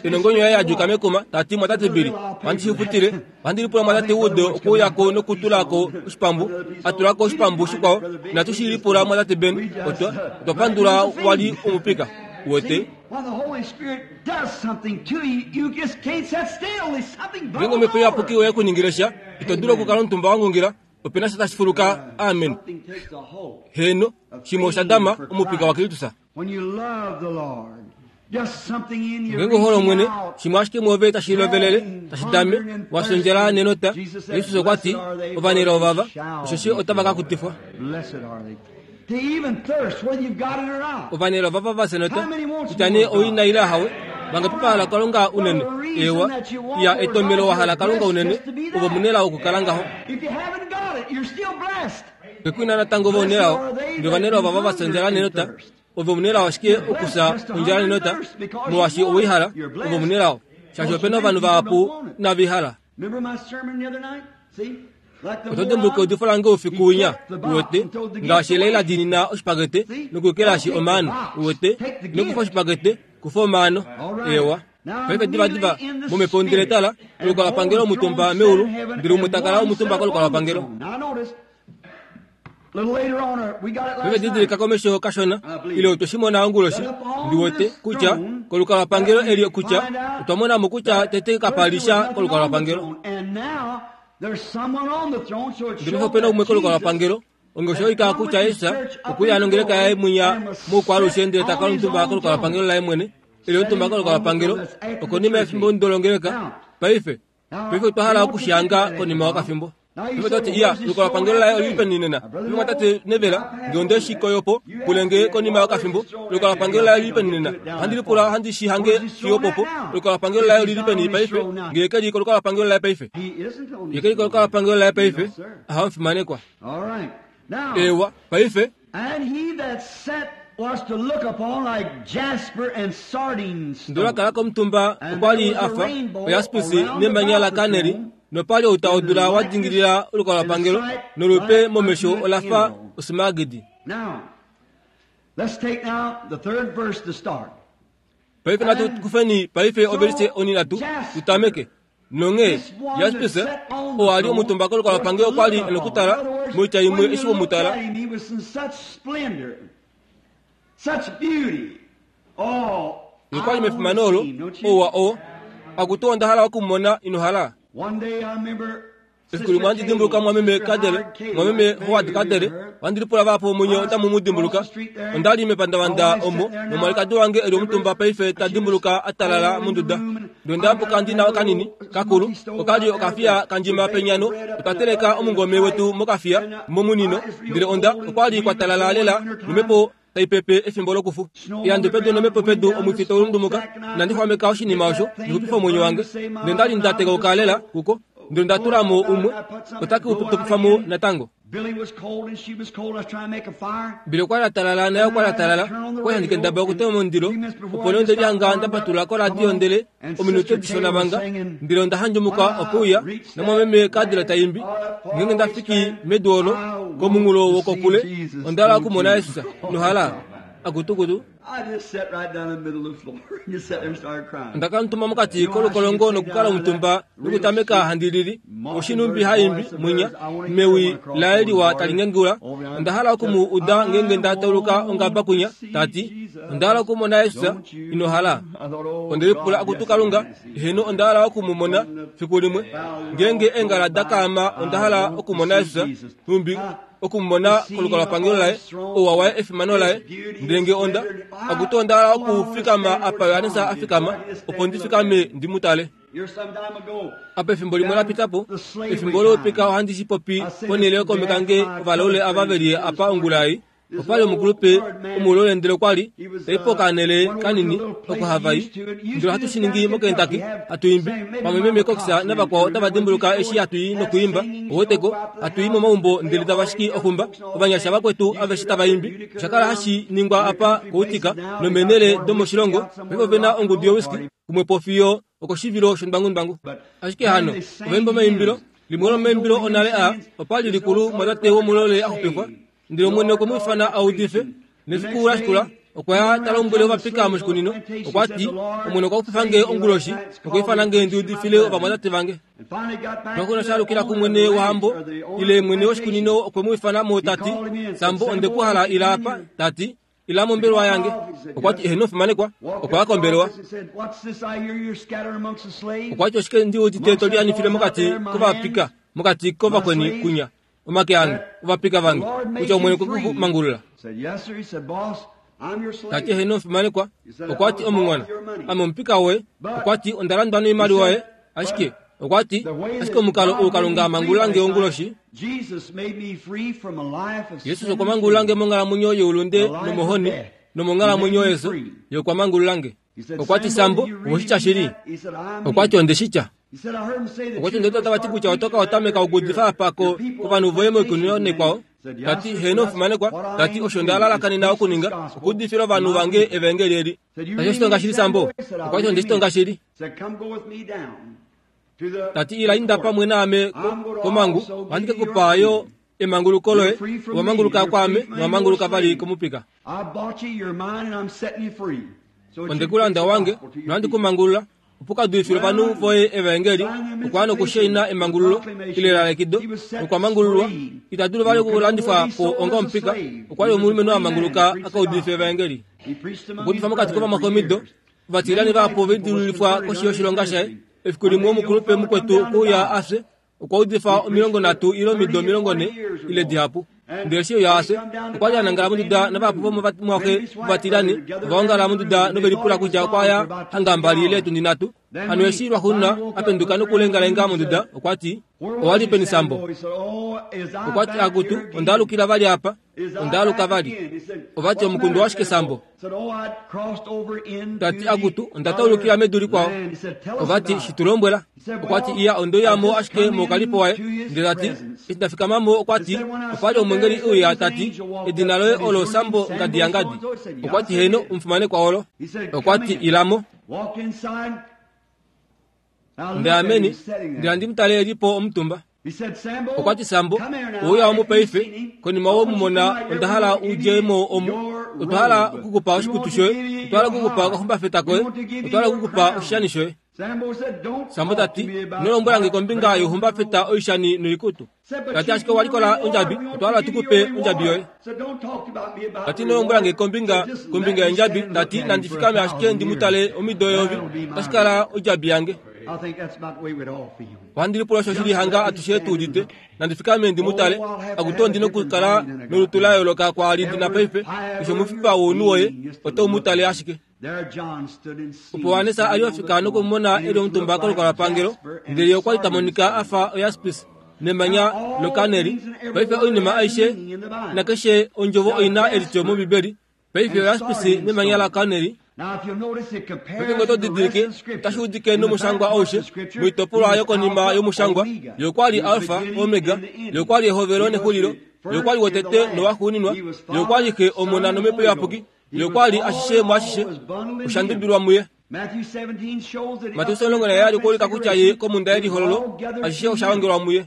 Enongonyo yaye yadjuka mekuma tati mwatate Bili wandishifutile wandilipula mwatate Wood okuyako nokutulako oshipambu atulako oshipambu shikwao natushilipula mwatate Ben otwa otwa pandula wali omupika wete. When the Holy Spirit does something to you, you just can't sit still. There's something Ngengo mwepo yapuki oye kuningiresha itodula okukala omutumba wangungira opena sha tashi fuluka. Amen. Heno shimwe osha dama omupika wa Kristus. When you love the Lord, just something in you Ngengo holo mwene shimwe ashike mwove tashi lovelele tashi dame wasondjela nenota. Yesus okwati ovanela ovava oshoshi otava ka kutifwa. Blessed are they. To even thirst, whether you've got it or not. Ovanela ovava vasenota kutya oina ila hawe vangapi vahala Kalunga unene ewa ya etomelo wahala Kalunga unene ovo munela okukala ngaho. If you haven't got it, you're still blessed. Kekwina natango vonelao ndele ovanela ovava vasondjela nenota ovo munelao ashike okusa ondjala nenota molwaashi owihala ovo munelao shaashi opena ovanhu vahapu navihala. Remember my sermon the other night? See? Oto dimbuluka eudifo lange oufiku winya uwete ngaashi Leila dinina oshipakete nokukelashi omaano uwete nokufa oshipakete kufa omaano ewa. Paife diva diva momhepo ndele tala olukalwapangelo omutumba meulu ndele umwe takala omutumba kolukalwapangelo. Paife didilika komesho kashona ile otweshimona onguloshi ndiwete kutya kolukalwapangelo eli kutya otwa monamo kutya tete kapalisha kolukalwapangelo. Ndele opena umwe kolukalwapangelo ongesho ika kutya Yesus okuya nongeleka yaye mwinya moukwalushe ndele takala omutumba kolukalwapangelo laye mwene eli omutumba kolukalwapangelo okonima yefimbo ndolongeleka. Paife paife otwa hala okushanga konima wakafimbo. Paife twati iya olukalwapangelo laye olili peni nena. Paife mwatate Nevela nge ondeshikoyopo pulenge konima wakafimbo olukalwapangelo laye olili peni nena. Ohandi lipula ohandi shihange fiyo popo olukalwapangelo laye olili peni paife nge keli kolukalwapangelo laye paife. Ye keli kolukalwapangelo laye paife ahamufimanekwa. Ewa paife. And he that sat was to look upon like jasper and sardine stone. Ndula kala komutumba okwali afa oyaspisi nemanya la kaneli nopali outaudula wa dingilila olukalwapangelo nolupe momesho olafa osimagidi. Now, let's take now the third verse to start. Paife natu kufeni paife ovelise oninatu tutameke. Nonge jaspisi oali omutumba kolukalwapangelo okwali enokutala moitya imwe eshi womutala. He was in such splendor, such beauty. Oh, Okwali mefimano olo owa o akutu onda hala okumona inohala. One day I remember Efiku limwe handi dimbuluka mwameme Kadere mwameme Howard Kadere wandilipula vapo omunye otamu mu dimbuluka. Ondali mepandavanda omo nomwalikadi wange eli omutumba paife ta dimbuluka atalala monduda. Ndele ndambuka ndina kanini kakulu okali okafiya kandjima penyano otwa omungome wetu mokafiya momunino ndele onda okwali kwatalala lela nomhepo taipepe efimbo lokufu. Yando pedu nomhepo pedu omwifi taulundumuka nandixwameka oshinima osho ndikupifa omwenyo wange. Ndele ndali ndatekauka lela kuko ndele ndatulamo umwe otaki topifamo natango. Billy was cold and she was cold. I was trying to make a fire. Billy okwali atalala naye okwali atalala kwali kendaba okutema omundilo opo nee onde lyanga ndapatula koradio ndele ominute dishona vanga ndele onda handjumuka okuuya namwameme Kadira taimbi ngenge ndafiki medu olo komunghulo wokokule ondala okumona Yesus nohala akutukutu. Ondaka mutuma mokati kolukolongo nokukala omutumba nokutameka handilili oshinumbi haimbi mwinya mewi laye liwa talingengula. Onda hala okumu uda ngenge nda tauluka ongaba kunya tati onda hala okumona Yesus ino hala. Ondelipula akutu Kalunga heno onda hala okumumona fiku limwe ngenge engala dakaama onda hala okumona Yesus numbi okumona kolukalwapangelo laye ouwa waye efimano laye ndenge onda akutu onda hala okufikama apa Yohanesa afikama opo ndifikame ndimutale. Apa efimbo limwe lapitapo efimbo loupika ohandi shipopi ponele yokomeka kange ovalaule ava veli apa ongula ei opali omukulupe omulole ndele okwali taipo kanele kanini oko Hawaii ndele ohatu shiningi moKentucky hatu imbi pamwe meme Cox navakwao otava dimbuluka eshi hatu nokuimba oweteko hatu i momaumbo ndele tava shiki oxumba ovanyasha vakwetu aveshe tava imbi. Oshakala hashi ningwa apa koutika nomenele domoshilongo paife ovena ongudu yowiski kumwe po fiyo okoshivilo shondwangundwangu. Ashike hano ovaimba omaimbilo limwe lomaimbilo onale a opali likulu mwatate womulole axupifwa ndele omwene okwe mu ifana audife nefiku lashikula okwa ya talombwele ovapika moshikunino okwati omwene okwa xupifange onguloshi okwa ifanange ndiudifile ovamwatate vange. Twakuna shalukila kumwene wahambo ile mwene woshikunino okwe mu ifana mo tati sambo ondekuhala ila apa tati ila mombelwa yange. Okwati eheno fimanekwa okwa ya kombelwa. Okwati oshike ndiudite tolianifile mokati kovapika mokati kovakweni kunya omake ange ovapika vange kutya omwene okwekumangulula. Tati heno fimanekwa okwati omung'wana ame omupika woye okwati ondalandwa noimaliwa yoye ashike okwati ashike omukalo ou Kalunga amangulange onguloshi. Yesus okwa mangulange monghalamwenyo youlunde nomohoni nomonghalamwenyo yeso yokwa mangulange. Okwati sambo owoshitya shili okwati ondeshitya. Okwati ndele tavati kutya otoka otameka okuudifa apa kovanhu voye moikunino nekwao. Tati heno fimanekwa tati osho ndalalakanena okuninga okuudifila ovanhu vange evangeli eli. Tati oshitonga shili sambo okwati ondeshitonga shili. Tati ila inda pamwe naame komangu ohandi kekupa yo emanguluko loye owamanguluka kwaame nowamanguluka vali komupika. Ondekulanda wange nohandi kumangulula opo kaduifile ovanhu voye evangeli okwa nokushaina emangululo ile lalekido nokwamangululwa itadulu vali okulandifwa po onga omupika. Okwali omulumenhu amanguluka akaudife evangeli. Okuudifa mokati kovamakomido ovatilani vapo vedululifwa koshi yoshilonga shaye. Efiku limwe omukulupe mukwetu okuuya afye okwa udifa omilongo nhatu ile omido omilongo nhe ile dihapu. Ndele eshi uya afye okwali anangala monduda navahapu vomomwaxe ovatilani ovaongala monduda novelipula kutya okwaya hanga mbali ile etundi nhatu. Hano eshi lwaxuuninwa apenduka nokulengalenga monduda okwati owali peni sambo. Okwati akutu ondaalukila vali apa ondaaluka vali. Ovati omukundu washike sambo. Tati akutu ondataulukila medu likwao. Ovati shitulombwela. Okwati iya ondoyamo ashike mokalipo waye. Ndele tati eshi ndafikamamo okwati opali omwengeli uya tati edina loye olo sambo ngadi ya ngadi. Okwati heno omufimanekwa olo. Okwati ilamo. Ndele ameni ndele ndimutale elipo omutumba. Okwati sambo ouya omupaife konima womumona ondahala udjemo omu otwahala okukupa oshikutu shoye otwahala okukupa okaxumbafeta koye otwahala okukupa oshishani shoye. Sambo tati inolombwelange kombinga youxumbafeta oishani noikutu. Tati ashike owalikola ondjabi otwahala tukupe ondjabi yoye. Tati inolombwelange kombinga kombinga yondjabi tati nandifikame ashike ndimutale omido yovi otashikala ondjabi yange. Ohandilipula osho shili hanga atushe tuudite nandifikame ndimutale akuto ndina okukala nolutu la yooloka kwaali ndina paife keshe omufipa wounhu woye otoumutale ashike. Opo Yohanesa ali wafika nokumona eli omutumba kolukalwapangelo ndele okwali tamonika afa oyaspis nemanya lokaneli. Paife oinima aishe nakeshe ondjovo oina elityo mOmbibeli. Paife oyaspis nemanya lakaneli. Paife ngee otodidilike otashi udike nomushangwa aushe moitopolwa yokonima yomushangwa yokwali Alfa Omega yokwali ehovelo nexulilo yokwali wotete nowaxuuninwa yokwali Xe Omona nomhepo iyapuki yokwali ashishe mwaashishe oshandubilwa muye. Mateus omulongo naheyali okwa ulika kutya ye komunda yelihololo ashishe osha ongelwa muye.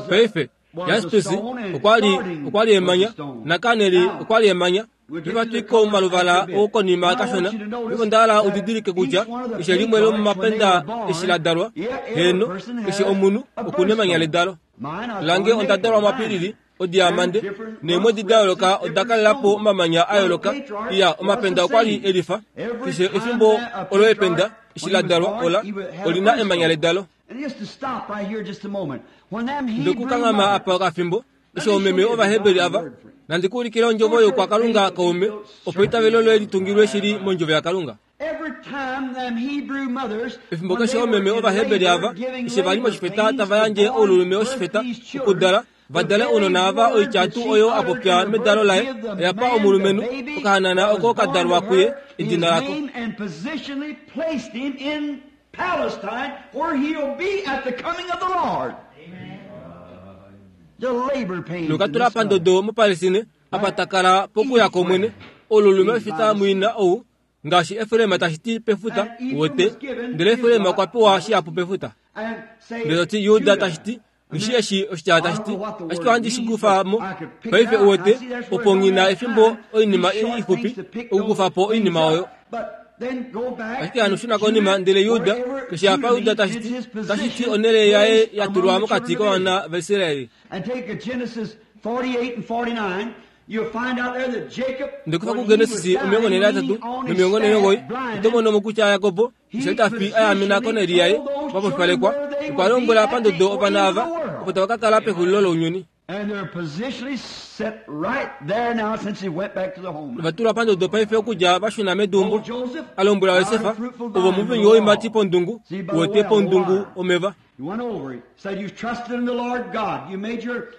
Paife Jaspis okwa li okwa li emanya nakaneli okwa li emanya. Ivatwiko maluvala okonima kashona. Ivo udidilike kutya keshe limwe lomomapenda eshi la dalwa heno keshe omunhu okuna emanya ledalo. Lange onda dalwa mapilili odiamande neemwedi da yooloka oda kalelapo omamanya a yooloka. Iya omapenda okwa li elifa keshe efimbo olo ependa eshi la dalwa ola olina emanya ledalo. Ndokukangama apa okafimbo eshi omeme ovaheberi ava nandikuulikile ondjovo yokwakalunga kaume opo itavelo loye litungilwe shili mondjovo yakalunga. Efimbo keshe omeme ovaheberi ava eshi vali moshifeta tava yandje oululume oshifeta okudala vadale ounona ava oityatu oyo apopya medalo laye oyapa omulumenhu okahanana oko kadalwa kuye edina lako. Palestine, where he'll be at the coming of the Lord. The labor pains. Nokatula pandodo moPalestine apatakala pokuya komwene olulume oshifeta mwina ou ngaashi Efraim tashi ti pefuta wote ndele Efraim okwa pewa shihapu pefuta. Ndele ti Juda tashi ti nishi eshi oshitya tashi ti ashike ohandi shi kufa mo paife uwete opo ngina efimbo oinima ixupi okukufa po oinima oyo. Ashike hano shuna konima ndele Juda keshe apa Juda tashi ti tashi ti onele yaye yatulwa mokati kovana vaIsraeli. Ndekufa kuGenesis omilongo nhee natatu nomilongo nhee nomugoyi oto mono mo kutya Jakobo eshi tafi ayamena koneli yaye papofipalekwa okwa lombwela pandodo ovana ava opo tava ka kala pexulilo lounyuni. Ovatulwa pandodo paife okudja vashuna medumbo. Alombwela Yosefa ovo muvinyu woimati pondungu wote pondungu omeva.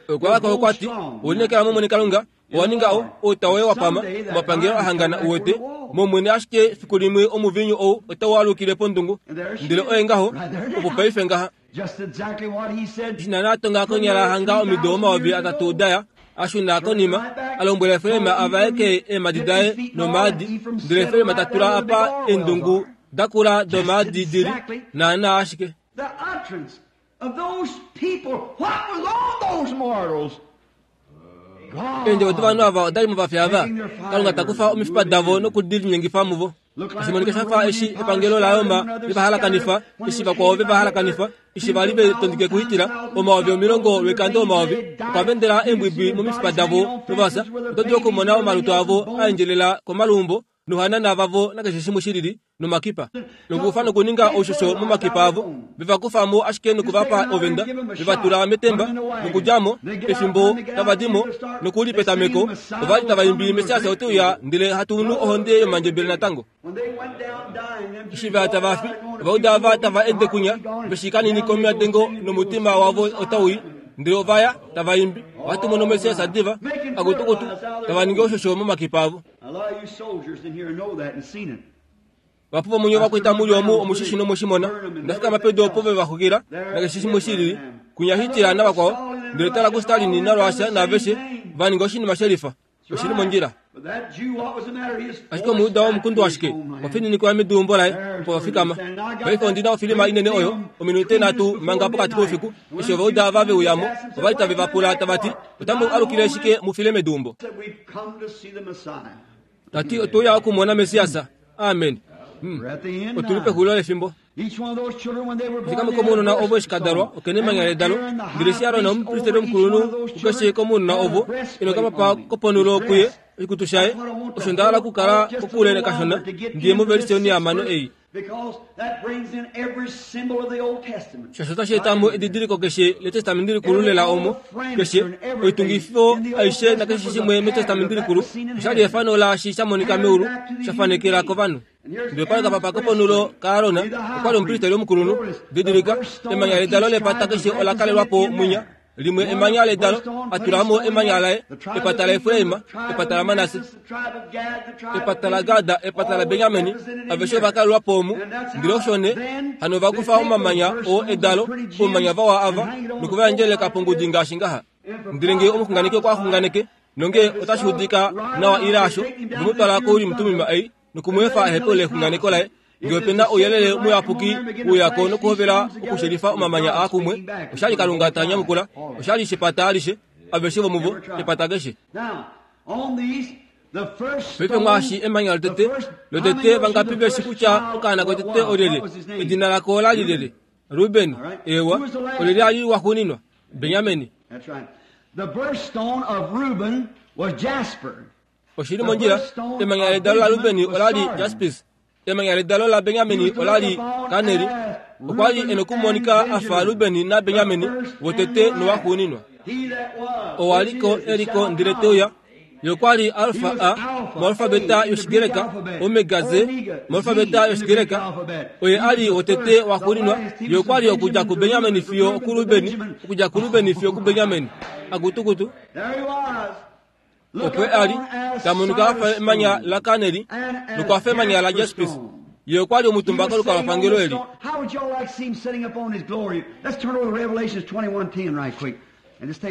Okwavaka okwati olinekela momwene Kalunga owaninga outa woye wapama omapangelo ahangana uwete momwene ashike fiku limwe omuvinyu ou otau alukile pondungu ndele oye ngaho opo paife ngaha. Eshi natonga konyala hanga omido omayovi atatu daya ashuna konima alombwela Efraim avaeke eemadi daye nomaadi ndele Efraim tatula apa eendungu dakula domaadi dili naana ashike. Eendjovo dovanhu ava odali movafi ava Kalunga takufa omifipa davo nokudilinyengifa muvo. Oshimonika shafa eshi epangelo laRoma livahalakanifa eshi vakwao vevahalakanifa eshi vali vetondike kuhitila omayovi omilongo lwoikando omayovi okwa vendela eembwibwi momifipa davo novasa. Oto dulu okumona omalutu avo aendjelela komalumbo nohanana vavo nakeshe shimwe shilili nomakipa nokufa nokuninga oushosho momakipa avo vevakufamo ashike nokuvapa ovenda vevatula metemba nokudjamo efimbo tavadimo nokuli petameko ovali tavaimbi Mesiasa oteuya ndele hatunu ohonde yomandjebele natango. Eshi vaya tavafi ovauda ava tava ende kunya veshikanini komiadengo nomutima wavo otauyi ndele ovaya tavaimbi vatumono Mesiasa diva akutukutu tavaningi oushosho momakipa avo. Vapuva munyo vakwita muli omu omushishi nomoshimona ndafika mapedo opo vevaxukila nakeshe shimwe shilili kunyahitila navakwao ndele tala ku Stalin naLwasha naveshe vaninga oshinima shelifa oshili mondjila. Ashike omuuda womukundu washike wafininikwa medumbo laye opo vafikama. Paife ondina ofilima inene oyo ominute nhatu manga pokati koufiku eshi ovauda ava veuyamo ovali tave vapula tavati otamu alukile shike mufile medumbo. Tati otouya okumona Mesiasa. Amen. Otuli pexulilo lefimbo. Fikamo komunona ovo eshikadalwa okene emanya ledalo ndele eshi Arona omupristeli omukulunhu kukeshe komunona ovo inokamapa koponulo kuye oshikutu shaye osho ndahala okukala kokule kashona ndiye moveliseni yamano ei. Shasho otashi etamo edidiliko keshe letestamenti likulu lela omo keshe oitungifo aishe nakeshe shimwe metestamenti likulu oshali efano laashi shamonika meulu shafanekela kovanhu. Ndele pali kapapa koponulo kaArona okwali omupristeli omukulunhu didilika emanya ledalo lepata keshe ola kalelwapo munya limwe emanya ledalo atulamo emanya laye epata la Efraim epata la Manase epata la Gada epata la Benyamini aveshe vakalelwapo omu ndele oshone hano vakufa omamanya oo edalo omamanya vawa ava nokuvayandjeleka pongudi ngaashi ngaha. Ndele ngee omuxunganeki okwa xunganeke nonge otashi udika nawa ile asho vemutwala kouli mutumima ei nokumweefa ehepo lexunganeko laye Ngele opena ouyelele muyapuki uyako nokuhovela okushelifa omamanya aakumwe, oshali Kalunga ta nyamukula, oshali shepata alishe, aveshe vomuvo, epata keshe. Paife mwaashi emanya lotete, lotete vangapi veshi kutya okaana kotete olyelye, edina lako ola li lyelye? Ruben, ewa, olyelye ali waxuuninwa? Benjamin. Oshili mondjila, emanya ledalo la Ruben ola li jaspis, emanya ledalo la Benjamin ola li kaneri. Okwa li e nokumonika a fa Ruben naBenjamin, wotete nowaxuuninwa. Owaliko eliko ndele teuya. Ye li Alfa A moalfabeta yOshigreka, Omega Z moalfabeta yOshigreka. Oye ali wotete waxuuninwa. Ye okwa li okudja kuBenjamin fiyo okuRuben, okudja kuRuben fiyo okuBenjamin. Akutukutu. Okwe ali tamonika afa emanya la kaneri nokwafa emanya la jaspis. Ye okwa li omutumba kolukalwapangelo eli.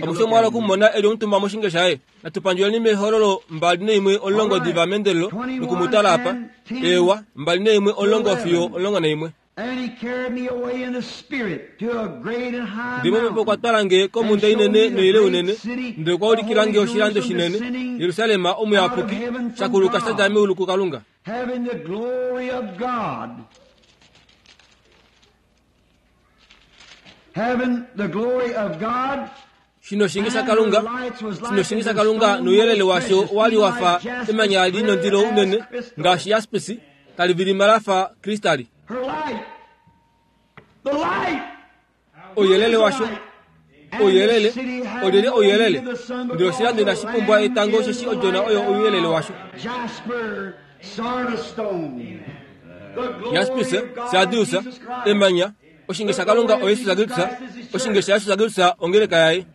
Amushe mwala okumona eli omutumba moshinge shaye. Natupandjuleni mehololo mbali neimwe omulongo diva mendelelo nokumutala apa. Ewa, mbali neimwe omulongo fiyo omulongo naimwe. Ndimo mpepo okwa twala nge komhunda inene noile unene, ndele okwa ulikila nge oshilando shinene, Jerusalem omuyapuki, shakuluka sha dja meulu kuKalunga. Shino shinge shaKalunga, shino shinge shaKalunga nouyelele washo wali wafa emanya li nondilo unene ngaashi jaspisi, tali vilima lafa kristali. Ouyelele washo, ouyelele, olyelye ouyelele? Ndele oshilando inashi pumbwa etango osheshi odjona oyo ouyelele washo. Jaspis, sardius, emanya, oshinge shaKalunga oYesus Kristus, oshinge shaYesus Kristus ongeleka yaye.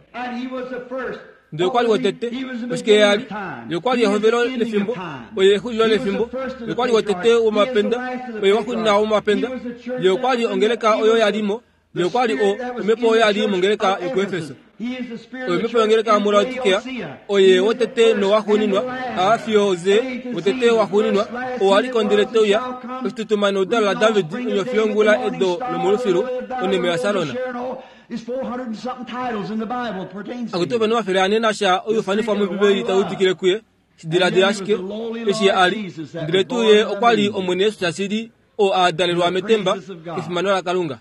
Ndele okwa li wotete, oshike ye ali? Ye okwa li ehovelo lefimbo, oye exulilo lefimbo. Ye okwa li wotete womapenda, oye waxuuninwa womapenda. Ye okwa li ongeleka oyo ya li mo, ye okwa li o omhepo oyo ya li mongeleka yokuEfeso. Oye omhepo yongeleka yomuLaodikea, oye wotete nowaxuuninwa, A fiyo Z, wotete waxuuninwa, oo a li ko ndele teuya, oshitutuma neudalo laDavid, onyofi yongula edo lomolufilu, onime yaSarona. Akutu ope nomafele ane nasha oiufanifwa mOmbibeli tai udikile kuye, shidiladila ashike eshi ye a li, ndele tuu ye okwa li Omwene Jesus shashili oo a dalelwa metemba kefimano laKalunga.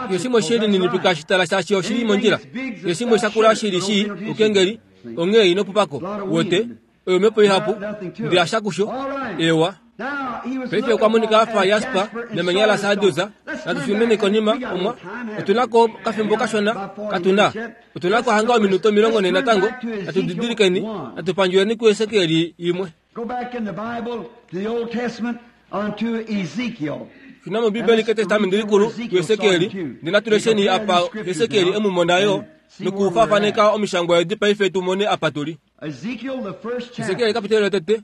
Keshe shimwe she lininipika shitala shaashi oshili mondjila, keshe shimwe shakula shili shii oukengeli, onghee ino pupako, wote, oyo omhepo ihapu, ndele asha kusho, ewa. Paife okwa monika afa jasper nemanya la sardius. Natu konima omwa otuna ko kafimbo kashona katuna. Otuna ko hanga ominuto omilongo nhee natango. Natu didilikeni, natu pandjuleni kuEsekiel imwe. Shuna mOmbibeli kEtestamenti Likulu kuEsekiel, ndele natu lesheni apa Esekiel e mu mona yo nokufaafaneka omishangwa edi paife tu mone apa tuli. Esekiel kapitelo lotete.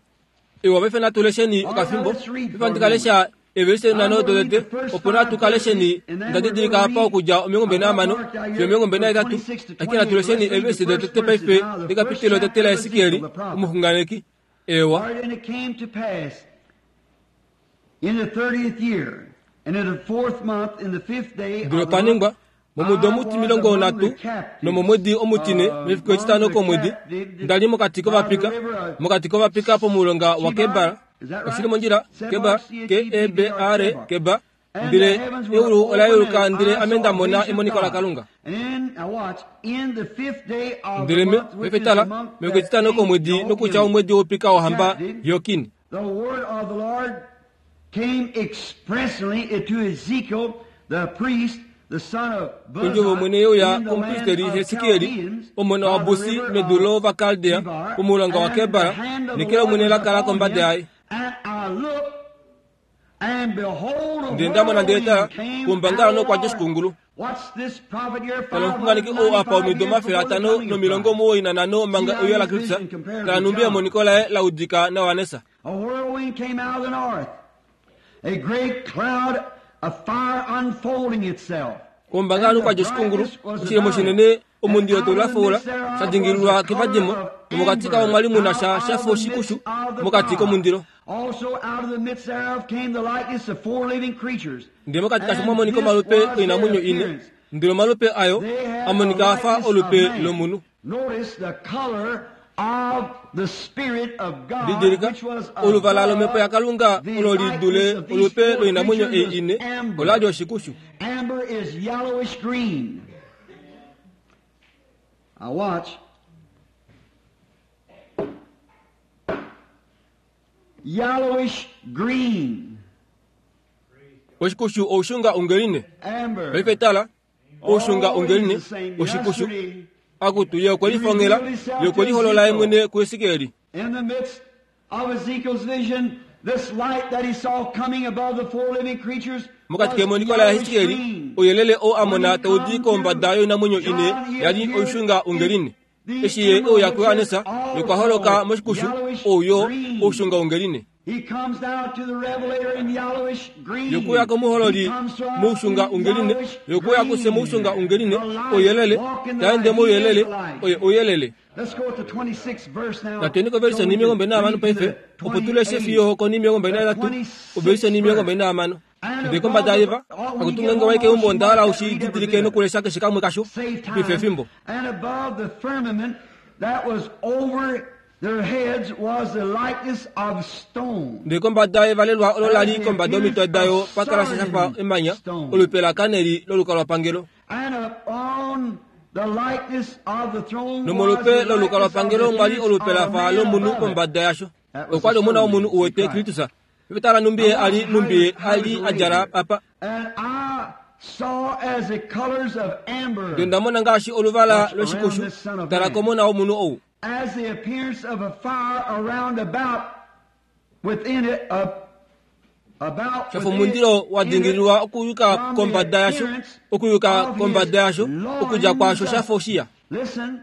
Ewa, paife natu lesheni okafimbo. Paife handi ka lesha evelise nhano dotete, opo natu ka lesheni nda didilika apa okudja omilongo mbali nahamano fiyo omilongo mbali nahetatu. Ashike natu lesheni evelise dotete paife dekapitelo lotete laEsekiel omuxunganeki. Ewa. Ndele opa ningwa momudo omutimilongo nhatu nomomwedi omutine mefiku etitano komwedi, nda li mokati kovapika, mokati kovapika pomulonga waKebar. Oshili mondjila, Kebar, K E B A R, Kebar. Ndele eulu ola yeuluka ndele ame nda mona emoniko laKalunga. Ndele me, paife tala, mefiku etitano komwedi nokutya omwedi woupika wohamba Joakin. Ondjovo yOmwene ye uya komupristeli Hesekiel, omona waBusi, medu lOvakaldea, pomulonga waKebar, neke lOmwene la kala kombada yaye. Ndele nda mona ndele tala, kuumbangalanhu okwa dja oshikungulu. Tala omuxunganeki ou apa omido omafele atano nomilongo omuwoi nanhano manga euyo laKristus, tala nhumbi emoniko laye la udika nawanesa. Kuumbangalanhu kwa dja oshikungulu, oshilemo shinene, omundilo tau lafaula, sha dingililwa kevadimo, nomokati kao omwa li mu na sha shafa oshikushu mokati komundilo. Also out of the midst thereof came the likeness of four living creatures. Ndele mokati kasho mwa monika omalupe oinamwenyo ine, ndele omalupe ayo a monika a fa olupe lomunhu. Notice the color of the Spirit of God, Didilika which was oluvala lomhepo yaKalunga above the olo li dule likeness of these olupe four loinamwenyo ei creatures ine was amber. ola li oshikushu. Amber is yellowish green. Now watch. Yellowish green. Oshikushu oushunga ungeline. Amber. Paife tala oushunga ungeline Always the same. oshikushu Yesterday, akutu ye okwe lifongela ye okwe liholola ye mwene kuEsekieli. in the midst of Ezekiel's vision, this light that he saw coming above the four living creatures Mokati was kemoniko la yellowish Ezekieli green. ouyelele oo a mona tau di kombada yoinamwenyo ine yali oushunga ungeline. Eshi ye ouya kuYohanesa yokwa holoka moshikushu ouyo oushunga ungeline. He comes now to the Revelator in yellowish green. Yokuya komuhololi He comes to us moushunga in ungeline, yellowish yokuya kuse green. moushunga ungeline, The light, ouyelele, walk in the taende light. He is mouyelele, the light. oye ouyelele. Let's go to twenty-sixth verse now. Natweni kovelise ni milongo mbili nahamano paife, opo tuleshe fiyo koni milongo mbili naitatu, ovelise ni milongo mbili nahamano. Ndele kombada yeva, akutunga waike umbo ndaala ushididilike nokulesha keshe kamwe kasho, Save time. pife efimbo. And above the firmament that was over their heads was the likeness of stone. Ndele kombada yevalelwa olo lali kombada yomitwe dayo pakala shafa emanya, olupe lakaneli lolukalwapangelo. And upon the likeness of the throne was Nomolupe the likeness of lolukalwapangelo the mwali appearance olupe of a lafa man lomunhu above it. kombada yasho. Okwali omona womunhu uwete Kristus. Pepetala numbi ali numbi ali adjala apa. And I saw as the colors of amber, Ndele ndamona ngaashi oluvala loshikushu, tala komona womunhu ou. as the appearance of a fire around about within it, uh, about Shafa within it, omundilo wa in it, dingililwa okuyuka from the kombada yasho, appearance okuyuka of kombada his yasho, okudja kwasho loins. shafa oshiya. Listen,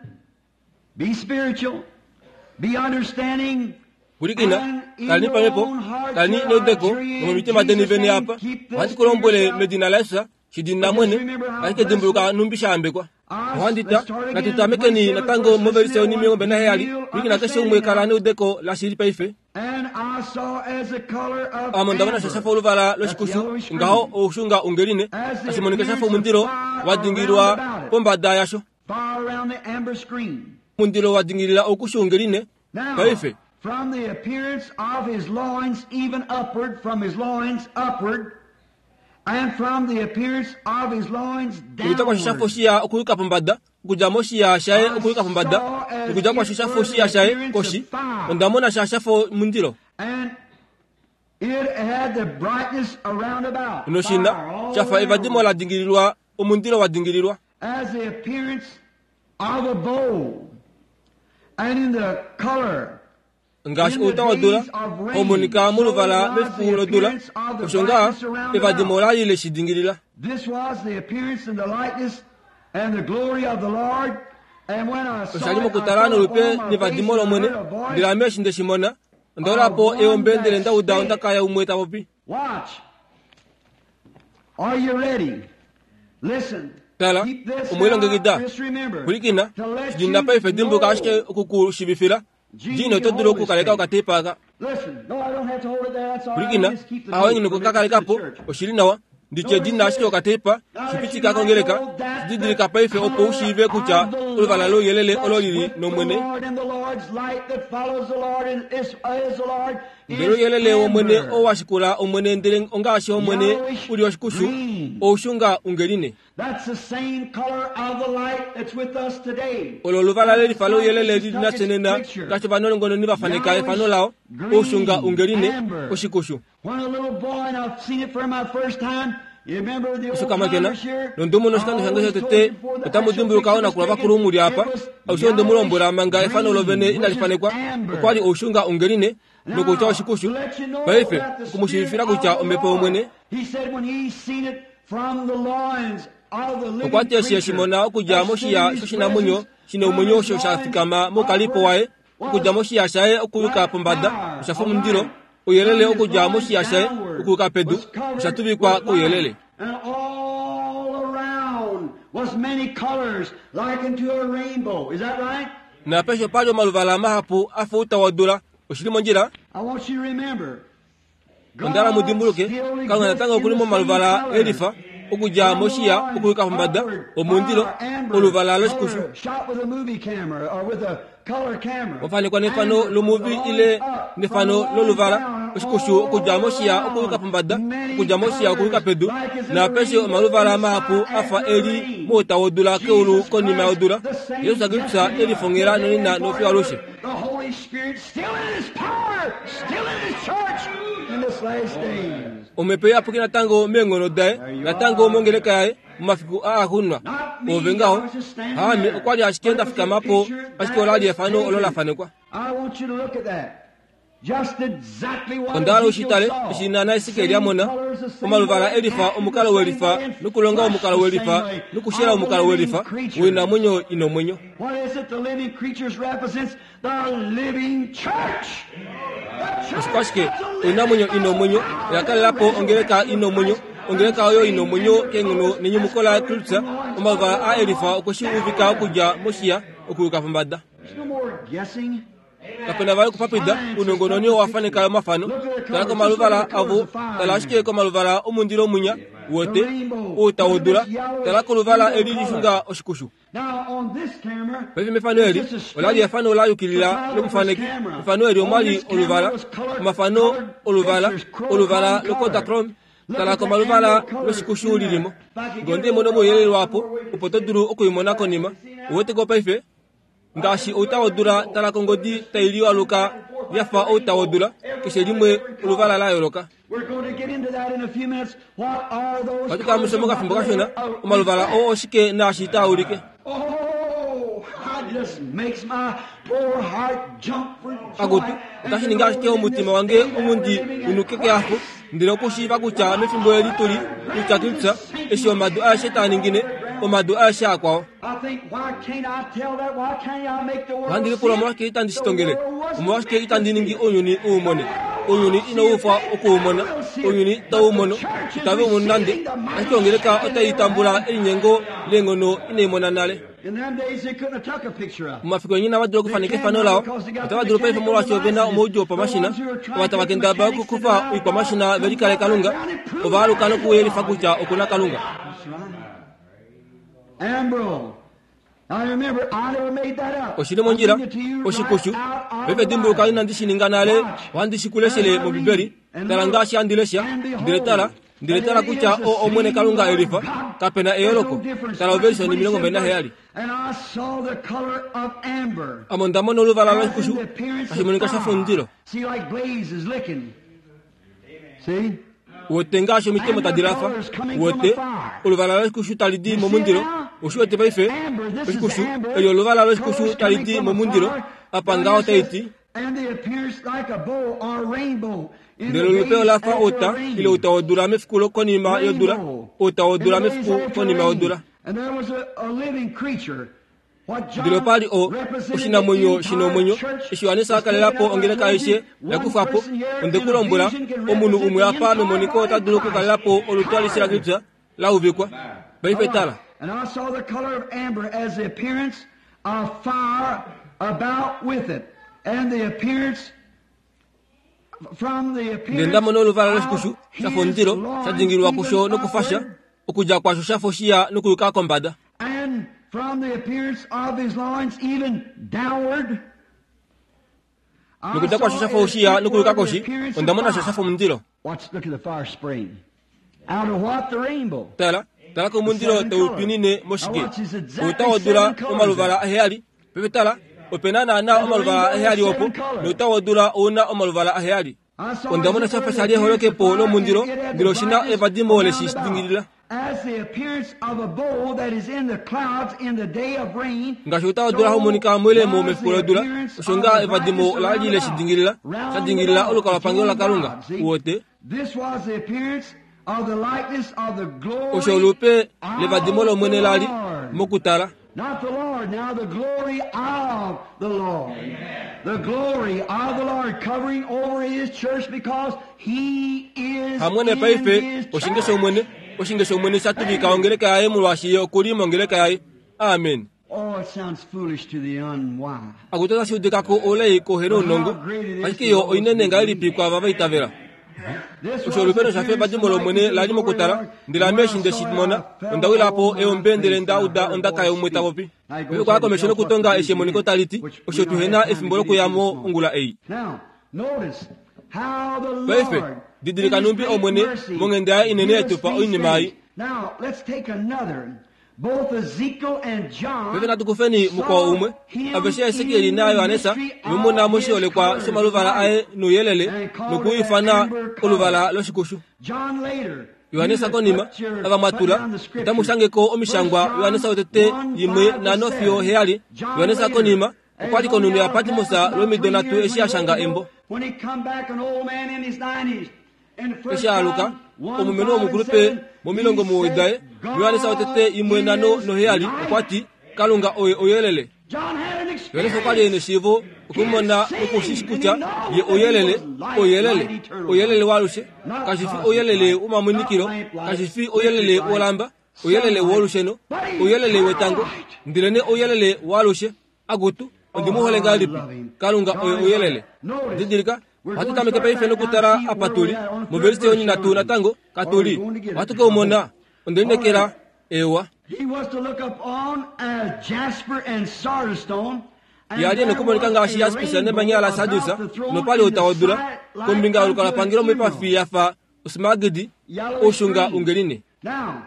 be spiritual, be understanding, Kulikina, and in kalani your pamhepo, own heart kalani your neudeko, archery in nomomitima deni Jesus' vene name, apa. keep this Ohandi to kulombwele yourself. medina laEsa, shidina mwene, ashike dimbuluka numbi shaambekwa. Ohandita, natutamekeni natango movelise yoni milongo mbili naheyali, kulikina keshe umwe kala neudeko lashili paife. And I saw as the color of Ame ndamona amber. shafa oluvala loshikushu, ngaho oushunga ungeline, ashimonika shafa omundilo wa dingililwa pombada yasho. Fire around the amber screen. Omundilo wa dingilila okushu ungeline, Now, paife. from the appearance of his loins even upward, from his loins upward, and from the appearance of his loins Okuyuka kwasho shafa downward. oshiya okuyuka pombada, okudja moshiya shaye okuyuka pombada, okudja kwasho shafa oshiya shaye koshi, ondamona sha shafa omundilo. And it had the brightness around about. Noshina, Fire all shafa evadimo around, la dingililwa, omundilo wa dingililwa. As the appearance of a bowl, and in the color Ngaashi outa wodula, omonika moluvala mefiku lodula, osho ngaa evadimo lali leshidingilila. This was the appearance and the likeness and the glory of the Lord. And when I saw Oshali it, I mokutala fell nolupe upon my nevadimo face and lomwene, heard a voice. ndele ame eshi ndeshimona, ondaulapo eombe ndele ndauda ondaka yaumwe tapopi. Watch. Are you ready? Listen. Tala, Keep this omwelongekida. now. Just remember Kulikina, to let shidina you paife dimbuka know. ashike okukushivifila, jino oto dulu okukaleka okatepa aka. Listen. No, I don't have to hold it there. That's all right. Kulikina, Just keep the awe tape ngino from it to the kukakalekapo, church. oshili nawa, nditye dina ashike okatepa, shipitika kongeleka, shididilika paife opo ushiive kutya oluvala louyelele olo lili nomwene. Ndele ouyelele womwene oo washikula omwene ndele ongaashi omwene uli oshikushu, oushunga ungeline. That's the same color of the light that's with us today. Olo oluvala lelifa louyelele lili nafye nena, ngaashi ovanongononi vafaneka efano lao, oushunga ungeline, oshikushu. When a little boy, and I've seen it for my first time, you remember the old Oshokamakena, timers here? nondumo noshikando shange shotete, otamu dimbuluka oonakula vakulu muli apa, aushe ondemulombwela manga efano lovene inali fanekwa, okwali oushunga ungeline, nokutya oshikushu, paife okumushivifila kutya omhepo yomwene, He said when he seen it from the loins of the living okwati eshi creature eshimona okudja that moshiya stood in his shoshinamwenyo presence shina omwenyo from osho his sha loins fikama mokalipo waye, okudja moshiya shaye okuyuka pombada, oshafa omundilo, ouyelele okudja moshiya shaye okuyuka pedu, osha tuvikwa kouyelele. And all around was many colors like unto a rainbow. Is that right? Napesho pali omaluvala mahapu afa outa wodula, Oshili mondjila. Ondala mudimbuluke Kalunga natango okuli momaluvala elifa okudja moshiya okuyuka pombada omundilo oluvala loshikushu wafanekwa nefano lomuvi ile nefano loluvala oshikushu okudja moshiya okuyuka pombada okudja moshiya okuyuka pedu naapeshe omaluvala mahapu afa eli mouta wodula keulu konima yodula. Jesus Kristus elifongela nonena nofiwalushe. Omhepo iyapuki natango meenghono daye natango mongeleka yaye momafiku aaxunwa ove ngaho haame okwali ashike ndafikamapo ashike olali efano olo lafanekwa. Ondala ushitale eshi nana Esekiel yamona omaluvala elifa omukalo welifa nokulonga omukalo welifa nokushela omukalo welifa woinamwenyo ina omwenyo. Oshikwashike oinamwenyo ina omwenyo oyakalelapo ongeleka ina omwenyo ongeleka oyo ina omwenyo keenghono nenyumuko la Kristus omaluvala a elifa okweshi uvika okudja moshiya okuyuka pombada. Kapena vali okupapida unongononi owafaneka omafano tala komaluvala avo tala ashike komaluvala omundilo munya wote outa wodula tala koluvala eli lixunga oshikushu. Paife mefano eli olali efano layukilila lomufaneki. Mefano eli omwali oluvala omafano oluvala oluvala lokodachrome tala komaluvala loshikushu lilimo ngonde imono mouyelele wapo opo to dulu okuimona konima uweteko paife ngaashi outa wodula tala kongodi tailiwaluka yafa outa wodula keshe limwe oluvala la yooloka. Ohatu musho mokafimbo kashona omaluvala oo oshike naashi taaulike. Akutu otashi ningi ashike omutima wange omundi unuke keafo ndele okushiiva kutya mefimbo eli tuli kutya Kristus eshi omadu aeshe taaningine omadu aeshe akwao. Ohandi lipula omolwashike itandi shitongele omolwashike itandi ningi ounyuni uumone ounyuni inauufwa okuumona ounyuni tauumono itave umono nande ashike ongeleka otai tambula elinyengo leenghono inaimona nale. Momafiku enyina vadulu okufaneka efano lao otava dulu paife molwaashi ovena omaudju opamashina ova tava kendabala okukufa oikwamashina velikale Kalunga ova aluka nokuyelifa kutya okuna Kalunga. Oshili mondjila oshikushu paife dimbuluka inandi shininga nale ohandi shikuleshele mOmbibeli tala ngaashi handi lesha ndele tala ndele tala kutya o omwene Kalunga elifa kapena eyooloko tala overishoni omilongo mbali naheyali. Ame ondamona oluvala loshikushu tashi monika shafa omundilo wote ngaashi omitemo tadi lafa wote oluvala loshikushu tali di momundilo oshiwete paife oshikushu eli oluvala loshikushu tali di momundilo apa ngaho taiti ndele olupe olafa outa ile outa wodula mefiku konima yodula outa wodula mefiku konima yodula. Ndele opali o oshinamwenyo shina omwenyo eshi Yohanesa akalelapo ongeleka aishe yakufapo ondekulombwela omunhu umwe apa memoniko ota dulu okukalelapo olutu alishe laKristus lauvikwa. Paife tala. And I saw the color of amber as the appearance of fire about with it, and the appearance from the appearance ndamona oluvala loshikushu shafa omundilo shadingilwa kusho nokufasha okudja kwasho shafa oshiya nokuyuka kombada. And from the appearance of his loins even downward. Nokudja kwasho shafa oshiya nokuyuka koshi ondamona sho shafa omundilo. Watch, look at the fire spraying. Out of what? The rainbow. Tala tala komundilo taupinine moshike outa wodula omaluvala aheyali pepe tala opena naana omaluvala aheyali opo nouta wodula ouna omaluvala aheyali. Ondamona shafa shali eholokepo lomundilo ndele oshina evadimo leshi dingilila ngaashi outa wodula haumonika moilemo mefiku lodula osho nga evadimo lali leshi dingilila shadingilila olukalwapangelo laKalunga uwote. Osho olupe levadimo lomwene lali mokutala. Not the Lord, now the glory of the Lord. The glory of the Lord covering over his church because he is hamwene paife oshinge shomwene oshinge shomwene shatuvika ongeleka yaye molwaashi ye okuli mongeleka yaye. Amen. Oh, it sounds foolish to the unwise. Akutu otashi udikako oulai kohena ounongo, ashike yo oinene ngahelipi kwaava vaitavela. This Osho olupeno shafa evadimo lOmwene la li mokutala, ndele ame eshi nde shi mona, onda wila po eombe ndele nda uda ondaka yaumwe ta popi. Paife okwa ya komesho nokutonga eshi emoniko tali ti, osho tuhena efimbo lokuyamo ongula ei. Now, notice how the Paife, Lord, didilika in His numbi great Omwene, mercy, monghenda yaye inene give us etupa these oinima ei. things. Now, let's take another. Both Ezekiel and John Paife natu kufeni mukwao umwe, aveshe Esekieli naYohanesa vemona moshiholekwa shomaluvala aye nouyelele nokuifana oluvala loshikushu. John later. Yohanesa konima ava mwatula otamu shangeko omishangwa Yohanesa wotete yimwe nhano fiyo heyali. Yohanesa konima okwali konunu ya Patmos lwomido nhatu eshi ashanga embo. When he come back an old man in his nineties, in the first Eshi aluka John one, omumeno five and womukulupe seven, momilongo he muwoi said, daye Yohanesa wotete yimwe nhano God noheyali is okwati Kalunga oye oyelele. John had an Yohanesa okwali ena eshiivo okumona nokushishi kutya ye oyelele, oyelele, oyelele waalushe, kashi fi oyelele womamonikilo, kashi fi oyelele wolamba, oyelele wolusheno, oyelele wetango, ndelene oyelele waalushe. Akutu, ondimuhole ngahelipi? Kalunga oye oyelele. Didilika, ohatu tameke paife nokutala apa tuli, movelise yonhinatu natango katuli. Ohatu keumona, ondelinekela ewa. He was to look upon as jasper and sardistone. and Yali there nokumonika was ngaashi a yaspisa rainbow nemanya la about sadusa the throne nopali in the otaodula sight like kombinga unto yolukalwapangelo an moipafi emerald. yafa osmagidi Yellowish oushunga green. ungeline. Now,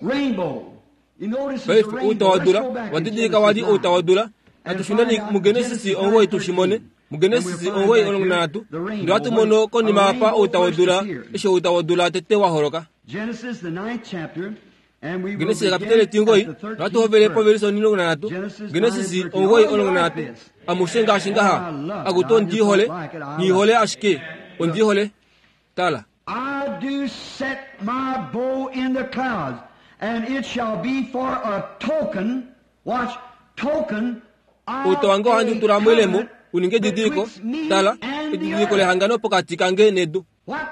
rainbow. You notice it's a Paife rainbow. Let's outawadula go back in wadidilika wali Genesis nine. outawadula natushuneni mugenesisi ongoyi tushimone mugenesisi ongoyi omulongo nanhatu ndele ohatu mono konima apa outawadula eshi outawadula tete waholoka. Genesis, the ninth chapter, and we will Genesis begin kapitele tingoi at the nohatu hovele thirteenth verse. povelisi onilongo nanhatu Genesis ongoyi omulongo nanhatu amushe ngaashi ngaha akutu ondiihole niihole ashike ondiihole tala. I do set my bow in the clouds, and it shall be for a token, watch, token of Outa wange ohandi a tula moilemo covenant uninge edidiliko betwixt me tala and the edidiliko earth. lehangano pokati kange nedu. What?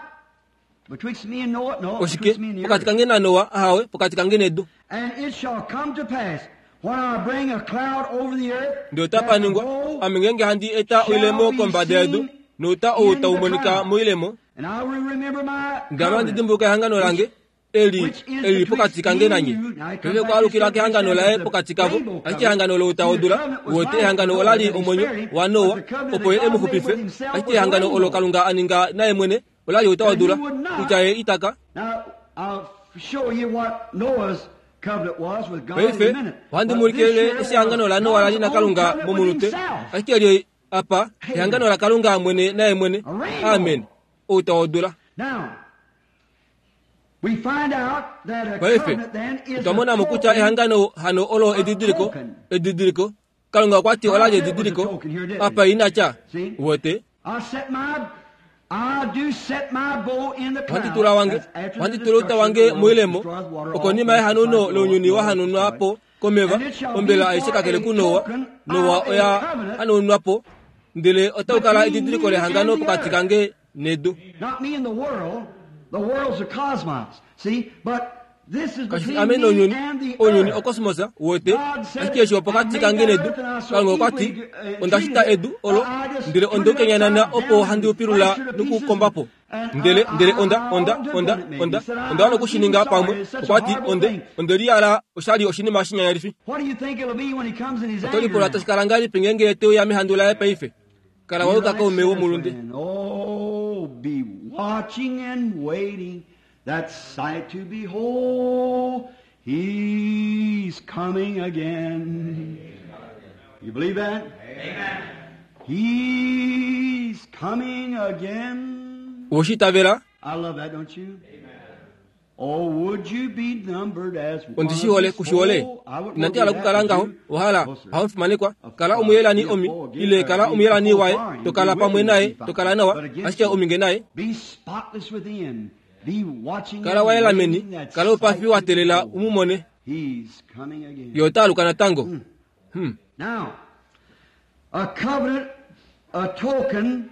Betwixt me and Noah? No, Oshike betwixt me and the pokati earth. kange naNoa ahawe pokati kange nedu. And it shall come to pass, when I bring a cloud over the earth, Ndele that otapa the ningwa bow ame ngeenge handi eta oilemo kombada yedu nouta ou tau monika moilemo and I will remember my ndele ame handi covenant, dimbuluka ehangano lange eli eli pokati kange nanye. Paife kwaalukila kehangano laye pokati kavo, ashike ehangano loutaodula wote ehangano olali omwenyo waNoa opo ye emu xupife, ashike ehangano olo Kalunga a ninga naye mwene olali outaodula kutya ye itaka. Now, I'll show you what Noah's covenant was with God in a Paife minute. ohandi But this mulikile here eshi ehangano laNoa lali was naKalunga God's own covenant with momunute, himself. ashike eli apa ehangano laKalunga mwene naye mwene. Amen. Outaodula. Now, we find out that a Paife covenant then is otwa a mona mo kutya token ehangano hano olo edidiliko edidiliko Kalunga okwa ti olali edidiliko apa inatya wote I set my, I do set my bow in the ohandi cloud. tula wange That's after the ohandi tula outa destruction of wange the world, moilemo destroys water, all okonima things yehanuno besides lounyuni Noah, wa hanunwa po komeva And it shall be ombela for aishe kakele a kuNoa token Noa of a oya covenant hanunwa po ndele otau kala between edidiliko me lehangano and the pokati earth. kange nedu. Not me and the world. The world's a cosmos. See? But this is Kashi fi between ame me nounyuni and the ounyuni earth. okosmosa wote God said, ashike eshi opokati I kange made that nedu earth and I so Kalunga okwa ti evilly, uh, onda shita treated it. edu olo I just ndele turned onde it ukenyanana upside opo down handi and upilula fractured to pieces nokukombapo and ndele I- ndele I- onda I onda undid onda what it made. onda He said, I- onda wana I'm okushininga sorry. pamwe It's such a okwa ti horrible onde thing. onde liyala oshali oshinima shinyanyalifi. What do you think it'll be when he comes in his Oto anger lipula now? tashi kala ngahelipi ngeenge teuya mehandu laye paife kala Be wayuka like kaume sinners, womulunde. friend. Oh, be watching and waiting, that sight to behold. He's coming again. You believe that? Amen. He's coming again. Oshitavela I love that, don't you? Oh, would you be numbered as one of ondishihole his kushihole fold? I wouldn't inandi want hala to be kukala that, ngaho would you? ohala No, sir. hamufimanekwa kala omuyelani omi ile kala omuyelani waye tokala pamwe naye tokala nawa ashike ominge naye Be spotless within. Be watching kala and wayela meni waiting that kala upafi sight to watelela behold. umumone He's coming again. ye ota aluka natango. Hmm. Now, a covenant, a token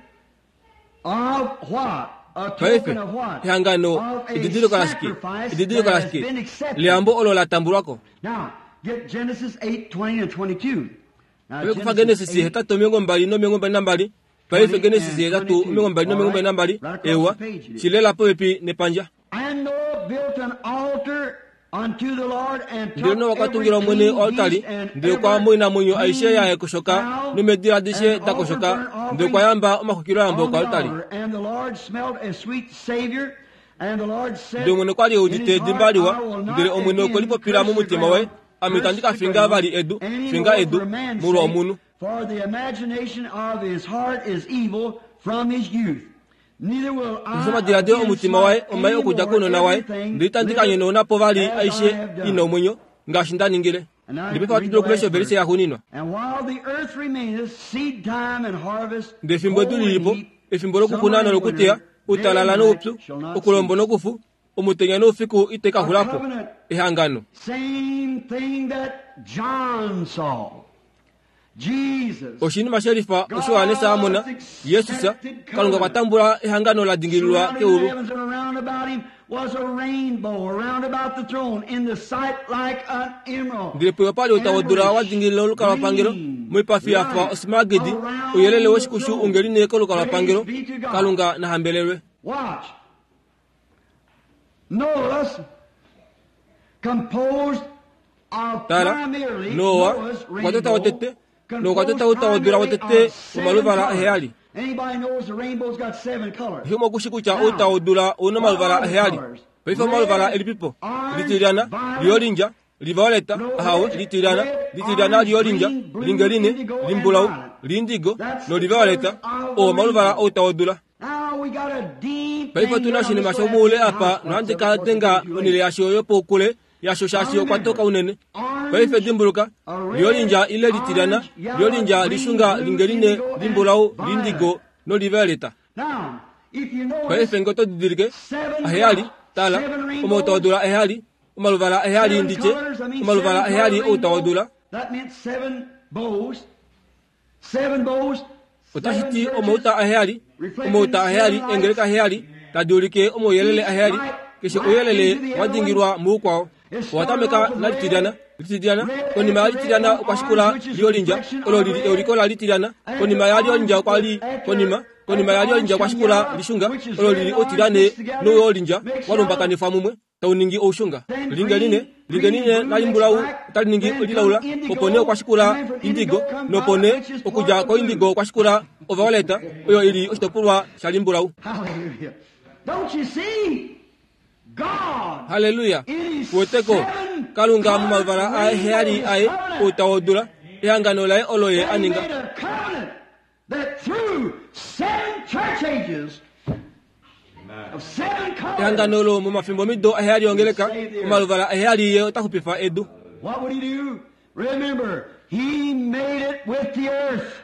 of what? A Paife token of what? ehangano Of a edidiliko lashike sacrifice edidiliko that has lashike been accepted. leyambo olo la tambulwako. Now, get Genesis eight, twenty and twenty-two. Now, Paife kufa Genesis hetatu omilongo mbali nomilongo mbali nambali. Paife Genesis hetatu omilongo mbali nomilongo mbali nambali. Ewa, shilela popepi nepandja. And Noah built an altar unto the Lord and took Ndele Noa okwa tungila every Omwene clean oaltari, beast and ndele okwa every moinamwenyo aishe clean ya koshoka fowl nomedila adishe and da koshoka, offered burnt ndele okwa yamba omaxwikiloyambo on the koaltari. altar. And the Lord smelled a sweet savior, and the Lord said Ndele Omwene okwa li e in udite his edimba heart, liwa, I will not ndele Omwene okwe again lipopila curse the momutima waye, ground, ame itandi ka curse the finga ground vali edu, any finga more edu, for man's molwa sake, omunhu. for the imagination of his heart is evil from his youth. Neither will I Osho omadiladilo again omutima waye smite omai any okudja more kounona waye, everything ndele itandi ka liveth nyonauna vali as I aishe have done. ina omwenyo, ngaashi nda ningile. And now Ndele paife read ohatu the dulu okulesha last ovelise verse. yaxuuninwa. And while the earth remaineth, seed time and harvest, Ndele efimbo edu cold and lilipo, heat, efimbo lokukuna summer and nolokuteya, winter, day uutalala and noupyu, night shall not okulombo cease. nokufu, omutenya noufiku itai ka xulapo. Ehangano. Same thing that John saw. Jesus. Oshinima shelifa osho Johannes a mona, Jesus, Kalunga okwa tambula ehangano la dingililwa Surrounding the keulu. heavens and around about him was a rainbow around about the throne in the sight like an emerald. Ndele puyo pali outawodula wa dingilila olukalwapangelo, moipafi ya fa osmaragidi, ouyelele woshikushu ungeline kolukalwapangelo, Kalunga na hambelelwe. Watch. Noah's composed of Tala, primarily Noa Noah's okwa tota rainbow wotete, nokwa tota composed outawodula primarily wotete of seven womaluvala colors. aheyali. Anybody knows the rainbow's got seven colors. Oshimwe okushi kutya outawodula ouna omaluvala aheyali. Paife omaluvala elipipo, litilyana, liolindja, livioleta, ahawe, litilyana, litilyana liolindja, lingeline, limbulau, lindigo, nolivioleta, oo omaluvala outawodula. Now we got a deep Paife thing otuna here on oshinima this shomuule last apa house nohandi parts ka of it, denga of course, onhele yasho yopoukule yasho shaashi okwa toka unene. Paife dimbuluka, liolindja ile litilyana, liolindja lishunga lingeline, limbulau, lindigo nolivioleta. Now, if you notice, Paife nge oto didilike, aheyali, tala, omautawodula aheyali, omaluvala aheyali seven nditye, colors, I mean omaluvala seven aheyali color rainbow, outawodula, That meant seven bows. Seven bows. otashi seven ti churches, omauta aheyali, omauta aheyali, eengeleka aheyali, tadi ulike omauyelele aheyali, keshe ouyelele wa dingilwa muukwao. Owa tameka nalitilyana, litilyana, konima yalitilyana okwa shikula liolindja, olo lili euliko la litilyana, konima yaliolindja okwa li, konima, konima yaliolindja okwa shikula lishunga, olo lili otilyane nouyolindja wa lumbakanifwa mumwe, tau ningi oushunga. Lingeline, lingeline lalimbulau otali ningi lilaula, opo nee okwa shikula indigo, nopo nee okudja koindigo okwa shikula ovioleta, oyo ili oshitopolwa shalimbulau. Hallelujah. Don't you see? God Haleluya. Kuweteko Kalunga momaluvala aheyali aye outawodula, ehangano laye olo ye He a ninga. made a covenant that through seven church ages of seven colors, Ehangano olo momafimbomido aheyali ongeleka, omaluvala aheyali ye ota xupifa edu. what would he do? Remember, he made it with the earth.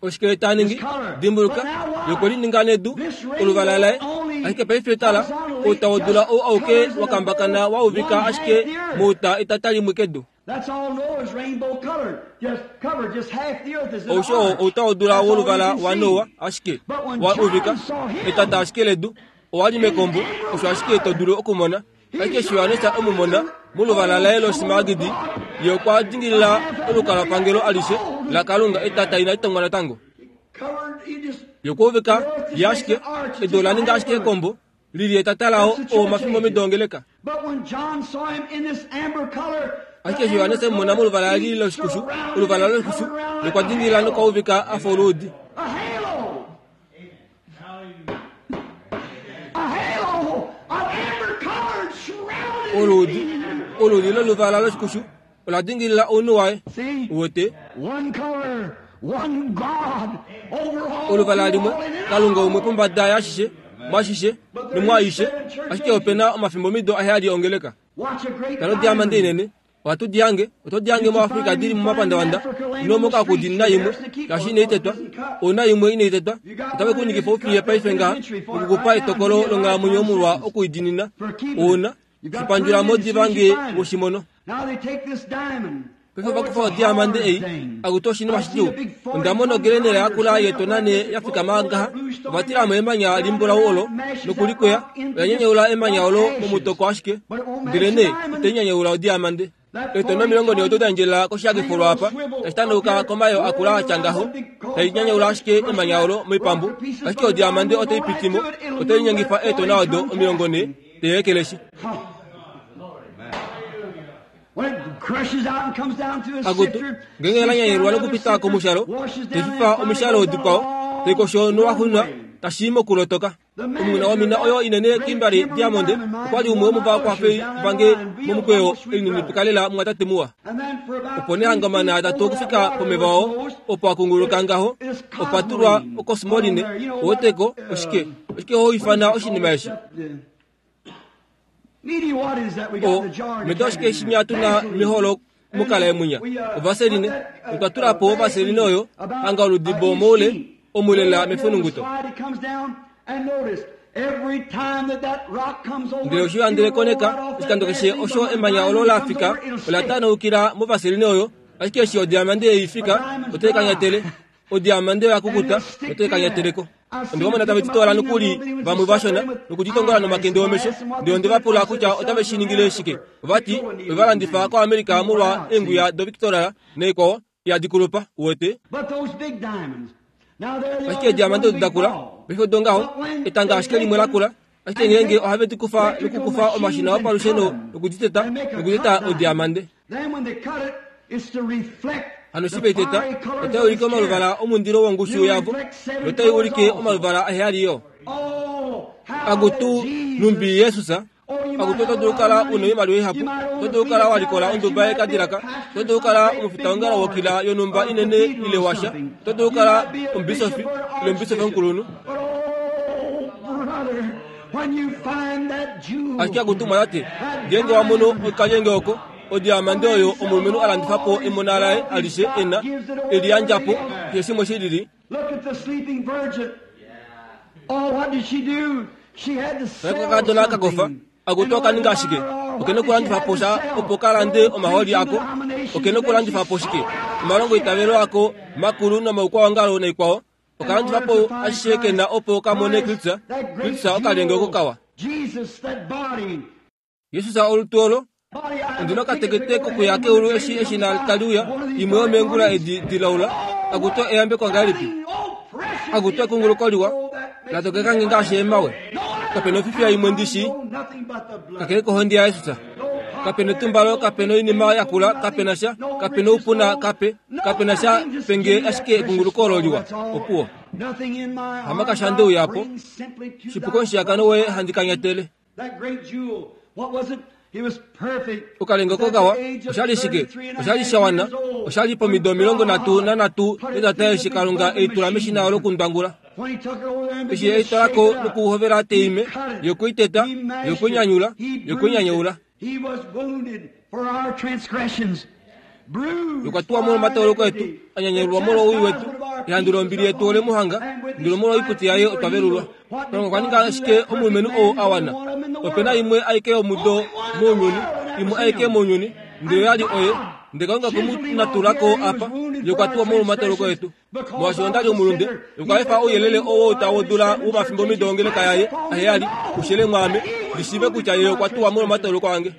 Oshike ta ningi? Dimbuluka, ye okwe lininga nedu, oluvala laye. Ashike paife tala, outawodula ou auke wa kambakana wa uvika ashike mouta etata limwe kedu. That's all Noah's rainbow colored. Just covered just half the earth is in Ousho oo orange. outawodula That's all you woluvala can wa see. Noa ashike But when wa John uvika saw him, etata ashike ledu owa li mekombo osho ashike to dulu okumona. Ashike eshi Johannes emumona moluvala laye losmaragidi, ye okwa dingilila olukalwapangelo alishe laKalunga etata inali tongwa natango. covered, he just Ye okwa uvika ye ashike edu ola ninga ashike ekombo lili etata lao oo omafimbomido ongeleka. But when John saw him in this amber color, Ashike eshi Johannes emumona moluvala lili loshikushu, oluvala loshikushu, ye okwa dingilila nokwa uvika a fa oluudi. A halo. A halo of amber colored surrounded Oluudi, him. oluudi loluvala loshikushu ola dingilila ounhu waye. See? Uwete, One color, one God, over all, oluvala limwe, all and in Kalunga all. umwe pombada yashishe, mwashishe, nomwaaishe, ashike opena omafimbomido aheyali ongeleka. Watch a great Tala odiamande diamond. inene, ohatu di hange, oto di hange muAfrika dili momapandavanda, nomoka kudinina imwe, ngaashi inai tetwa, ouna imwe inai tetwa, otave ku ningifa ufiye paife ngaha, okukupa etokolo longhalamwenyo molwa okuidinina, ouna, shipandjula mo diva nge woshimono. Now they take this diamond. Paife ovakufa odiamande ei, akuti oshinima shidjuu. Onda mona ogelenela yakula yetonane ya fikama ngaha, ovatilamo emanya limbulau olo, nokulikweya, oya nyanyaula emanya olo momutoko ashike, ndele nee itai nyanyaula odiamande. Eetona omilongo nhee odo da endjelela koshihakifo apa tashi tanauka komayo akula atya ngaho tai nyanyaula ashike emanya olo moipambu, ashike odiamande otai pitimo otai linyengifa eetona odo omilongo nhee teyekeleshi. Akutu ngenge la nyanyelwa nokupita komushalo taififa omishalo dikwao taikosho nowaxunwa tashi mokulotoka. Omunguna womina oyo inene Kimberley Diamond okwali umwe womovakwafeli vange momukweyo elininipika lela mumwatate muwa. Opo nee hangamana atatu okufika pomeva oo opo akunguluka ngaho opa tulwa okosmoline oweteko oshike oshike ho ifana oshinima eshi o meta oshike shinya tuna meholo mukala emunya ovaseline otwa tulapo ovaseline oyo hanga oludibo moule omulela mefununguto. Ndele oshilandele koneka oshikando keshe osho emanya olo la fika ola tanaukila movaseline oyo, ashike eshi odiamande eifika otai kanyatele odiamande yakukuta otai kanyateleko. Ondiwamona tave titola nokuli vamwe vashona nokuditongola nomakende omesho. Ndele onde vapula kutya otave shi ningile shike. Ovati ovalandifa koAmerica molwa eenguya do Victoria naikwao yadikulupa uwete. Ashike ediamande odo dakula paife odo ngaho etanga ashike limwe lakula, ashike ngeenge ohave di kufa nokukufa omashina opalusheno nokuditeta nokuteta odiamande. Hano shi veiteta otai ulike omaluvala omundilo wongushu yavo notai ulike omaluvala aheyali yo. Akutu numbi Yesus akutu oto dulu kala una oimaliwa ihapu, oto dulu kala walikola onduba yekadilaka, oto dulu kala omufitaongalo wokila yonhumba inene ile washa, oto dulu kala omubisofi ile omubisofi omukulunhu. Ashike akutu mwatate ngeenge wamono okalyenge oko odiamande oyo omulumenhu alandifapo emona laye alishe ena eliyandjapo keshe shimwe shilili. Kakadona kakofa akutu okaninga ashike okene okulandifapo sha opo kalande omaholi ako, okene okulandifapo shike omalongo itavelo ako makulu nomaukwawongalo naikwao, okalandifapo ashishe kena opo kamone Kristus. Kristus okalyenge oko kawa. Jesus olutu olo ondina okatekete kokuya keulu eshi eshina taliuya imwe yomeengula edi dilaula. Akutu eyambeko ngahelipi, akutu ekunguluko liwa latokekange ngaashi emawe. Kapena ofifiya imwe ndishi kakele kohondi yaYesus. Kapena etumbalo, kapena oinima yakula, kapena sha, kapena oupuna, kape kapena sha penge ashike ekunguluko olo liwa opuwo. Hamakasha ndeuyapo shipuko omushiyakano woye handi kanyatele. Okalenga kokawa oshali shike oshali shawana oshali pomido omilongo nhatu nanhatu netata eshi Kalunga eitula meshina lokundwangula. Eshi eitwalako nokuhovela teime yokuiteta yokuinyanyula yokuinyanyaula. Yokwatuwa molwa omatoloko etu anyanyulwa molwa owii wetu ehandu lombili yetu ole muhanga ndele molwa oikuti yaye otwa velulwa. Kalunga okwa ninga ashike omulumenhu ou awana. Opena imwe aike yomudo mounyuni, imwe aike mounyuni, ndele oyali oye. Ndele Kalunga okwe mu natulako apa yokwatuwa molwa omatoloko etu. Molwaashi ondali omulunde, okwa efa ouyelele oo tau dula womafimbo omido ongeleka yaye aheyali ushele mwaame ndishiive kutya ye okwa tuwa molwa omatoloko ange.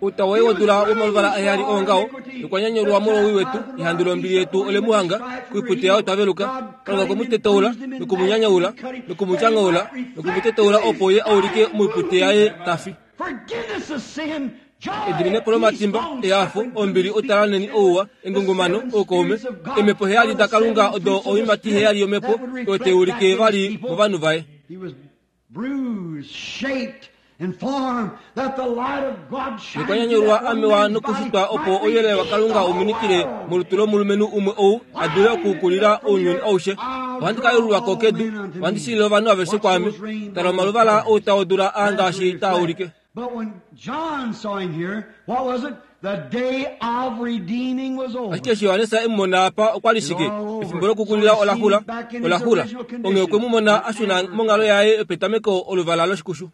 Outa woye wodula womaluvala aheyali oongaho okwa nyanyulwa molwa owii wetu, ehandu lombili yetu ole mu hanga, koipute yaye otwa veluka. Kalunga okwe mu tetaula nokumunyanyaula nokumutyangaula nokumutetaula opo ye aulike moipute yaye tafi. Ediminepo lomatimba, ehafo, ombili, otalaneni, ouwa, engungumano, oukaume, emhepo heyali daKalunga odo oiimati heyali yomhepo oyo tai ulike vali movanhu vaye. Nokwanyanyulwa amewa nokushitwa opo ouyelele waKalunga uminikile molutu lomulumenhu umwe ou a dule okukulila ounyuni aushe. Ohandi ka yelulwako kedu, ohandi shilile ovanhu aveshe kwaame. Tala omaluvala outa wodula aa ngaashi taa ulike. Ashike eshi Johannes e mu mona apa okwali shike? Efimbo lokukulila olaxula, olaxula. Onghee okwe mu mona a shuna monghalo yaye yopetameko oluvala loshikushu.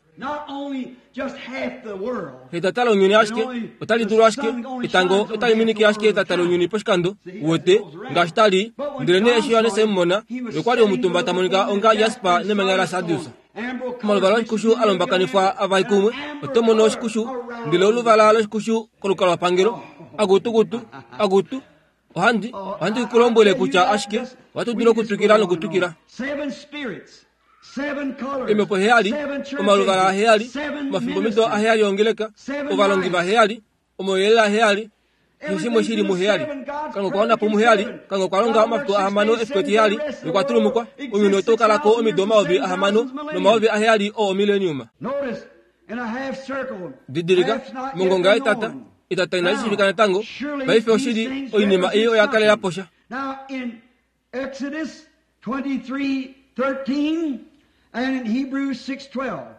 Etata lounyuni ashike otali dulu ashike etango otali minike ashike etata lounyuni poshikando uwete ngaashi tali. Ndele nee eshi Johannes e mu mona, okwali omutumba ta monika onga jasper nemanya la sardius. Omaluvala oshikushu alombakanifwa avali kumwe oto mono oshikushu ndele oluvala loshikushu kolukalwapangelo akutukutu akutu ohandi ohandi kulombwele kutya ashike ohatu dulu okutwikila nokutwikila. Emhepo heyali, omaluvala aheyali, omafimbomido aheyali ongeleka, ovalongi vaheyali, omauyelele aheyali, keshe shimwe shili muheyali. Kalunga okwa wana po muheyali, Kalunga okwa longa omafiku ahamano efiku etiheyali nokwatulumukwa. Ounyuni otau kalako omido omayovi ahamano nomayovi aheyali oo omileniuma. Didilika, mongonga yetata, etata inali shiivika natango. Paife oshili oinima ei oya kalela posha.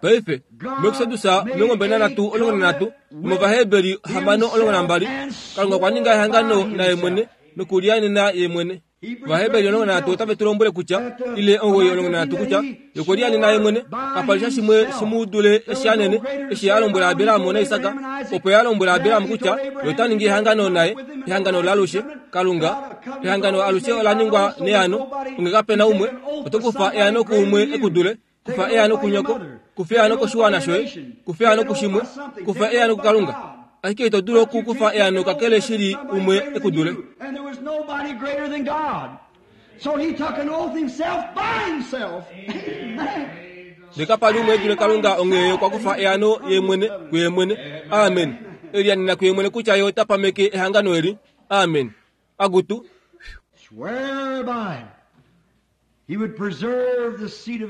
Paife muExodus omilongo mbali nanhatu omulongo nanhatu nomOvaheberi hamano omulongo nambali, Kalunga okwa ninga ehangano naye mwene nokulianena ye mwene. Ovaheberi omulongo nanhatu otave tu lombwele kutya ile omugoyi omulongo nanhatu kutya yokulianena ye mwene kapali sha shimwe shimudule eshi anene eshi a lombwela Abraham naIsak, opo ya lombwela Abraham kutya ye ota ningi ehangano naye, ehangano lalushe. Kalunga ehangano alushe ola ningwa neano, onge kapena umwe oto kufa eano kuumwe ekudule, kufa eano kunyoko, kufa eano koshiwana shoye, kufa eano kushimwe, kufa eano kuKalunga. Ashike ito dulu okukufa eano kakele shili umwe ekudule. Ndekapali umwe edule Kalunga onghee okwa kufa eano ye mwene kuye mwene. Amen. Elianena kuye mwene kutya ye ota pameke ehangano eli. Amen. Agutu.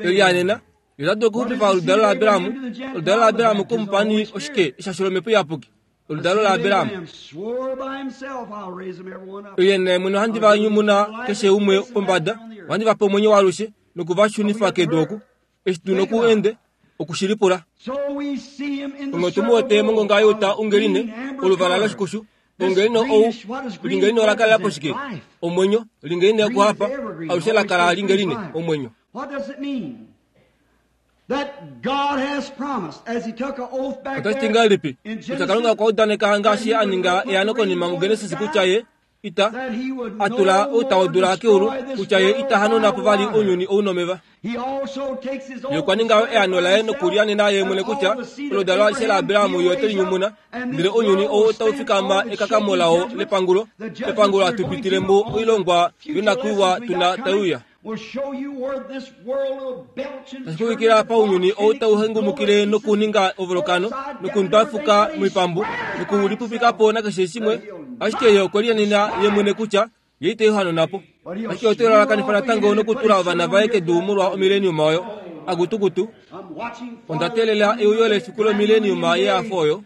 Elianena ye ota dulu okuxupifa oludalo laAbraham, oludalo laAbraham komupani oshike eshasho lomhepo iyapuki, oludalo laAbraham. Elianena ye mwene ohandi va nyumuna keshe umwe pombada, ohandi va pe omwenyo waalushe nokuvashunifa kedu oku. Eshi tu noku ende okushilipula. Onge tu mu wete mongonga youta ungeline, oluvala loshikushu, ongeline ou lingeline ola kalela po shike? Omwenyo. Lingeline okuhapa alushe la kala lingeline omwenyo. Otashi ti ngahelipi kutya Kalunga okwa udaneka ngaashi a ninga eano konima muGenesis kutya ye ita atula outa wodula keulu kutya ye ita hanuna po vali ounyuni ou nomeva. Ye okwa ninga eano laye nokulianena ye mwene kutya oludalo alishe laAbraham ye ote linyumuna, ndele ounyuni ou otau fikama ekakamo lao lepangulo, epangulo atupitile mo oilongwa yonakuiwa tuna taiuya. Tashikuvikila paunyuni ou tau hengumukile nokuninga ovolokano nokundwafuka moipambu nokulipupikapo nakeshe shimwe, ashike ye okwe lianena ye mwene kutya ye ite hanona po. Ashike ote lalakanifa natango nokutula ovana vaye kedu molwa omileniuma oyo. Akutukutu, onda teelela euyo lefiku lomileniuma yeafo oyo.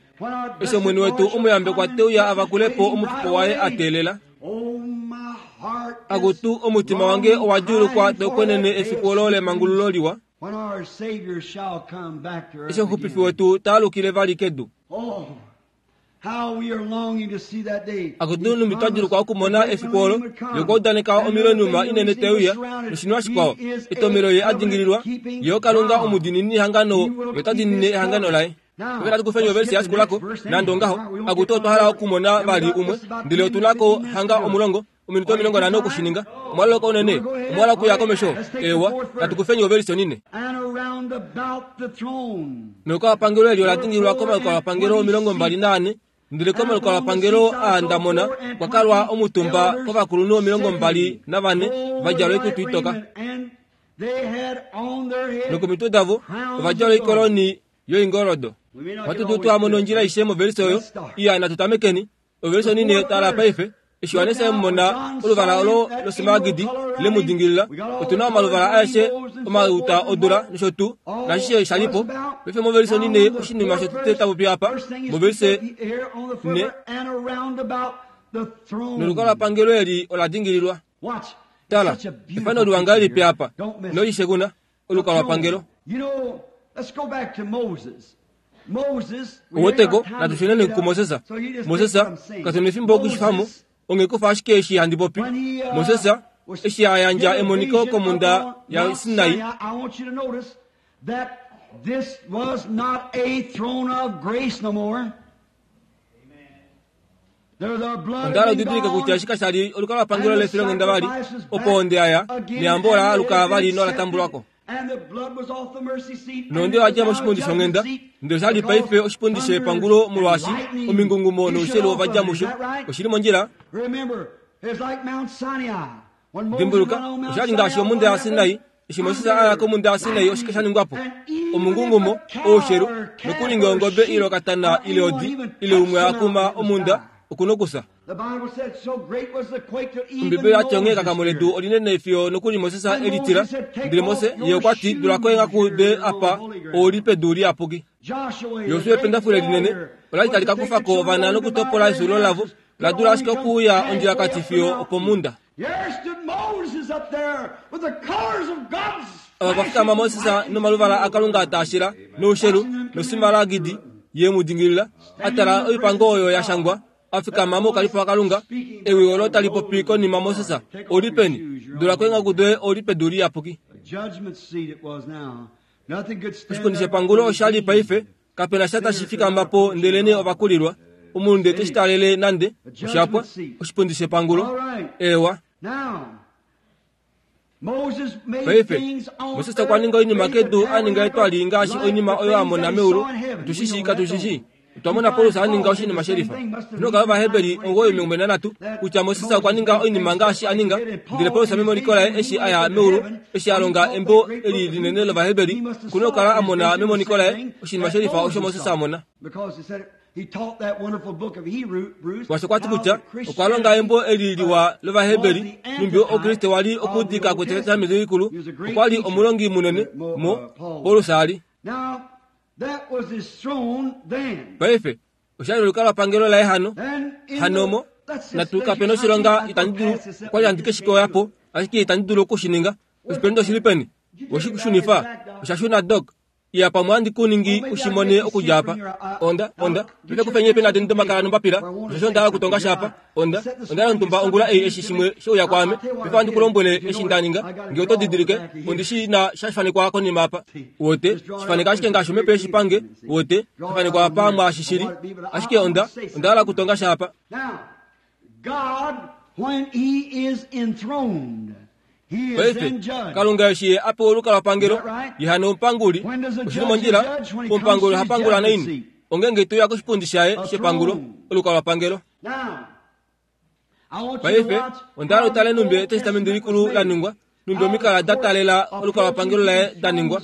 Eshi omwene wetu omuyambekwa teuya avakulepo omufuko waye a teelela. Akutu, omutima wange owa djuulukwa taukwenene efiku olo lemangululo liwa, eshi omuxupifi wetu taalukile vali kedu. Akutu, numbi twa djuulukwa okumona efiku olo ye okwa udaneka omileniuma inene teuya noshinima shikwao. Etomelo ye a dingililwa, ye oKalunga omudiinini hangano, ye ota diinine ehangano laye. Paife natu kufeni ovelisi yashikulako nande ongaho. Akutu, otwa hala okumona vali umwe, ndele otu nako hanga omulongo ominute omilongo nhano okushininga. Omwaloloka unene, omwa hala okuya komesho. Ewa, natu kufeni ovelisi onine. Nolukalwapangelo eli ola dingililwa komalukalwapangelo omilongo mbali naane, ndele komalukalwapangelo aa ndamona okwa kalwa omutumba kovakulunhu omilongo mbali navane va djala oikutu itoka. Nokomitwe davo ova djala oikoloni yoingoldo. Ohatu dulu twamona ondjila aishe movelisi oyo. Iya, natu tamekeni ovelisi onine. Tala paife eshi Johannes emona oluvala olo losmaragidi le mu dingilila. Otu na omaluvala aeshe omauta odula nosho tuu nashishe shalipo. Paife movelisi onine oshinima shotete tapopi apa movelisi ne nolukalwapangelo eli ola dingililwa. Tala efano liwa ngahelipi apa nolishe kuna olukalwapangelo. Oweteko natu shuneni kuMoses. Moses katuna efimbo okushifamo, onge kufa ashike eshi handi popi. Moses eshi a yandja emoniko komhunda yaSinai, onda hala udidilike kutya eshi kashali olukalwapangelo lefilonghenda vali, opo onde aya neyambo ola aluka vali nola tambulwako. Nonde wadja moshipundi shonghenda ndele oshali paife oshipundi shepangulo molwaashi omingungumo noushelu ovadja musho. Oshili mondjila. Dimbuluka, oshali ngaashi omunda yaSinai. Eshi Moses a ya komunda yaSinai oshike sha ningwa po? Omungungumo, oushelu, nokuninga ongobe ile okatana ile odi ile umwe a kuma omunda okunokusa. Ombibeli yati onghee kakamo ledu olinene fiyo nokuli Moses elitila. Ndele Moses ye okwa ti dulako enghaku de apa ouli pedu liyapuki. Josua ependafule linene olali tali ka kufa ko ovana nokutopola esulo lavo la dula ashike okuuya ondjilakati fiyo opomunda. Ava vafikama Moses nomaluvala aKalunga taashila noushelu nosimalagidi ye mu dingilila a tala oipango oyo ya shangwa afikama mokalifa waKalunga. Ewi olo tali popi konima Moses oli peni? Dulako enghaku doye oli pedu liyapuki. Oshipundi shepangulo oshali paife kapena sha tashi fikama po ndelene ovakulilwa. Omunhu teshi talele nande oshapwa oshipundi shepangulo. Ewa. Paife Moses okwa ninga oinima kedu a ninga etwali ngaashi oinima oyo a mona meulu. Tushishi katushishi. Twamona Paulus a ninga oshinima shelifa. Noka Ovaheberi omugoyi omilongo nanhatu kutya Moses okwa ninga oinima ngaashi a ninga. Ndele Paulus memoniko laye eshi a ya meulu eshi a longa embo eli linene lOvaheberi okuna okukala a mona memoniko laye oshinima shelifa osho Moses a mona. Mwaashi okwa ti kutya okwa longa embo eli liwa lOvaheberi numbi Okriste wali okuudika kweTestamenti Likulu. Okwa li omulongi munene mo Paulus ali. Paife oshali olukalwapangelo laye hano hanomo natu kapena oshilonga itandi dulu okwali handi keshikoyapo ashike itandi dulu okushininga. Oshipendo oshili peni? Oshikushunifa oshashuna dok. Iya pamwe handi kuningi ushimone okudja apa. Onda onda ndile kufenye pena dendo makala nombapila osho nda kutonga shapa. Onda onda ntumba ongula ei eshi shimwe shouya kwame befo handi kulombwele eshi ndaninga nge oto didilike ondishi na shafanekwa konima apa. Wote shifaneka ashike ngaashi omhepo yeshipange. Wote shifanekwa apa mwaashishili ashike onda onda hala kutonga shapa. Paife Kalunga eshi ye apewa olukalwapangelo ye hano omupanguli. Oshili mondjila. Omupanguli ohapangula naini? Ongenge toya koshipundi shaye shepangulo olukalwapangelo. Paife onda hala utale numbi Etestamenti Likulu la ningwa, numbi omikala da talela olukalwapangelo laye da ningwa,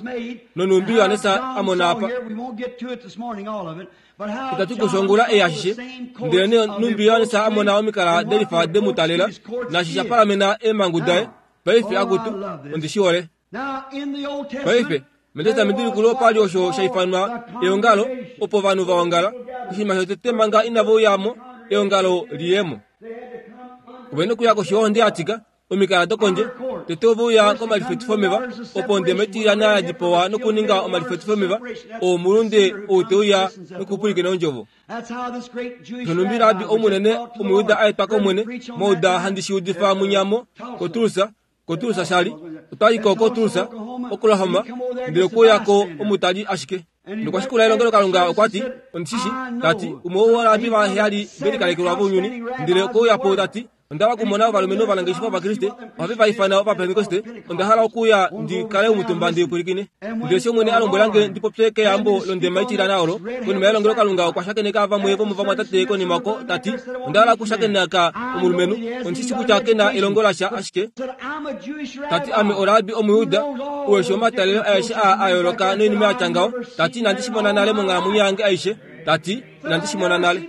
nonumbi Johannes a mona apa. Itatu kushongula ei ashishe, ndele numbi Johannes a mona omikala delifa demu talela, naashi sha palamena eemhangu daye. Paife akutu ondishihole. Paife mEtestamenti Likulu opali osho sha ifanwa eongalo opo ovanhu va ongala. Oshinima shotete manga inava uyamo eongalo liyemo. Ovena okuya koshi yohonde yatika omikala dokondje. Tete ove uya komalifetifo omeva opo ondema itiliyana ya dipawa nokuninga omalifetifo omeva oo omulunde ou teuya nokupwilikina ondjovo. Shonumbi Rabi omunene Omuyuda a etwa kOmwene mouda handi shi udifa munyamo koTulsa. KoTulsa shali otwaliko koTulsa, Oklahoma, ndele okuuyako omutali ashike. Nokwashikula elongelo Kalunga okwa ti ondishishi tati umwe worabi vaheyali velikalekelwa vounyuni. Ndele okuuyapo tati onda hala okumona ovalumenhu ovanangeshefa Ovakriste ohave va ifana Ovapentekoste. Onda hala okuuya ndi kale omutumba ndi pwilikine. Ndele eshi Omwene a lombwela nge ndi popye keyambo londema itiliyana olo konima yelongelo Kalunga okwa shakeneka vamwe vomovamwatate konima oko tati onda hala okushakeneka omulumenhu ondishishi kutya kena elongo lasha ashike tati ame orabi Omuyuda uweshi omatalelo aeshe aa a yooloka noinima yatya ngaho. Tati inandi shi mona nale monghalamwenyo yange aishe. Tati inandi shi mona nale.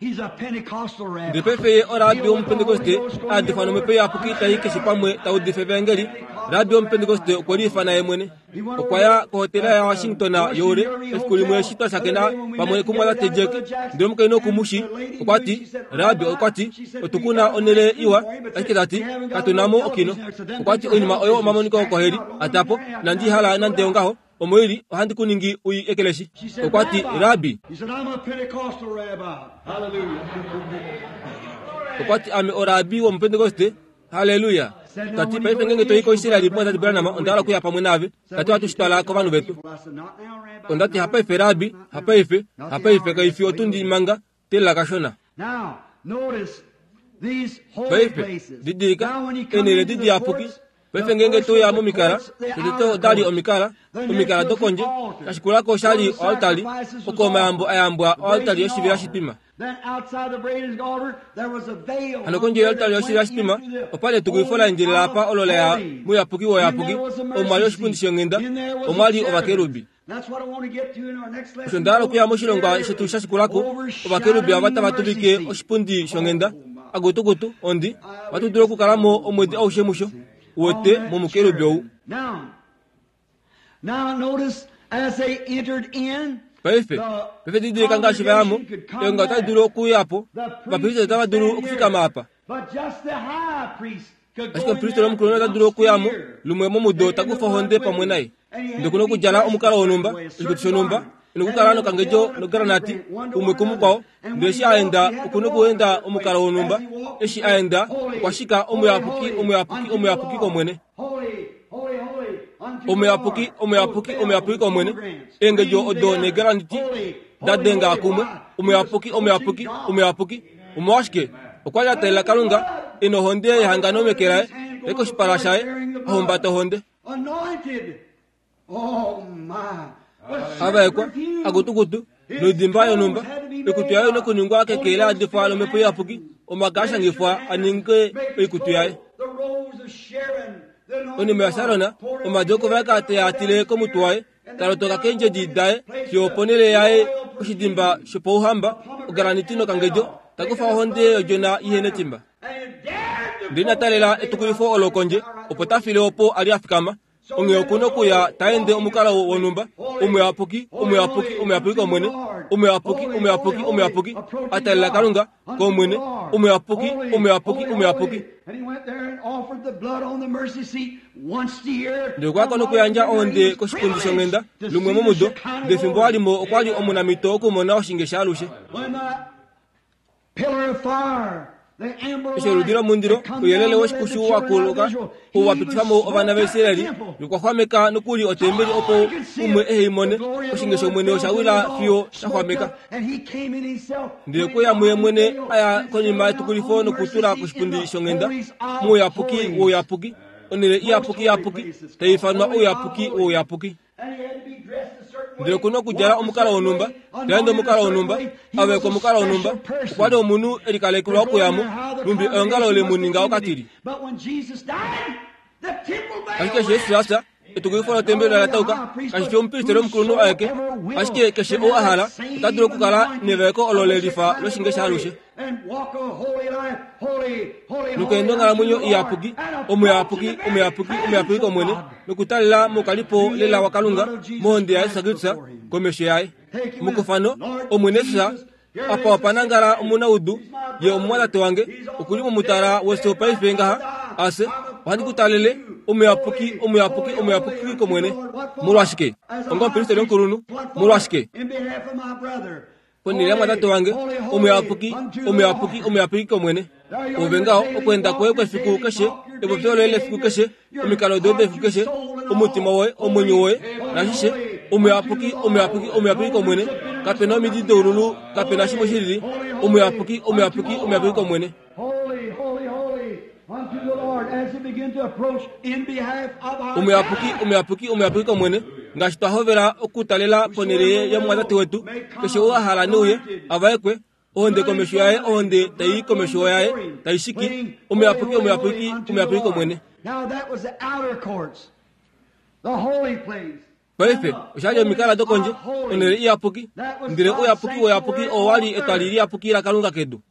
Ndele paife ye orabi wOmupentekoste a difwa nomhepo iyapuki tai keshe pamwe taudifa evangeli. Rabi wOmupentekoste okwe liifana ye mwene. Okwa ya kohotela yaWashington youle efiku limwe eshi twa shakena pamwe kumwatate Jack. Ndele omukainhu okumushi okwa ti Rabi okwa ti otukuna onhele iwa ashike tati katunamo okino. Okwa ti oinima oyo omamoniko okoheli atapo inandi hala nande ongaho. Omoili ohandi kuningi ui ekeleshi. Okwa ti Rabi. Okwa ti ame orabi wOmupentekoste. Haleluya. Tati paife ngenge toi koIsraeli mwatate Branham onda hala okuya pamwe naave. Tati ohatu shitwala kovanhu vetu. Ondati hapaife Rabi, hapaife, hapaife kaifi otundi manga telela kashona. Paife didilika enhele didiyapuki. Paife ngeenge toya momikala, tete odali omikala, omikala dokondje, kashikulako oshali oaltari, oko omayambo ayambwa oaltari yoshivela shitwima. Hano kondje yoaltari yoshivela shitwima, opali etukulifo la endjelela apa olo laya mouyapuki wouyapuki, omwali oshipundi shonghenda, omwali ovakerubi. Osho nda hala okuya moshilongwa shetu shashikulako, ovakerubi ava tava tuvike oshipundi shonghenda, akutukutu, ondi, ohatu dulu okukalamo omwedi aushe musho. Uwete momukerubi ou. Paife, paife didilika ngaashi vayamo, eonga otali dulu okuya po, ovapristeli otava dulu okufikama apa. Ashike omupristeli omukulunhu ota dulu okuyamo lumwe momudo takufa ohonde pamwe naye. Ndele okuna okudjala omukalo wonhumba, oshikutu shonhumba, nokukala nokangedjo nogranati umwe kumukwao. Ndele eshi a enda okuna okuenda omukalo wonhumba, eshi a enda okwa shika omuyapuki, omuyapuki, omuyapuki kOmwene. Omuyapuki, omuyapuki, omuyapuki kOmwene. Eengedjo odo neegranati da denga kumwe. Omuyapuki, omuyapuki, omuyapuki. Omolwashike? Okwa li a talela Kalunga e nohonde yehangano meke laye, e koshipala shaye, a humbata ohonde. Avaekwa, akutukutu, noidimba yonhumba, oikutu yaye nokuningwa keke la yadifwa lomhepo iyapuki, omaka a shangifwa a ninge oikutu yaye. Onime yaSaron, omadi okuvaeka teyaatile komutwe waye, talotoka keendjedi daye fiyo oponhele yaye oshidimba shopauhamba, ograniti nokangedjo, takufa ohonde yodjona ihe netimba. Ndele ina talela etukulifo olo kondje, opo ta file opo a li a fikama. Onghee okuna okuya ta ende omukalo wonhumba, omuyapuki, omuyapuki, omuyapuki kOmwene, omuyapuki, omuyapuki, omuyapuki, a talela Kalunga kOmwene, omuyapuki, omuyapuki, omuyapuki. Ndele okwa kona okuyandja ohonde koshipundi shonghenda lumwe momudo, ndele fimbo a li mo okwa li omunamhito okumona oshinge shaalushe. Eshi oludi lomundilo ouyelele woshikushu wa kuluka ou wa pitifa mo ovana vaIsraeli nokwa xwameka nokuli otembeli opo umwe ehe i mone, oshinge shOmwene osha wila fiyo sha xwameka. Ndele okwe muye mwene a ya konima yetukulifo nokutula koshipundi shonghenda mouyapuki wouyapuki, onhele iyapuki iyapuki, tai ifanwa ouyapuki wouyapuki. Ndele okuna okudjala omukalo wonhumba, taende omukalo wonhumba, avaekwa omukalo wonhumba, okwa li omunhu e likalekelwa okuyamo, numbi eongalo le mu ninga okatili. Ashike eshi Jesus a fya, etukulifo lotembeli ola tauka, kashi fi omupristeli omukulunhu aeke, ashike keshe ou a hala ota dulu okukala nevaeko olo le lifa loshinge shaalushe. Nokuenda onghalamwenyo iyapuki, omuyapuki, omuyapuki, omuyapuki kOmwene, nokutalela mokalipo lela waKalunga mohonde yaJesus Kristus komesho yaye. Mukufano, Omwene Jesus, apa opa nangala omunaudu, ye omumwatate wange, okuli momutala wefyo paife ngaha, ase, ohandi ku talele, omuyapuki, omuyapuki, omuyapuki kOmwene. Molwashike? Onga omupristeli omukulunhu, molwashike? Ponhele yamwatate wange, omuyapuki, omuyapuki, omuyapuki kOmwene. Ove ngaho, okweenda kwoye kwefiku keshe, epopyo loye lefiku keshe, omikalo doye defiku keshe, omutima woye, omwenyo woye, nashishe, omuyapuki, omuyapuki, omuyapuki kOmwene. Kapena omidi doululu, kapena shimwe shilili, omuyapuki, omuyapuki, omuyapuki kOmwene. Omuyapuki, omuyapuki, omuyapuki kOmwene, ngaashi twa hovela okutalela ponhele yomumwatate wetu, keshe ou a hala neuye, avaekwe, ohonde komesho yaye, ohonde tai komesho yaye, tai shiki, omuyapuki, omuyapuki, omuyapuki kOmwene. Paife, osha li omikala dokondje, onhele iyapuki, ndele ouyapuki wouyapuki oo wa li etwali liyapuki laKalunga kedu.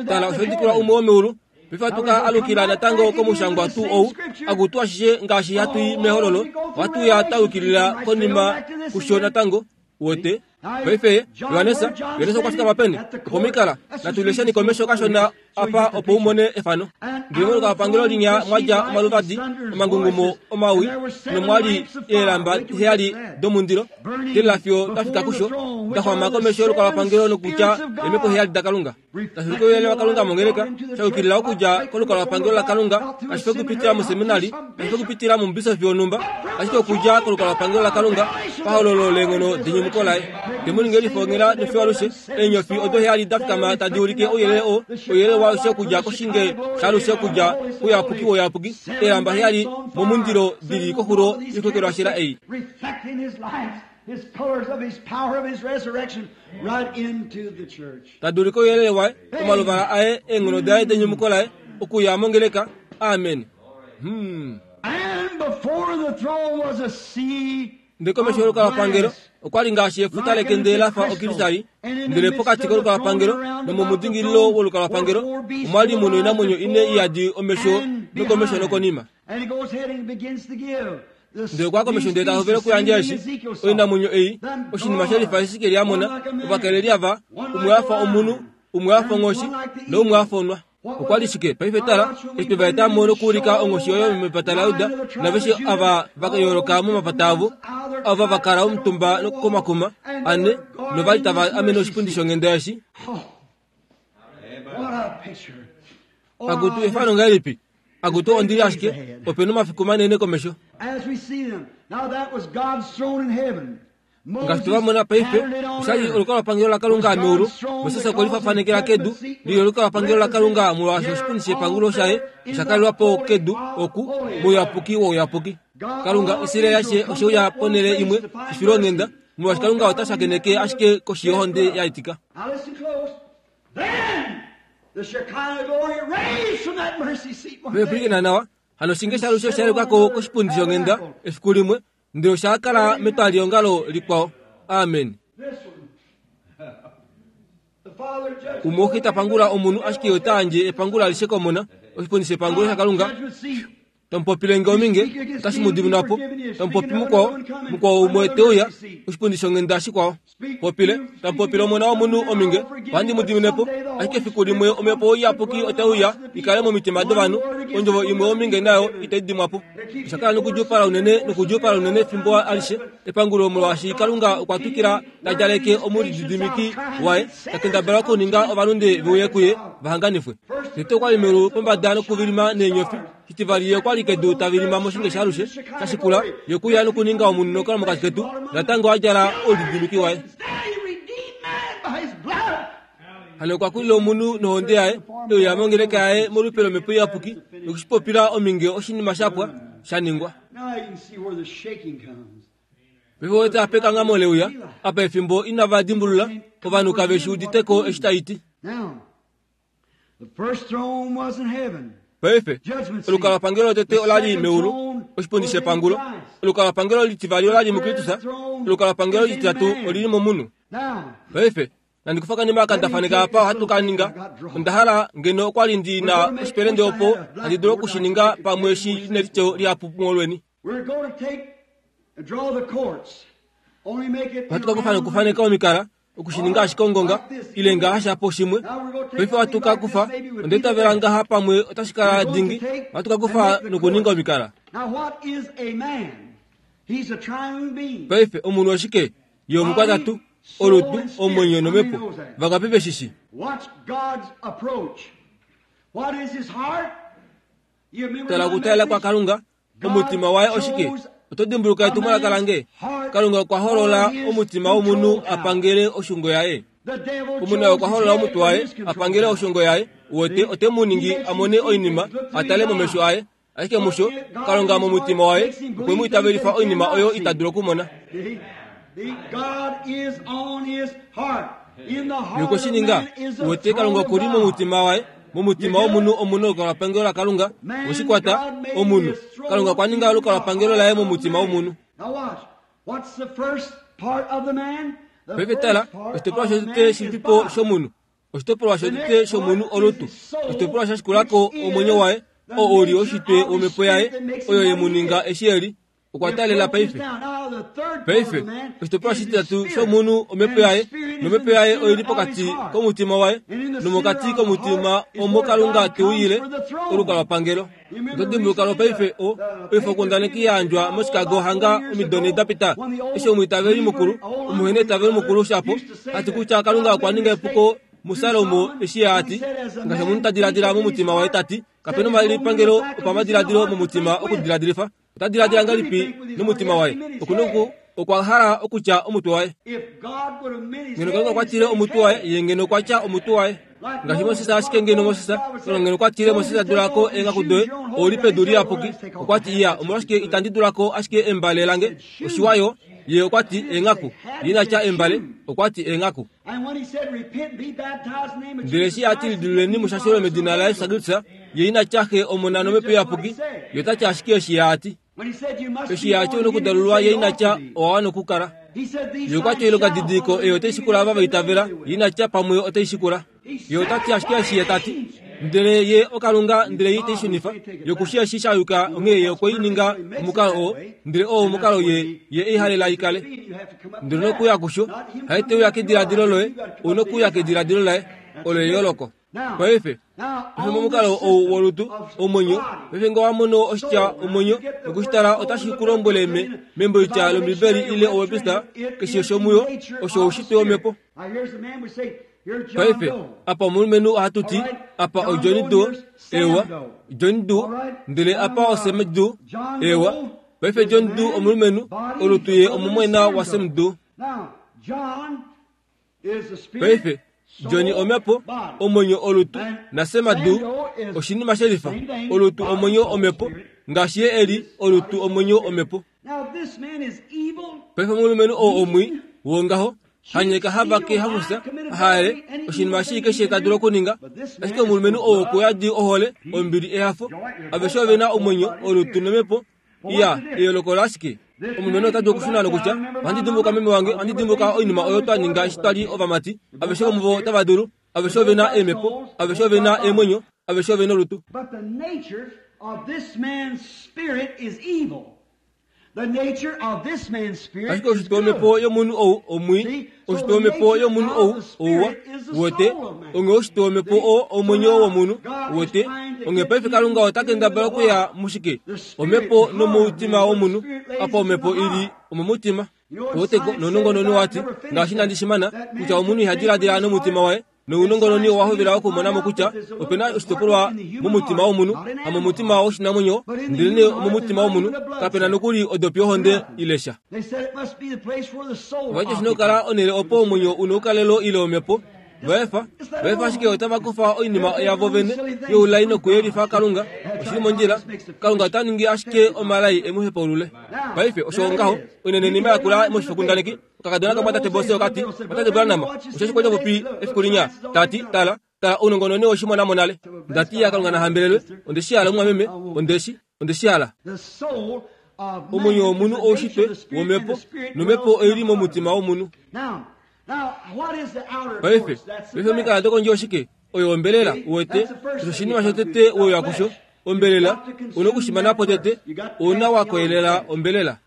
Tala, osha udikulwa umwe womeulu. Paife ohatu ka alukila natango komushangwa tuu ou, akutu ashishe ngaashi hatu i mehololo, ohatu uya twa yukilila konima kusho natango. Uwete? Paife, Johannes, Johannes okwa fikama peni? Opomikala. Natu lesheni komesho kashona apa opo u mone efano. Ndele molukapangelo linya mwa dja omaluvadi, omangungumo omawi, nomwa li eelamba heyali domundilo, telela fiyo twa fika kusho, da xwama komesho yolukalwapangelo nokutya eemhepo heyali daKalunga. Tashi ulike ouyelele waKalunga mongeleka, sha yukilila okudja kolukalwapangelo laKalunga, kashi fi okupitila moseminari, kashi fi okupitila momubisofi wonhumba, ashike okudja kolukalwapangelo laKalunga, pahololo leenghono denyumuko laye. Te mu ninge lifongela nofiyo alushe. Eenyofi odo heyali da fikama tadi ulike ouyelele oo, ouyelele waalushe okudja koshinge shaalushe okudja kouyapuki wouyapuki. Eelamba heyali momundilo dili koxulo yoikokelwashela ei. Reflecting his life, his colors of his power of his resurrection right into the church. Tadi ulike ouyelele waye, omaluvala aye, eenghono daye denyumuko laye, okuya mongeleka. Amen. Hmm. And before the throne was a sea Ndele komesho yolukalwapangelo okwa li ngaashi efuta lekende la fa okristali. Ndele pokati kolukalwapangelo nomomudingililo wolukalwapangelo omwa li mu noinamwenyo ine iyadi omesho nokomesho nokonima. And he goes ahead and begins to give. The Ndele okwa komesho ndele ta hovele okuyandja eshi oinamwenyo ei oshinima shelifa Esekiel a mona. Ovakeleli ava, umwe a fa omunhu, umwe a fa onghoshi noumwe a fa onwa. Okwa li shike? Paife tala, eshi twe va eta mo nokuulika onghoshi oyo mepata laJuda, naveshe ava va yooloka momapata avo, ava va kala omutumba komakuma ane novali tava amene oshipundi shonghenda eshi. Oh, what a picture. Oh, Akutu efano ngahelipi? Akutu ondili ashike opena omafiku manene komesho. As we see them. Now that was God's throne in heaven. Ngaashi twe va mona paife, oshali olukalwapangelo laKalunga meulu. Moses okwe lifafanekela kedu lili olukalwapangelo laKalunga molwaashi oshipundi shepangulo shaye osha kalelwa po kedu oku mouyapuki wouyapuki. Kalunga Israel ashe oshe uya ponhele imwe efilonghenda, molwaashi Kalunga ota shakeneke ashike koshi yohonde ya itika. Now listen close. Then the Shekinah glory raised from that mercy seat one day. Pwilikina nawa, hano oshinge shaalushe osha yelukako koshipundi shonghenda efiku limwe, ndele osha kala metwaliongalo likwao. Amen. This one. The Father judges. Umwe ohe ta pangula omunhu ashike ota yandje epangulo alishe komona, oshipundi shepangulo shaKalunga. Judgment seat. Tamupopile nge ominge, otashi mu diminwa po. Tamupopi mukwao, mukwao umwe te uya, oshipundi shonghenda shikwao. Popile, tamupopile omona womunhu ominge, ohandi mu dimine po. Ashike efiku limwe omhepo iyapuki otai uya ikale momitima dovanhu, ondjovo imwe ominge nayo itai dimwa po. Osha kala nokudjuupala unene nokudjuupala unene fimbo alishe epangulo, molwaashi Kalunga okwa twikila ta djaleke omulididimiki waye, ta kendabala okuninga ovalunde veuye kuye vahanganifwe. Tete okwa li meulu pombada nokuvilima neenyofi. Shitivali ye okwa li kedu ta vilima moshinge shaalushe. Shashikula ye okuya nokuninga omunhu nokukala mokati ketu, natango a djala oulididimiki waye. Then he redeemed man by his blood. Hano okwa kulila omunhu nohonde yaye, euya mongeleka yaye molupe lomhepo iyapuki, nokushipopila ominge oshinima shapwa sha ningwa. Now you can see where the shaking comes. Paife wete apa ekangamo leuya, apa efimbo inava dimbulula, ovanhu kave shi uditeko eshi tai ti. Now, the first throne was in heaven. Paife Judgment seat. olukalwapangelo lotete ola li meulu, oshipundi shepangulo. Olukalwapangelo litivali ola li muKristus, olukalwapangelo lititatu olili momunhu. Now, Paife nandi kufa kanima aka ndafaneka apa ohatu ka ninga. Onda hala ngeno okwa li ndi na oshipelende opo handi dulu okushininga pamwe eshi nelityo lihapu molweni. we're going to take and draw the courts. Only make it in Ohatu a ka kufa round nokufaneka omikala, okushininga ashike ongonga, ile ngaha shapo shimwe. Paife ohatu ka kufa, onda itavela ngaha pamwe otashi kala dingi. Ohatu ka kufa nokuninga omikala. Now, what is a man? He's a triune being. Paife omunhu oshike? Ye omukwatatu, olutu, omwenyo nomhepo. Vangapi veshishi? Watch God's approach. What is his heart? You remember Tala my okutalela kwa message? Kalunga, omutima waye oshike? Oto dimbuluka etumwalaka lange? Kalunga okwa holola omutima womunhu a pangele oshungo yaye. The devil Omunhu chose okwa his holola head omutwe for waye his a control. pangele oshungo yaye. Wote ote mu ningi a mone oinima, a tale momesho aye. Ashike musho, Kalunga momutima waye okwe mu itavelifa oinima oyo ita dulu okumona. See? The God is on his heart. In the heart of Yokoshininga, man is the wote throne Kalunga of okuli God. momutima waye. Momutima womunhu omuna olukalwapangelo laKalunga. Oshikwata omunhu. Kalunga okwa ninga olukalwapangelo laye momutima womunhu. Now watch. What's the first part of the man? The Paife tala, first part oshitopolwa of man shotete is shilipipo body. shomunhu. Oshitopolwa shotete shomunhu olutu. Oshitopolwa sha shikulako omwenyo waye, oo uli oshitwe womhepo yaye, oyo ye mu ninga eshi eli. Okwa talela paife. Paife oshitopolwa shititatu shomunhu omhepo yaye, nomhepo yaye oili pokati komutima waye, nomokati komutima omo Kalunga teuyile olukalwapangelo. Oto dimbuluka lwopaife o oifokundaneki ya yandjwa moChicago hanga omido ne da pita, eshi omwiitaveli mukulu, omuhena eitavelo mukulu shapo, ati kutya Kalunga okwa ninga epuko muSalomo eshi ye ati, ngaashi omunhu ta diladila momutima waye tati, kapena omalipangelo opamadiladilo momutima okudiladilifa. Ota diladila ngahelipi nomutima waye? Okuna oku Okwa hala okutya omutwe waye. Ngeno Kalunga okwa tile omutwe waye, ye ngeno okwa tya omutwe waye. Ngaashi Moses ashike ngeno Moses, Kalunga ngeno okwa tile Moses dulako eengaku doye, ouli pedu liyapuki. Okwa ti iya, omolwashike itandi dulako ashike embale lange? Oshiwayo, ye okwa ti eengaku. Ye ina tya embale, okwa ti eengaku. Ndele eshi a ti lidiluleni mushashelo medina laYesu Kristus, ye ina tya xe omona nomhepo iyapuki, ye ota tya ashike eshi ye a ti. Eshi ye a ti onokudalulwa, ye ina tya owa wana okukala. Ye okwa ti oilonga didiliko eyo otai shikula ava va itavela, ye ina tya pamwe otai shikula. Ye ota ti ashike eshi ye ta ti. Ndele ye okalunga, ndele ye itei shunifa. Ye kushi eshi sha yuka, onghee ye okwe i ninga omukalo oo, ndele oo omukalo ye ye ei halela ikale. Ndele nokuya kusho, haite uya kediladilo loye, ou nokuya kediladilo laye, olo eyooloko. Paife, paife momukalo ou wolutu, omwenyo, paife ngee wa mono oshitya omwenyo, nokushitala otashi ku lombwele me, memboitya lOmbibeli ile oWebster, keshe shomuyo, osho oushitwe womhepo. Paife, apa omulumenhu ohatu ti, apa oJohn Doe, ewa, John Doe, ndele apa oSam Doe, ewa. Paife John Doe omulumenhu, olutu ye omumwaina waSam Doe. Paife, John omhepo, omwenyo olutu, naSam Doe oshinima shelifa, olutu omwenyo omhepo, ngaashi ye eli olutu omwenyo omhepo. Paife omulumenhu oo omwii wongaho, hanyeka havake hafusa, haele, oshinima shii keshe ta dulu okuninga. Ashike omulumenhu oo okuyadi ohole, ombili, ehafo. Aveshe ove na omwenyo, olutu nomhepo. Iya, eyooloko lashike? Omulumenhu ota dulu okushuna nokutya, ohandi dimbuka meme wange, ohandi dimbuka oinima oyo twa ninga eshi twa li ovamati. Aveshe vomuvo otava dulu. Aveshe ove na eemhepo, aveshe ove na eemwenyo, aveshe ove na olutu. But the nature of this man's spirit is evil. The nature of this man's spirit Ashike is oshitwe womhepo good. yomunhu ou omwii, oshitwe womhepo yomunhu ou ouwa, wote, onghee oshitwe womhepo oo omwenyo womunhu, wote, onghee paife Kalunga ota kendabala okuya mushike? Omhepo nomutima womunhu, apa omhepo ili omomutima. Woteko nounongononi wati, ngaashi inandi shimana, kutya omunhu iha diladila nomutima waye, nounongononi owa hovela okumonamo kutya opena oshitopolwa momutima womunhu, hamomutima woshinamwenyo, ndelenee omomutima womunhu, kapena nokuli odopi yohonde ilesha. They said it must be the place where the soul Vati oshina okukala onhele opo omwenyo una oukalelo ile omhepo. Vaefa, vaefa ashike otava kufa oinima yavo vene youlai nokuyelifa Kalunga. Oshili mondjila, Kalunga ota ningi ashike omalai e mu hepaulule. Paife osho ngaho, oinenenima yakula moshifokundaneki, okakadona kamwatate Bose okati, mwatate Branham, osheshi kwali popi efiku linya, tati, tala, tala ounongononi oshimona monale. Ndati ya Kalunga nahambelelwe, ondeshi hala omumwameme, ondeshi, ondeshi hala. The soul of man Omwenyo womunhu is the nature oushitwe of the spirit, and womhepo, the spirit nomhepo dwells oili in the momutima womunhu. Now, now, what is the outer Paife, courts? That's the paife omikala flesh. dokondje oshike? Oyo ombelela, uwete, osho oshinima shotete weya kusho, ombelela, una okushimanapo tete, una wakoyelela ombelela.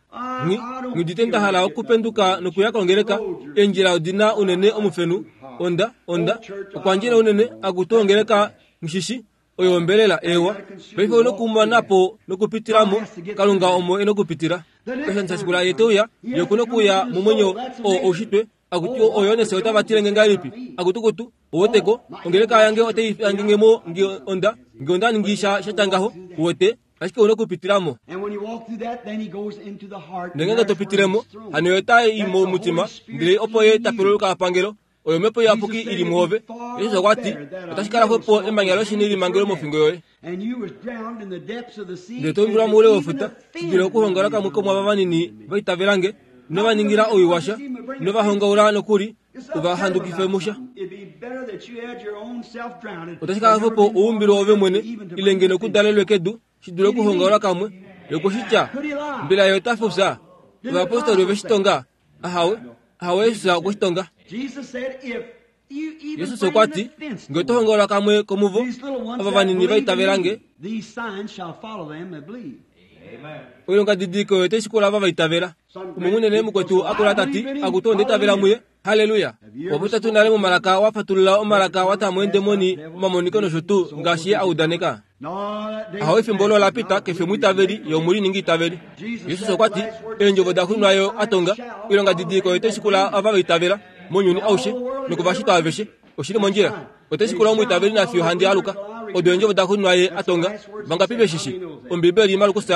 Nghi, ngidite nda hala okupenduka nokuya kongeleka, eendjila odina unene omufenu, onda, onda, okwandjila unene, akutu ongeleka ngishishi, oyo ombelela, ewa. Paife una okumanapo nokupitilamo, Kalunga omo ena okupitila. Keshe shashikula ye teuya, ye okuna okuya momwenyo oo oushitwe, akuti oyo nese otava tilenge ngahelipi, akutukutu, uweteko, ongeleka yange otai yangengemo nge onda, nge onda ningi sha shatya ngaho, uwete, ashike una okupitilamo. And when you walk through that, then he goes into the heart. Ndele ngenge to pitilemo, hano ye ota i momutima, ndele opo ye ta peluluka pangelo, oyo omhepo iyapuki ili muove. Jesus okwa ti, otashi kala xwepo emanya loshini limangelwe mofingo yoye. And you was drowned in the depths of the sea. Ndele to umbilwa moule wefuta, shidule okuhongaula kamwe komwaava vanini vaitavelange, inova ningila oiwasha, inova hongaula nokuli, uva handukife musha. It'd be better that you had your own self drowned. Otashi kala xwepo oumbilo ove mwene, ile ngeno okudalelwe kedu, shidule okuhongaula kamwe. Yokushitya, mbela ye ota fufya? Ovayapostoli ove shi tonga? Ahawe, ahawe Jesus okwe shi tonga. Jesus said, if you even Jesus bring okwa an ti, offense ngee oto hongaula kamwe komuvo, these little ones ava that vanini believe in vaitavelange, me, these signs shall follow them that believe. oilonga didiliko oyo otai shikula ava vaitavela. Umwe munene mukwetu akula tati, akutu onda itavela muye. Haleluya. Wapopya tuu nale momalaka, wa fatulula omalaka, wa ta moendemoni, omamoniko nosho tuu, ngaashi ye a udaneka. No, that day Ahawe efimbo olo la pita, kefe omwiitaveli, ye omuliningi itaveli. Jesus okwa ti, eendjovo da xunwa a tonga, oilonga didiliko oyo otai shikula ava vaitavela, mounyuni aushe, nokuvashitwa aveshe. Oshili mondjila. Otai shikula omwiitaveli nafiyo handi aluka. Odo eendjovo da xunwa ye a tonga. Vangapi veshishi? Ombibeli Markus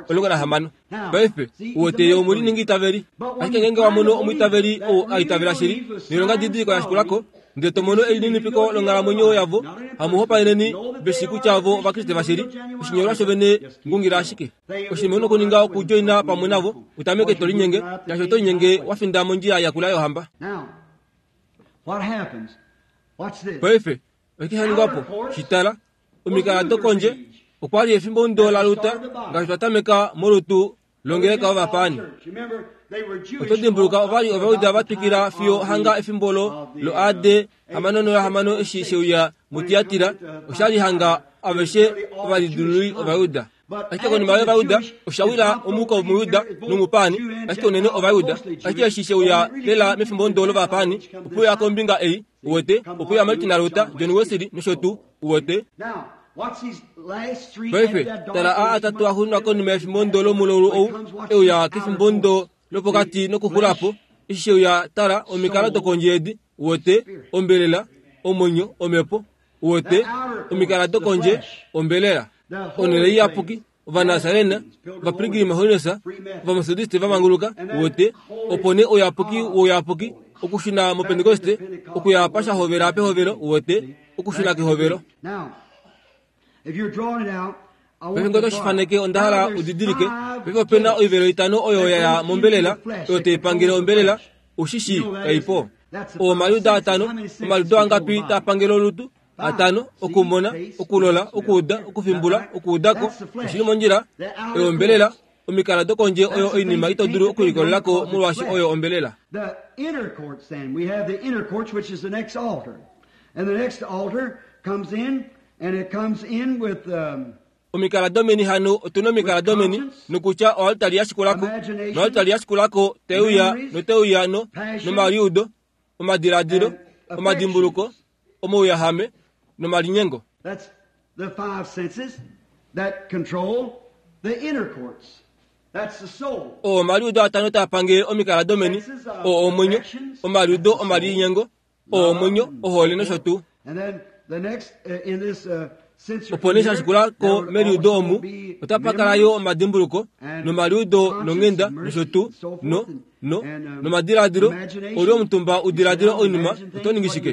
omulongo nahamano. Paife uwete ye omuliningi itaveli. Ashike ngeenge wa mono omwiitaveli ou a itavela shili noilonga didiliko ya shikulako, ndele to mono elininipiko longhalamwenyo yavo, hamuhopaeneni veshi kutya vo Ovakriste vashili. Oshinyolwa shovene ngungila ashike. Oshinima u na okuninga okudjoina pamwe navo, utameke to linyenge, shaashi oto linyenge wa finda mondjila yakula yohamba. Now, what happens? Watch this. Paife oshike sha ningwa po? Shitala, omikala dokondje okwa li efimbo ndo la luta ngaashi twa tameka molutu longeleka ovapaani. Remember, they were Jewish. Oto dimbuluka ova li Ovayuda va twikila fiyo hanga efimbo lo lo A D hamano nohamano eshi sheuya muTiatira, osha li hanga aveshe ovalidiluli Ovayuda. Ashike konima yOvayuda osha wila omuko wOmuyuda nomupaani, ashike unene Ovayuda. Ashike eshi sheuya lela mefimbo ndo lovapaani, opuya kombinga ei, uwete, opuya Martin Luther, John Wesley nosho tuu, uwete. Now, watch these last three. Paife and that dark tala a atatu a xunwa konima yefimbo ndo lomulaulu ou euya kefimbo ndo lopokati nokuxulapo. Eshi sheuya tala omikalo dokondje edi, uwete, ombelela, omwenyo, omhepo, uwete, omikala dokondje, ombelela, onhele iyapuki, Ovanasarena, Ovapilgrim Holiness, Ovamethodiste vamanguluka, uwete, opo nee ouyapuki wouyapuki, okushuna moPentekoste, okuya pashahovela pehovelo, uwete, okushuna kehovelo. Now, if you're drawing it out, I want Paife ngee to otoshifaneke onda hala Now, there's udidilike. five Paife opena gates oivelo itano oyo ya ya mombelela, oyo taipangele ombelela, ushishi kaipo. Omaliudo atano, omaliudo angapi taa pangele olutu? Atano, okumona, okulola, okuuda, okufimbula, okuudako. Oshili mondjila, oyo ombelela. Omikala dokondje oyo oinima ito dulu okulikolelako molwaashi oyo ombelela. The inner courts, then. We have the inner courts, which is the next altar. And the next altar comes in, and it comes in with um, Omikala domeni hano otuna omikala domeni nokutya oaltari ya shikulako noaltari ya shikulako teuya noteuya no nomaliudo omadiladilo omadimbuluko omauyahame nomalinyengo. that's the five senses that control the inner courts. That's the soul. Oo omaliudo atano taa pangele omikala domeni, oo omwenyo, omaliudo omalinyengo, oo omwenyo, ohole nosho tuu. And then the next uh, in this uh, sensory Opo nee here, sha shikulako there would meliudo also omu be otapa kala yo memories omadimbuluko nomaliudo nonghenda nosho tuu no no nomadiladilo. Oli omutumba udiladila oinima oto ningi shike?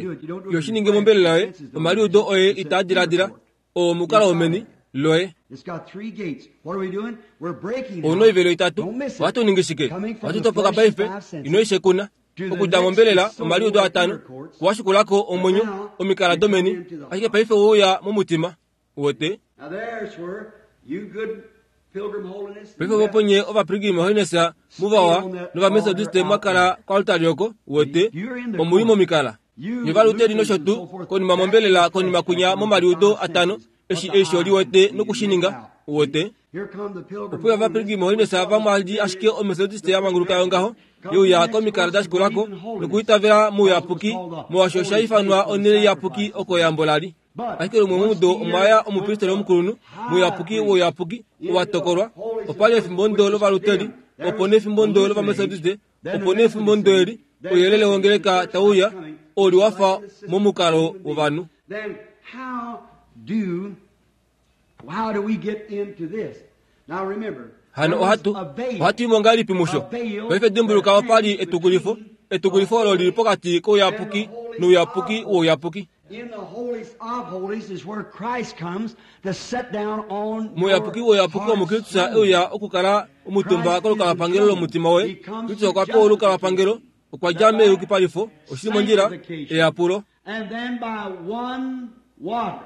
Iho shi ningi mombelela yoye, omaliudo oye itaa diladila, oo omukalo womeni loye. It's got three gates. What are we doing? We're breaking Ouna out. oivelo itatu. Don't miss it. Ohatu ningi shike? Coming from Ohatu the topoka flesh, paife, five senses. ino ishekuna. Okudja mombelela omaliudo atano, kuwashikulako omwenyo, omikala domeni, ashike paife ouya momutima. Uwete? Now there's where you good pilgrim holiness. Paife voponye Ovapilgrim Holiness muvawa nOvamethodiste mwakala koaltari oko, uwete, omuli momikala. Nye Ovaluteri nosho tuu, konima mombelela konima kunya momaliudo atano, eshi eisho liwete nokushininga, uwete. Here come the pilgrim Opuya Ovapilgrim Holiness vamwali ashike Omethodiste ya manguluka yongaho, yeuya komikala da shikulako nokuitavela mouyapuki, molwaashi osha ifanwa onhele iyapuki oko eyambo lali. Ashike lumwe momudo omwa ya omupristeli omukulunhu, mouyapuki wouyapuki, owa tokolwa. Opa li efimbo ndo lOvaluteri, opo nee efimbo ndo lOvamethodiste, opo nee efimbo ndo eli, ouyelele wongeleka tauya, oli wafa momukalo wovanhu. Then how do how do we get into this? Now remember, Hano there was ohatu a veil. ohatu imo ngahelipi musho? Paife dimbuluka opa li etukulifo, etukulifo olo lili pokati kouyapuki nouyapuki wouyapuki. In the holiest of holies is where Christ comes to sit down on Mouyapuki your wouyapuki omo heart's Kristus throne. euya okukala omutumba kolukalwapangelo lomutima woye. Kristus okwa pewa olukalwapangelo, okwa dja meyukipalifo, oshili mondjila, eyapulo. And then by one water,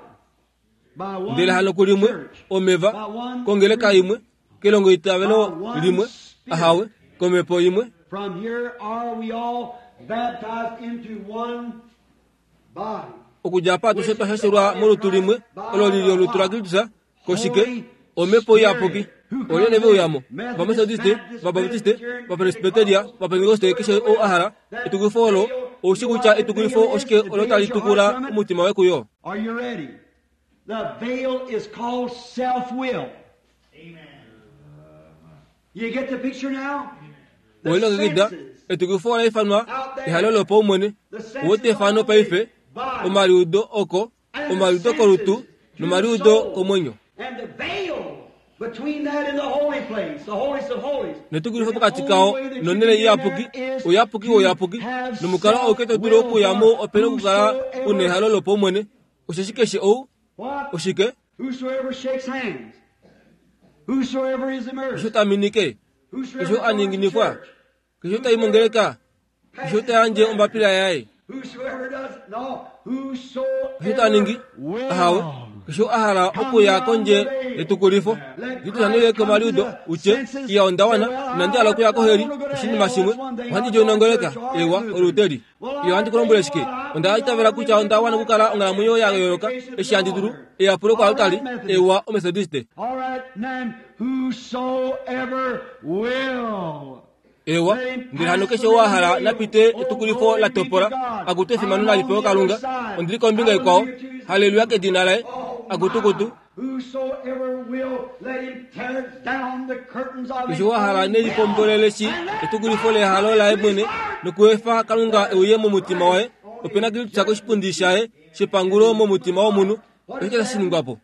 by one Ndele hano kulimwe church, omeva by one kongeleka creed, imwe kelongo itavelo limwe ahawe komhepo imwe. From here are we all baptized into one body. Okudja apa atushe twa shashelwa molutu limwe olo lili olutu laKristus koshike omhepo iyapuki. Olyene veuyamo Ovamethodiste, Ovabaptiste, Ovapresbiteria, Ovapentekoste, keshe ou a hala etukulifo olo, oushi kutya etukulifo oshike olo tali tukula omutima woye kuyo. Are you ready? The veil is called self-will. Amen. You get the picture now? The Oilongekida senses, etukulifo ola ifanwa ehalo lopaumwene. Uwete efano paife, omaliudo oko, omaliudo kolutu nomaliudo komwenyo. And the veil Netukulifo pokati kao nonele iyapuki, uyapuki woyapuki, nomukalo auke to dulu okuyamo opena okukala una ehalo lopaumwene. Osheshi keshe ou oshike keshe taminike, keshe aninginifwa, keshe taimongeleka, keshe tayandje ombapila yaye, keshe taningi ahawe, keshe ahala okuya kondje yetukulifo. Nditusanile komaliudo utye iya ondawana inandi hala okuya koheli oshinima shimwe ohandi djoinongeleka ewa oluteli. Iyo ohandi kulombwele shike, onda itavela kutya ondawana okukala onghalamwenyo ya yooloka eshi handi dulu eyapulo kwaalutali ewa omethodiste. Ewa ndele hano keshe ou ahala napite etukulifo la topola akutu efimano nalipewe Kalunga. Ondili kombinga ikwao, haleluya kedina laye, akutukutu. Keshe ou ahala nelipombolele shi etukulifo lehalo laye mwene nokuefa Kalunga euye momutima waye, opena Kristus koshipundi shaye shepangulo momutima womunhu. Oshike tashi ningwapo?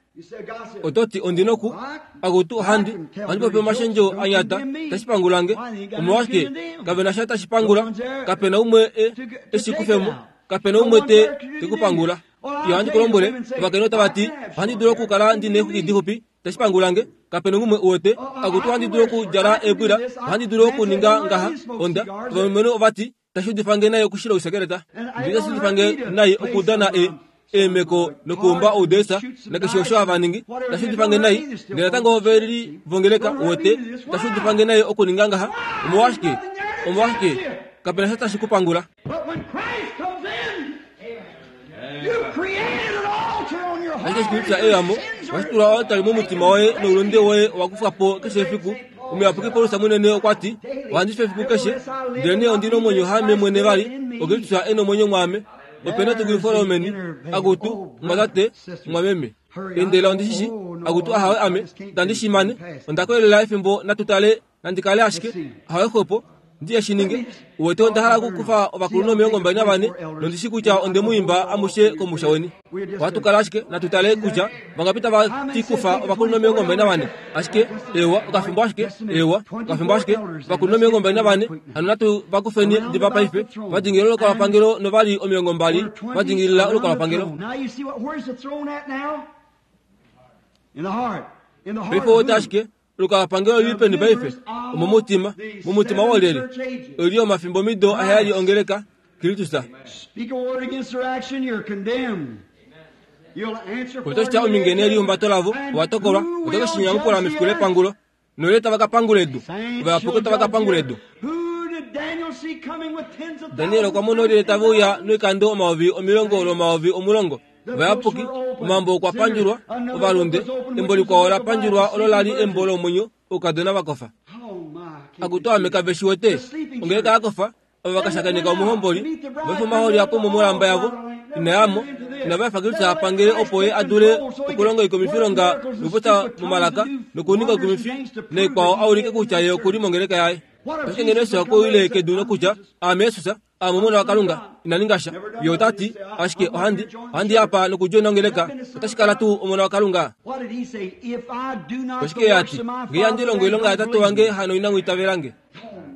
Ototi ondinoku akutu ohandi ohandi popi omashendjo anyata tashipangulange. Omolwashike kapena sha tashipangula, kapena umwe e eshikufemo, kapena umwe te tekupangula. Iyo ohandi kulombwele ovakainhu otava ti ohandi dulu okukala ndina eexwiki dixupi tashipangulange, kapena umwe uwete. Akutu ohandi dulu okudjala eebwila, ohandi dulu okuninga ngaha onda. Ovalumenhu ovati tashiudifange nai okushila ousekeleta, ndele tashiudifange nai okudana e eemeko nokuumba oudesa nakeshe osho hava ningi, tashiudifange nai. Ndele natango ove livongeleka uwete, tashiudifange nai okuninga ngaha. Omolwashike? Omolwashike? Kapena sha tashi kupangula. Ashike Kristus eyamo washitula oaltari momutima woye noulunde woye owakufwa po keshe efiku. Omuyapuki Paulus munene okwa ti ohandi fi efiku keshe, ndelenee ondina omwenyo haame mwene vali, oKristus e nomwenyo mwaame. Opena etukulifo lomeni, akutu mwatate mwameme. Endela ondishishi, akutu ahawe ame, itandi shimane, onda koyelela efimbo natutale nandikale ashike, ahawe xwepo, ndiye shininge. Uwete onda hala okukufa ovakulunhu omilongo mbali navane, nondishi kutya onde mu imba amushe komusha weni. Ohatukala ashike natutale kutya vangapi tava ti kufa ovakulunhu omilongo mbali navane. Ashike ewa okafimbo ashike, ewa okafimbo ashike, ovakulunhu omilongo mbali navane, hano natu vakufeni diva paife. Vadingilila olukalwapangelo novali omilongo mbali vadingilila olukalwapangelo. Paife owete ashike olukalwapangelo lili peni paife? Omomutima, momutima wolyelye? Oli omafimbo mido aheyali ongeleka Kristus. Otoshitya omingene elihumbato lavo ovatokolwa, otoke shinyamukula mefiku lepangulo. Nolyelye tava ka pangula edu? Ovayapuki otava ka pangula edu. Daniel okwa mona olyelye tave uya noikando omayovi omilongo lwomayovi omulongo. Ovayapuki, omambo okwa pandjulwa, ovalunde, embo likwao la pandjulwa olo lali embo lomwenyo, oukadona vakofa. Akutu ame kave shi wete, ongeleka yakofa, ova vakashakeneka omuhomboli, vaefa omahooli apo momolamba yavo, inayamo, inava efa Kristus apangele opo ye adule okulonga oikumifilonga nokupopya momalaka nokuninga oikumifi naikwao aulike kutya ye okuli mongeleka yaye. Ashike ngeno Yesu okwe kedu nokutya aame Jesus, aame omona waKalunga, ina ninga sha. Ye ota ti ashike ohandi ohandi apa nokudjoina ongeleka, otashi kala tuu omona waKalunga? Oshike ye ati, ngee handi longo oilonga yatate wange hano inamu itavelange.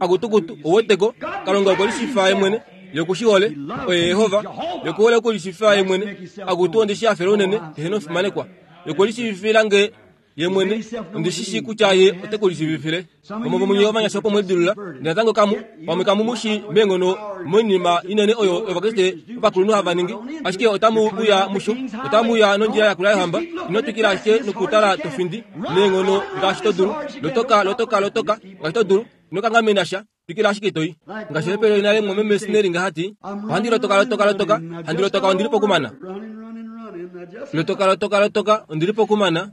Akutukutu oweteko, Kalunga okwe lishifa ye mwene, ye okushihole, oye Yehova, ye okuhole okulishifa ye mwene. Akutu ondishi hafela unene, eheno omufimanekwa. Ye okwe lishiivifilange ye mwene, ondishishi kutya ye ote ku lishiivifile. Vamwe vomunye ovanyasha opo mwelidilula, ndele natango kamu pamwe kamu mu shi meenghono moinima inene oyo Ovakriste ovakulunhu hava ningi, ashike otamu uya musho, otamu uya nondjila yakula yohamba. Ino twikila ashike nokutala to findi neenghono ngaashi to dulu, lotoka lotoka lotoka ngaashi to dulu, ino kangamena sha, twikila ashike toi. Ngaashi epelo inale mwameme Snelling hati, ohandi lotoka lotoka lotoka, handi lotoka ondili pokumana. Lotoka lotoka lotoka ondili pokumana.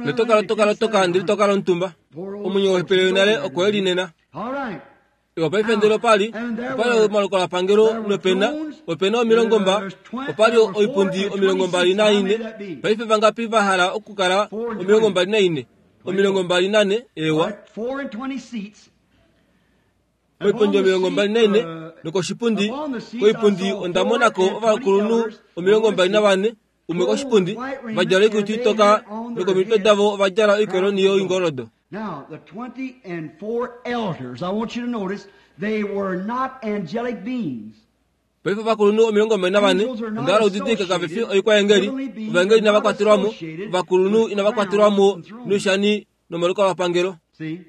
Lotoka lotoka lotoka ndili toka lontumba. Omwenyo wepelo inale okwe linena. Ewa paife ndele opali, opali omalukalwapangelo nopena, opena omilongo mba, opali oipundi omilongo mbali naine. Paife vangapi va hala okukala omilongo mbali naine? Omilongo mbali nane, ewa. Oipundi omilongo mbali naine, nokoshipundi, koipundi onda monako ovakulunhu omilongo mbali navane, Umwe koshipundi vadjala oikutu itoka nokomitwe davo ovadjala oikoloni yoingoldo. Now, the twenty and four elders, I want you to notice, they were not angelic beings. Paife ovakulunhu omilongo mbali navane ondahala udidilike kavefi oikwaengeli ovaengeli inava kwatelwamo ovakulunhu inava kwatelwamo noishani nomalukalwapangelo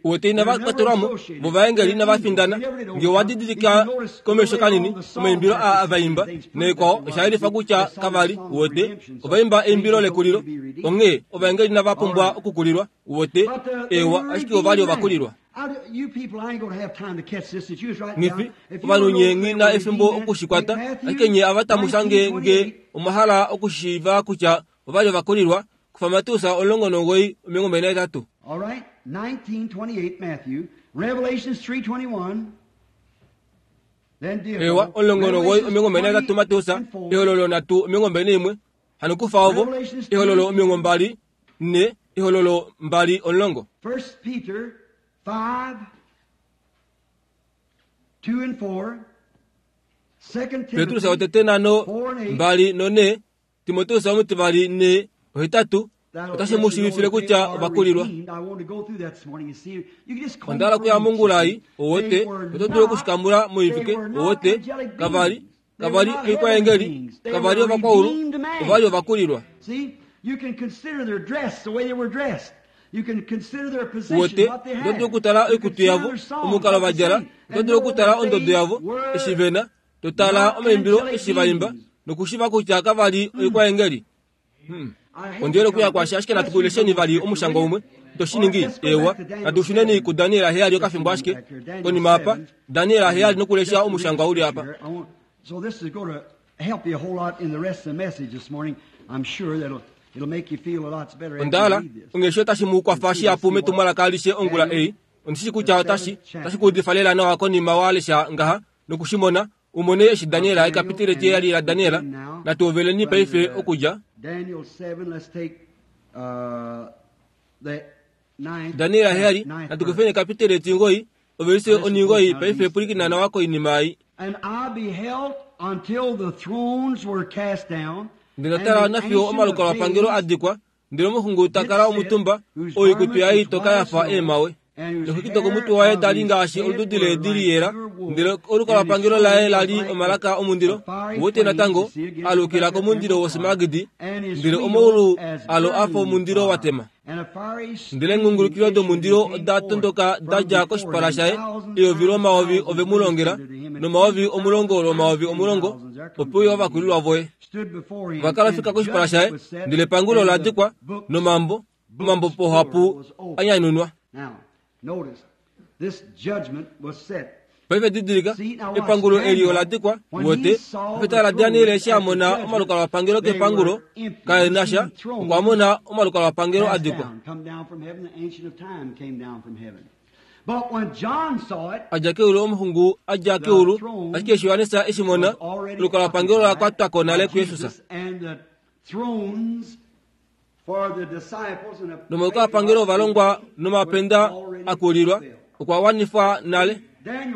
uwete inava kwatelwamo vovaengeli inava findana nge wadidilika komesho kanini omaimbilo aa avaimba neekwao oshayelifa kutya kavali uwete ovaimba eimbilo lekulilo onghee ovaengeli inava pumbwa okukulilwa uwete ewa ashike ovali ovakulilwa ngifi ovanhu nye ngina efimbo okushikwata ashike nye avatamusha nge nge omahala okushiiva kutya ovali ovakulilwa kufa Mateus omulongo nomugoyi omilongo mbali nahetatu. All right, nineteen twenty-eight Matthew, Revelations three twenty-one. Then Ewa omulongo nomugoyi omilongo mbali nahetatu Mateus, ehololo nhatu omilongo mbali naimwe hano kufa ovo ehololo omilongo mbali ne ehololo mbali omulongo. First Peter five two and four. Second Petrus Timothy otete nano mbali none Timoteus omutivali ne ohetatu otashi mu shiivifile kutya ovakulilwa. Ondahala okuya mongulai owote oto dulu okushikamula moivike owote kavali kavali oikwaengeli kavali ovakwaulu ovali ovakulilwa. Uwete oto dulu okutala oikutu yavo omukalo vadjala oto dulu okutala ondodo yavo eshi vena totala omaimbilo eshi vaimba nokushiva kutya kavali oikwaengeli. Hmm. Ondiele okuya kwasha ashike natukulesheni vali omushango umwe toshiningi ewa natushuneni ku Daniel heyali okafimbo ashike konima apa Daniel heyali nokulesha omushango uli apa. So this is going to help you a whole lot in the rest of the message this morning. I'm sure that'll it'll make you feel a lot better after Ondala you read this. ongesho otashi mu kwafa shihapu metumwalaka alishe ongula ei ondishi kutya otashi tashi kuudifa lela nawa konima walesha ngaha nokushimona umone eshi Daniel ekapitile tiyali la Daniel natuoveleni paife okudja Daniel seven, let's take uh, the ninth, Daniel heyali ninth natukufeni ekapitile tingoi ovelise oningoi paife pulikinana wako inima ai. And I beheld until the thrones were cast down. Ndinatala nafiyo omalukalwapangelo adikwa ndele omuxungu takala omutumba oikutu yaye itoka yafa eemawe noxwiki komutwe waye tali ngaashi olududi leedi liyela ndele olukalwapangelo laye lali omalaka omundilo wote natango alukila komundilo wosimagidi ndele omaulu alo afa omundilo watema ndele engungulukilo domundilo oda tondoka dadja koshipala shaye eyovi lomayovi ove mu longela nomayovi omulongo lomayovi omulongo opo uya ovakulilwa voye vakala fika koshipala shaye ndele epangulo ladikwa nomambo omambo pohapu anyanunwa. Paife didilika epangulo eli oladikwa wote pefetala Daniel eshi amona omalukalwapangelo kepangulo kaenasha okwa mona omalukalwapangelo adikwa. Adja keulu omuxungu adja keulu ashike eshi Yohanesa eshi mona olukalwapangelo lakwatwako nale kuYesus. Nomalukalwapangelo ovalongwa nomapenda akulilwa okwa wanifwa nale.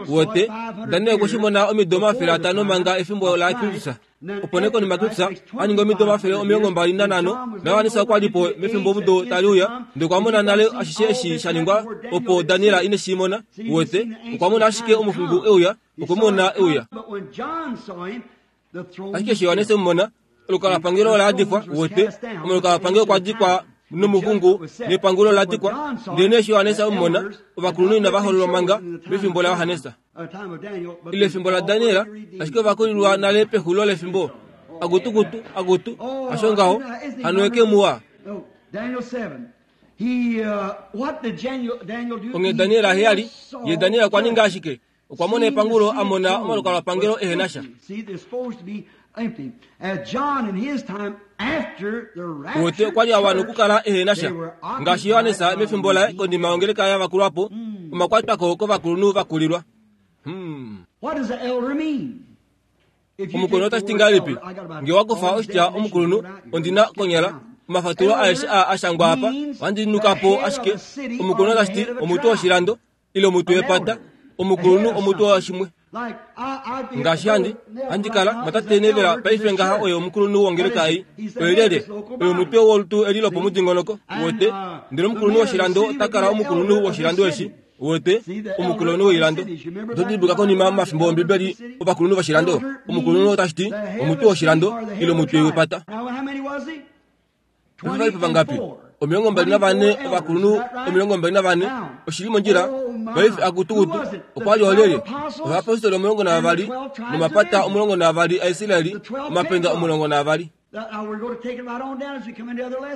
Wote Daniel okweshimona omido omafele atano manga efimbo la Kristus. Opo nee konima Kristus aninga omido omafele omilongo mbali nanhano naYohanesa okwalipo mefimbo omudo taliuya ndele okwamona nale ashishe eshi shaningwa opo Daniel ine shimona. Wote okwamona ashike omuxungu euya okwemona euya. Ashike eshi Yohanesa emumona olukalwapangelo ola adikwa wote omalukalwapangelo okwadikwa nomuxungu nepangulo oladikwa ndele nee eshi Yohanesa emumona ovakulunhu inava hololwa manga mefimbo laYohanesa ile efimbo la Daniel ashike ovakulilwa nale pexulo lefimbo akutukutu akutu asho ngaho hano eke muwa. Onge Daniel heyali ye Daniel okwa ninga ashike okwa mona epangulo amona omalukalwapangelo ehenasha. Wote okwali awana okukala ehenasha ngaashi Yohanesa mefimbo laye konima ongeleka yavakulwapo omakwatwako kovakulunhu vakulilwa. Hmm. Omukulunhu otashi ngahelipi nge wakufa oshitya omukulunhu ondina konyala omafatulo aeshe aa ashangwa apa ohandinukapo ashike omukulunhu otashi ti omutwe woshilando ile omutwe wepata omukulunhu omutwe washimwe. Ngaashi handi handi kala mwatate Nevela paife ngaha oye omukulunhu wongeleka ei oye lyelye oye omutwe wolutu eli lopomudingonoko wote ndele omukulunhu woshilando ota kala omukulunhu woshilando eshi wote omukulunhu woilando. Oto dimbuluka konima momafimbo Ombibeli ovakulunhu voshilando omukulunhu otashi ti omutwe woshilando ile omutwe wepata. Ovali vangapi? Omilongo mbali navane ovakulunhu omilongo mbali navane oshili mondjila paife akutukutu okwa li olyelye ovapostoli omulongo navavali nomapata omulongo navavali aIsraeli omapenda omulongo navavali.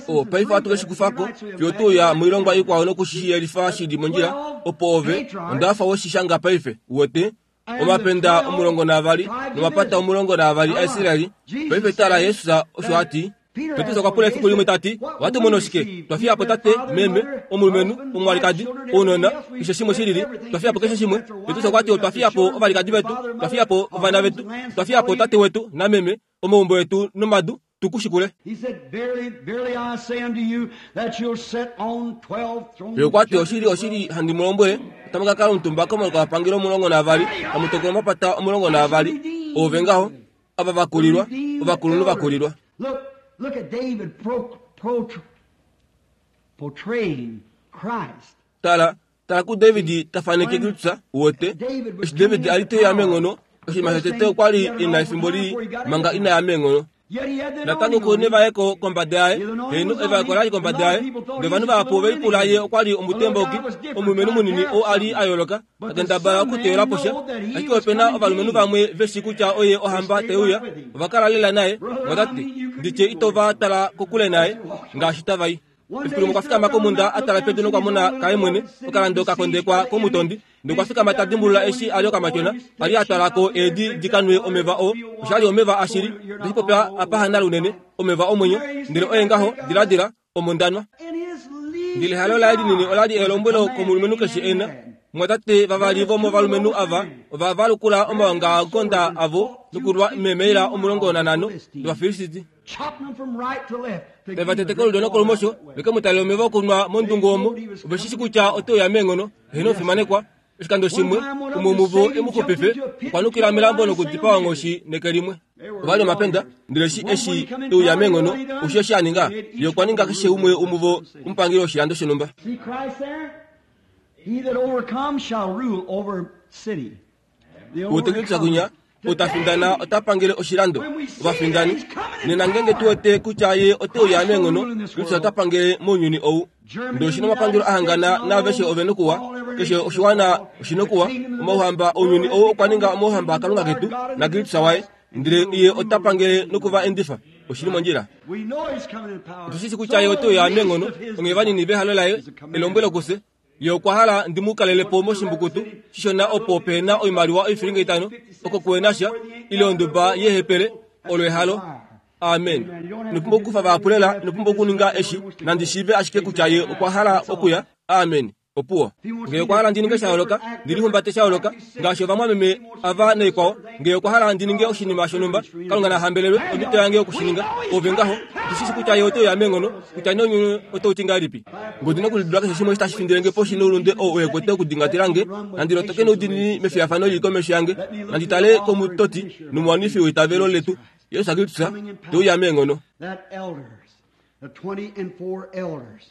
O paife ohatu ke shi kufako fiyo tuuya moilongwa ikwao nokushiyelifa shili mondjila opo ove ondafa weshishanga paife wote omapenda omulongo navavali nomapata omulongo navavali aIsraeli paife tala Yesus osho ati. Petrus okwa pula efiku limwe tati watu mono shike twafiya po tate meme omulumenhu omwalikadi ounona keshe shimwe shilili twafiya po keshe shimwe. Petrus okwa ti twafiya po ovalikadi vetu twafiya po ovana vetu twafiya po tate wetu nameme omaumbo etu nomadu tukushikule. Ye okwa ti oshili oshili handi mu lombwele otamu ka kala omutumba komalukapangelo omulongo navavali tamu tokola omapata omulongo navavali ove ngaho ava vakulilwa ovakulunhu vakulilwa. Look at David pro, pro, portraying Christ. Tala, tala ku David tafaneke Kristus wote. Eshi David ali te ya mengono, oshinima shotete okwa li ina efimbo lii manga ina ya mengono. Natango ku nevaeko kombada yaye, heno evaeko lali kombada yaye, ndele ovanhu vahapu velipula ye okwa li omutemboki, omulumenhu munini oo ali a yooloka, a kendabala okuteyela po sha. Ashike ope na ovalumenhu vamwe veshi kutya oye ohamba teuya, ova kala lela naye, mwatati nditye ito va tala kokule naye ngaashi tava i. Efiku limwe okwa fikama komunda a tala pedu nokwa mona kaye mwene okalando ka kondekwa komutondi nokwa fikama ta dimbulula eshi ali okamatyona ali a twalako eedi di kanwe omeva oo oshali omeva ashili ndeshipopya apahana lunene omeva omwenyo ndele oye ngaho diladila omondanwa. Ndele ehalo laye linini olali elombwelo komulumenhu keshe ena. Mwatate vavali vomovalumenhu ava ova valukula omaongaonda avo nokulwa memeila omulongo nanhano dOvafilisti. Tava tete kolulyo nokolumosho veke mu talele omeva okunwa mondungu omo oveshishi kutya oteuya meenghono heno ofimanekwa. Oshikando shimwe umwe muvo emuxupife okwa nukila melambo nokudipaa onghoshi neke limwe. Ovali omapenda ndele eshi eshi euya meenghono osho eshi a ninga ye okwa ninga keshe umwe umuvo omupangeli woshilando shonhumba. See Christ there? He that overcomes shall rule over city. The Utekilisa kunya otafindana otapangele oshilando ovafindani nena ngenge tuwete kutya ye oteuya meenghono Kristus otapangele mounyuni ou. Ndele oshina omapangelo ahangana naaveshe ove nokuwa keshe oshiwana oshinokuwa omauhamba ounyuni ou okwa ninga omauhamba aKalunga ketu naKristus waye ndele ye otapangele nokuva endifa oshili mondjila. We know he's coming in power. Otushishi kutya ye oteuya meenghono onghee vanini vehalo laye elombwelo kufye ye okwa hala ndi mu kalelepo moshimbukutu shishona opo pena oimaliwa oifilinga itano oko kuena sha ile onduba yehepele olo ehalo. Amen. Nopumbwa okukufa vahapulela nopumbwa okuninga eshi nandi shiive ashike kutya ye okwa hala okuya. Amen. Opuwo. Ngee okwa hala ndi ninge sha yooloka ndilihumbate sha yooloka ngaashi ovamwameme ava naikwao ngee okwa hala ndi ninge oshinima shonhumba Kalunga na hambelelwe omhito yange yokushininga ove ngaho tushishi kutya ye oteuya meenghono kutya nounyuni otau ti ngahelipi. Ngee ondina okulidula keshe shimwe tashi findilenge poshi noulunde oo uhekwete okudingatila nge nandi lotoke noudiinini mefiyafano lili komesho yange nandi tale komutoti nomuwanifi weitavelo letu Yesu Kristus teuya meenghono. That elders, the twenty and four elders.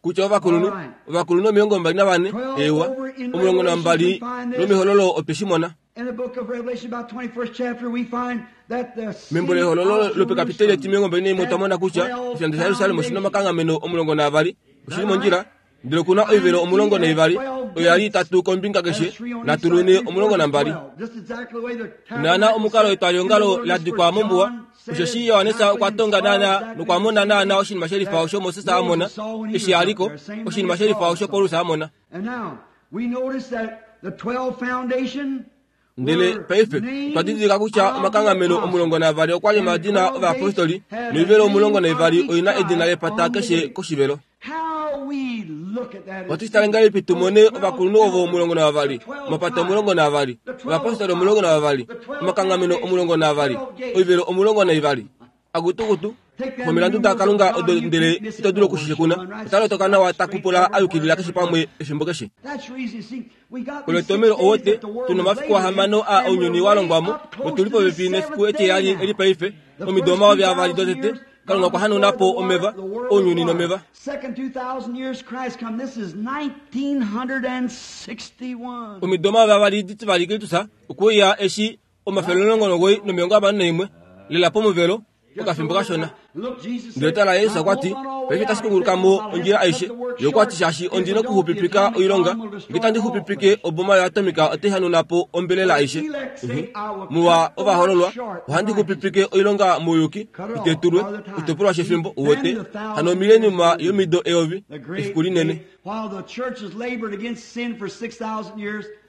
Kutya ovakulunhu ovakulunhu omilongo mbali navane ewa omulongo nambali lomihololo otweshimona. In the book of Revelation, about twenty-first chapter, we find that the city Membo lehololo of lopekapiteli etimilongo mbali naimwe otwamona kutya Jerusalem oshilando shaYerusalem oshina omakanghameno omulongo naavali oshili mondjila ndele okuna oivelo omulongo naivali oyo yali itatu kombinga keshe natulune omulongo nambali. Naana omukalo etwalihongalo la dikwa mombuwa osheshi Johannes okwa tonga naana nokwa mona naana oshinima shelifa osho Moses a mona eshi aliko oshinima shelifa osho Paulus a mona. And now we notice that the twelve foundation Ndele paife otwa didilika kutya omakanghameno omulongo navali okwa li omadina ovayapostoli noivelo omulongo naivali oina edina lepata keshe koshivelo. How we look at that Ohatu shi tale ngahelipi tu mone ovakulunhu ovo omulongo navavali omapata omulongo navali ovayapostoli omulongo navavali omakanghameno omulongo navali oivelo omulongo naivali akutukutu. Omilandu daKalunga odo ndele ito dulu okushishekuna. Ota lotoka nawa ta kupula a yukilila keshe pamwe efimbo keshe. Olo etomhelo owote tuna omafiku ahamano a ounyuni wa longwamo notuli popepi nefiku etiheyali eli paife omido omayovi avali dotete Kalunga okwa hanauna po omeva ounyuni nomeva. Omido omayovi avali ditivali Kristus okwe uya eshi omafele omulongo nomuwoi nomilongo hamano naimwe lela pomuvelo okafimbo kashona. Ndele tala Jesus okwa ti, paife otashi kunguluka mo ondjila aishe. Ye okwa ti shaashi ondi nokuxupipika oilonga, nge itandi xupipike oboma yoatomika otai hanauna po ombelela aishe. Muwa ovahololwa, ohandi xupipike oilonga mouyuki, itetulwe, oshitopolwa shefimbo, uwete, hano omileniuma yomido eyovi, efiku linene.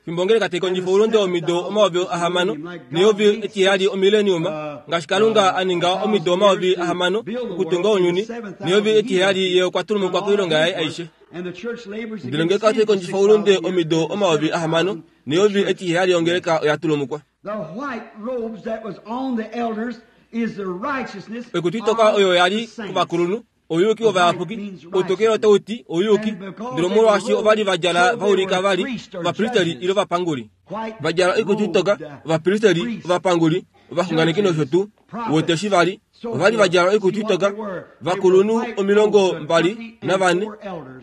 Fimbo ongeleka tai kondjifa oulunde womido omayovi ahamano neyovi etiheyali omileniuma, ngaashi Kalunga a ninga omido omayovi ahamano okutunga ounyuni, neyovi etiheyali ye okwa tulumukwa koilonga yaye aishe. Ndele ongeleka otai kondjifa oulunde omido omayovi ahamano neyovi etiheyali ongeleka oya tulumukwa. Oikutu itoka oyo ya li kovakulunhu ouyuki wovayapuki, outokele otau ti ouyuki, ndele omolwaashi ova li va djala va ulika va li ovapristeli ile ovapanguli. Va djala oikutu itoka, ovapristeli, ovapanguli, ovaxunganeki nosho tuu. Wote eshi va li, ova li va djala oikutu itoka, vakulunhu omilongo mbali navane,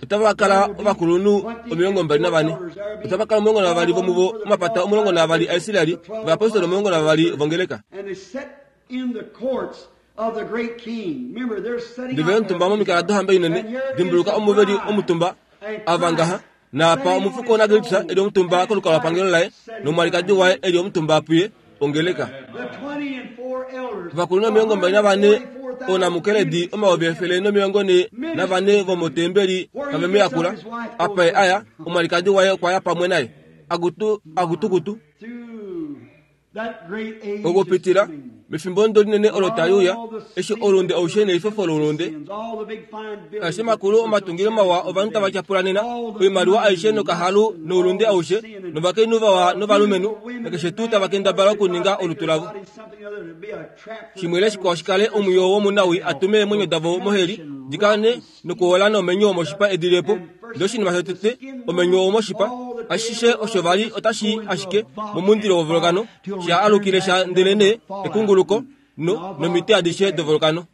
otava kala ovakulunhu omilongo mbali navane, otava kala omulongo navavali vomuvo omapata omulongo navavali aIsraeli, ovayapostoli omulongo navavali vongeleka. Ndele omutumba momikala dohamba inene, dimbuluka omuveli omutumba ava ngaha, naapa omufuko naKristus eli omutumba kolukalwapangelo laye, nomwalikadi waye eli omutumba puye, ongeleka. Ovakulunhu omilongo mbali navane oonamukeledi omayovi efele nomilongo ne navane vomotembeli tave mu yakula. Apa ye aya, omwalikadi waye okwa ya pamwe naye. Akutu, akutukutu. Okupitila mefimbo ndo linene olo tali uya, eshi oulunde aushe neifefo loulunde, aishe makulu omatungilo mawa ovanhu tava tyapula nena, oimaliwa aishe nokahalu noulunde aushe, novakainhu vawa novalumenhu, nakeshe tuu tava kendabala okuninga olutu lavo. Shimwe ile shikwao shikale omwiyo womunawi atume eemwenyo davo moheli, dikane nokuola nomenyo womoshipa edilepo. Ndele oshinima shotete, omenyo womoshipa, ashishe osho vali otashi ashike momundilo wovolkano, sha alukile sha ndele nee ekunguluko no nomiti adishe dovolkano.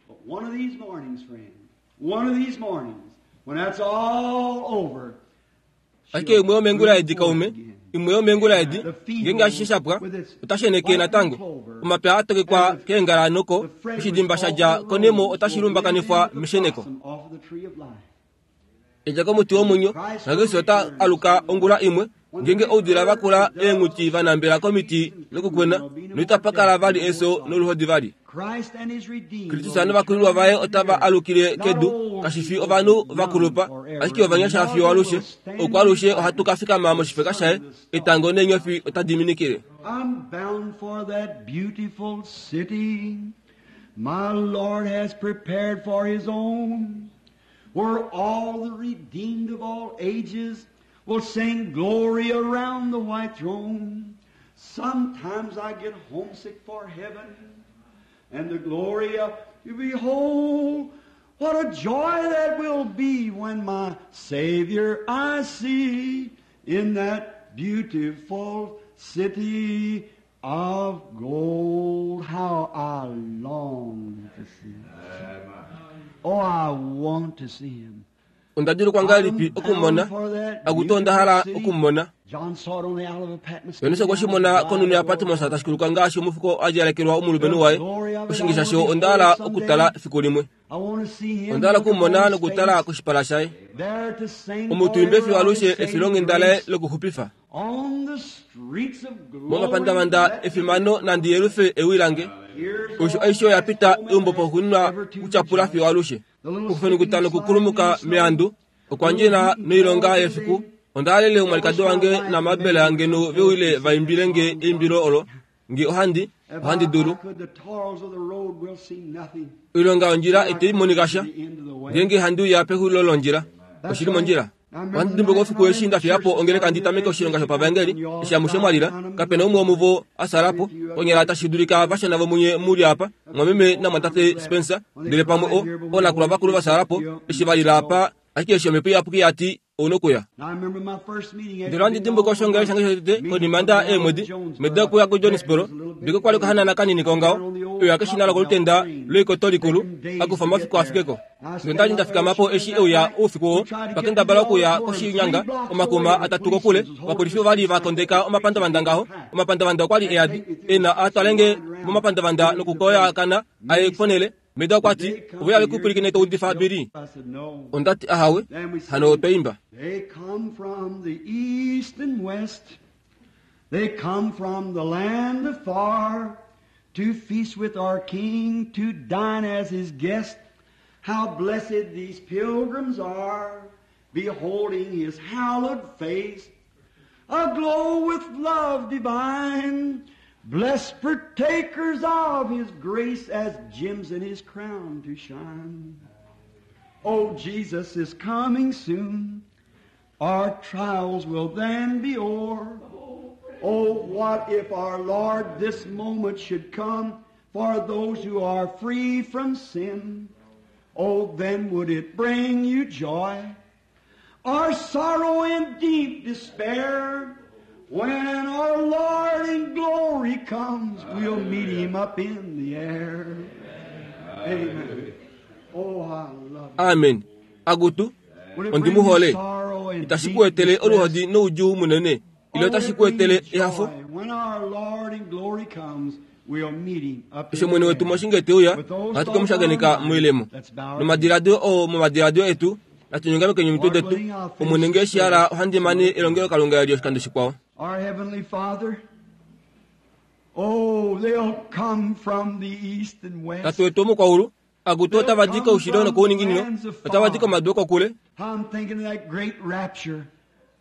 Ashike imwe yomengula edi kaume, imwe yomengula edi, ngeenge ashishe shapwa, otashi eneke natango. Omapya atokekwa keengala noko, oshidimba sha dja konemo otashi lumbakanifwa mesheneko. Edja komuti womwenyo, naKristus ota aluka ongula imwe, ngeenge oudila vakula eenghuti vanambela komiti nokukwena, noitapa kala vali efyo noluhodi vali. Kristus novakulilwa vaye otava alukile kedu, kashi fi ovanhu vakulupa, ashike ovanyasha fiyo alushe. Oko alushe ohatu ka fikama moshifeka shaye, etango neenyofi otadi minikile. I'm bound for that beautiful city my Lord has prepared for his own, where all the redeemed of all ages will sing glory around the white throne. Sometimes I get homesick for heaven and the glory of to behold. What a joy that will be when my Savior I see in that beautiful city of gold. How I long to see him. Oh, I want to see him. Onda dulukwa ngahelipi okumumona? Akutu onda hala okumumona. John saw it on the Isle of Patmos. Johannes okwe shi mona konhunhu yaPatmos tashi kuluka ngaashi omufuko a djalekelwa omulumenhu waye. Oshinge shasho onda hala okutala efiku limwe. I want to see him. Onda hala okumumona nokutala koshipala shaye. There to sing Omutuimbe fiyo forever of alushe his saving efilonghenda laye grace. lokuxupifa. On the streets of glory. Momapandavanda efimano nandi yelufe ewi lange. Here's Osho aishe oya pita eumbo poxuuninwa kutyapula fiyo alushe. Okufenukuta nokukulumuka meandu, okwa ndjena noilonga yefiku. Onda halele omwalikadi wange namabele ange no veuile vaimbile nge eimbilo olo, nge ohandi, ohandi dulu. Could the toils of the road will see nothing. Oilonga yondjila itai monika sha, The end of the way. ngeenge handi uya pexulilo londjila, oshili mondjila. Ohandi dimbuka ofiku eshi ndafiyapo ongeleka ndi tameke oshilonga shopavangeli eshi amushe mwalila kapena umwe womuvo asalapo konyala tashi dulika vashona vomunye muli apa mwameme namwatate Spencer ndele pamwe o onakulwa vakulu vasalapo eshi valila apa ashike eshi omhepo iyapuki yati ounokuya. Ndele ohandi dimbuka oshongele shange shotete konima nda eemwedi meda okuya ku Jonesboro mbiko kwali okahanana kanini kongaho euya keshina lokolutenda loikoto likulu akufa omafiku afikeko. Ndele ndali ndafikamapo eshi euya oufiku oo twakendabala okuya koshinyanga omakuma atatu kokule ovapolifi ovali vakondeka omapandavanda ngaho omapandavanda okwali eyadi ena atwalenge momapandavanda nokukoyakana aye ponele meda okwati oveya vekupwilikine toudifa bili. Ondati ahawe hano otwaimba. They come from the east and west. They come from the land afar to feast with our King, to dine as his guest. How blessed these pilgrims are, beholding his hallowed face, aglow with love divine, blessed partakers of his grace as gems in his crown to shine. Oh, Jesus is coming soon. Our trials will then be o'er. Oh, what if our Lord this moment should come for those who are free from sin? Oh, then would it bring you joy or sorrow and deep despair? When our Lord in glory comes, we'll meet him up in the air. Amen. Oh, I love it. Amen. Agutu Will it ondi bring you muhole sorrow and itashi deep kuetele distress? oluhodi noudjuu munene ile Or otashi will it kuetele bring you ehafo joy? When our Lord in glory comes, we'll meet him up eshi in omwene the wetu air. moshinge teuya With those ohatu thoughts kemushakeneka on our mind, moilemo let's bow our nomadiladilo oo momadiladilo etu natunyongamekeni omitwe detu omwene ngee shihala ohandi mane elongelo kalunga eli oshikando shikwao. Our Heavenly Father, oh, they'll come from the east and west. Tate wetu womukwaulu akutu otavadi koushilo nokouninginino otavadi komadu okokule. I'm thinking of that great rapture.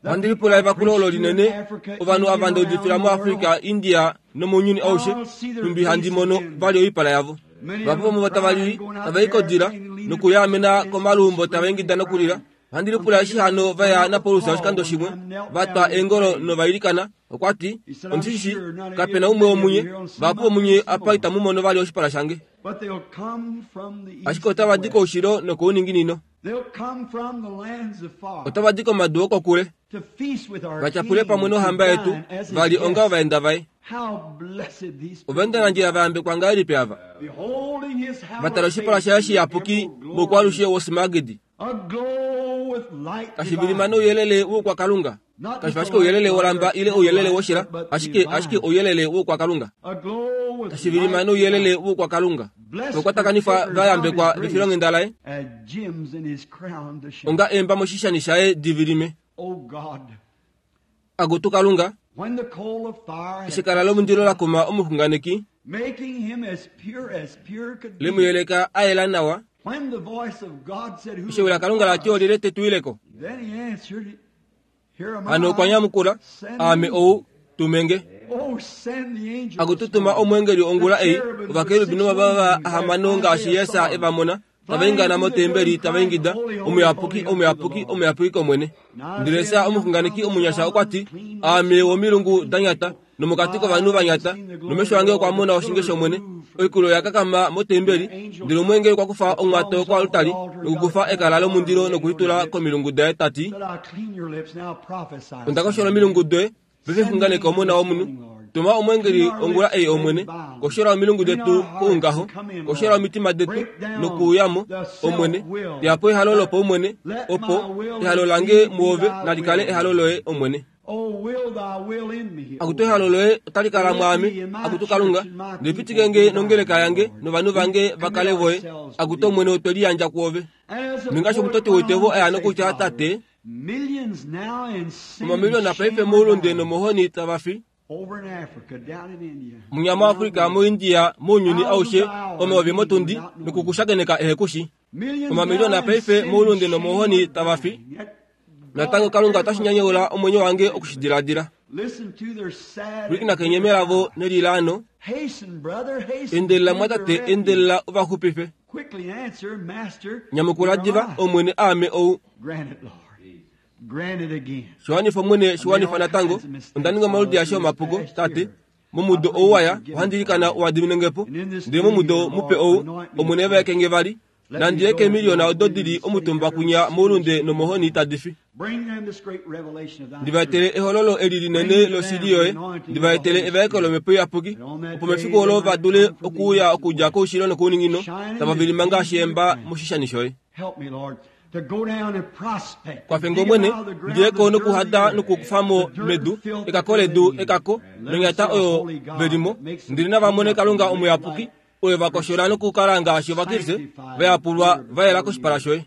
The Ohandi lipula evakulo olo people I linene preached to in Africa, ovanhu India, ava ndaudifila around mu the world. Africa, India nomounyuni aushe numbi handi mono vali oipala yavo. Vapo vomuvo tavalili tavaikodila nokuyaamena komalumbo tavaingida nokulila. Ohandi lipula eshi hano vaya naPaulus oshikando shimwe vatwa eengolo novailikana okwati omushishi kapena umwe womunye vapo vomunye apa itamu mono vali oshipala shange. But they'll come from the east Ashike otavadi and west. koushilo nokouninginino They'll come from the lands afar otavadi komadu okokule to feast with our vatyapule King, pamwe nohamba to yetu dine as his vali onga guest. ovaenda vaye. How blessed these Ovaendanandjila vayambekwa ngahelipi ava beholding his hallowed vatala oshipala face shaye in shiyapuki emerald glory, moukwalushe wosimagidi aglow with light kashivilima divine. nouyelele woukwakalunga kashifa ashike ouyelele wolamba ile ouyelele woshila ashike ashike ouyelele woukwakalunga Aglow with kashivilima light nouyelele divine. woukwakalunga Blessed vokwatakanifwa partakers vayambekwa of his vefilonghenda laye grace, as gems in his crown to shine. onga eemba moshishani shaye divilime. Oh God, Akutu kalunga when the coal of fire had eshi kala lomundilo lakuma omuxunganeki making him as pure as pure could be. lemuyeleka ayela nawa When the voice of God said, Who eshi ewi lakalunga lati olile tetuileko Then he answered, Here am hano okwa I. nyamukula Send aame me. ou tumenge Oh, send the angel. akututuma omwengeli ongula ei ovakerubi novavava ahamano ngaashi Yesa evamona tavaingana motembeli tavaingida omuyapuki omuyapuki omuyapuki komwene. Ndele Esa omuxunganeki omunyasha okwati aame womilungu danyata nomokati kovanhu vanyata nomesho ange okwa mona oshinge shomwene oikulo yakakama motembeli ndele omwengeli okwa kufa omwato koalutali nokukufa ekala lomundilo nokulitula komilungu daye tati Said, I'll clean your lips now, prophesy. ondakoshola omilungu doye pefexunganeka omona womunhu tuma omwengeli ongula ei omwene koshola omilungu detu koungaho koshola omitima detu nokuuyamo omwene teyapo ehalo lopaumwene opo ehalo lange muove nalikale ehalo loye omwene. Oh, will thy will in me. Akutu ehalo loye otali kala mwaame akutu kalunga ndipitike nge nongeleka yange novanhu vange vakale voye akutu omwene otwe liyandja kuove. As the Ningashi poet omutoti went on woitevo to aya say, nokutya Father, tate millions now in sin omamiliyona and paife shame are moulunde dying. nomohoni tavafi Over in Africa, down in India. munya mu Afrika mu India mounyuni aushe omayovi motundi nokukushakeneka ehekushi. Millions Omamiliyona now in paife sin and moulunde shame nomohoni are tavafi. dying. Yet Natango kalunga otashi nyanyeula omwenyo wange okushidiladila. Listen to their sad Pwilikina kenyeme lavo nelilaano Hasten, brother, hasten. endelela to mwatate their refuge. endelela ovaxupife. Quickly answer, Master. Nyamukula here am diva I. omwene aame ou Grant it, Lord. Shiwanifa Omwene, shiwanifa natango. Onda ninga omaludi aeshe omapuko, Tate. Momudo ou waya, ohandi ilikana uwadiminengepo. Ndele momudo mupe ou, Omwene vaekenge vali. Nandi yeke emiliyona odo dili omutumba kunya moulunde nomohoni tadi fi. Ndivaetele ehololo eli linene loshili yoye. Ndivaetele evaeko lomhepo iyapuki, opo mefiku olo va dule okuuya okudja koushilo nokouninginino, tava vilima ngaashi eemba moshishani shoye. Kwafenge Omwene, ndiyeko nokuhada nokukufamo medu, ekako ledu ekako, nonyata oyo velimo. Ndili nava mone Kalunga omuyapuki, oyo vakoshola nokukala ngaashi Ovakriste, vayapulwa vayela koshipala shoye.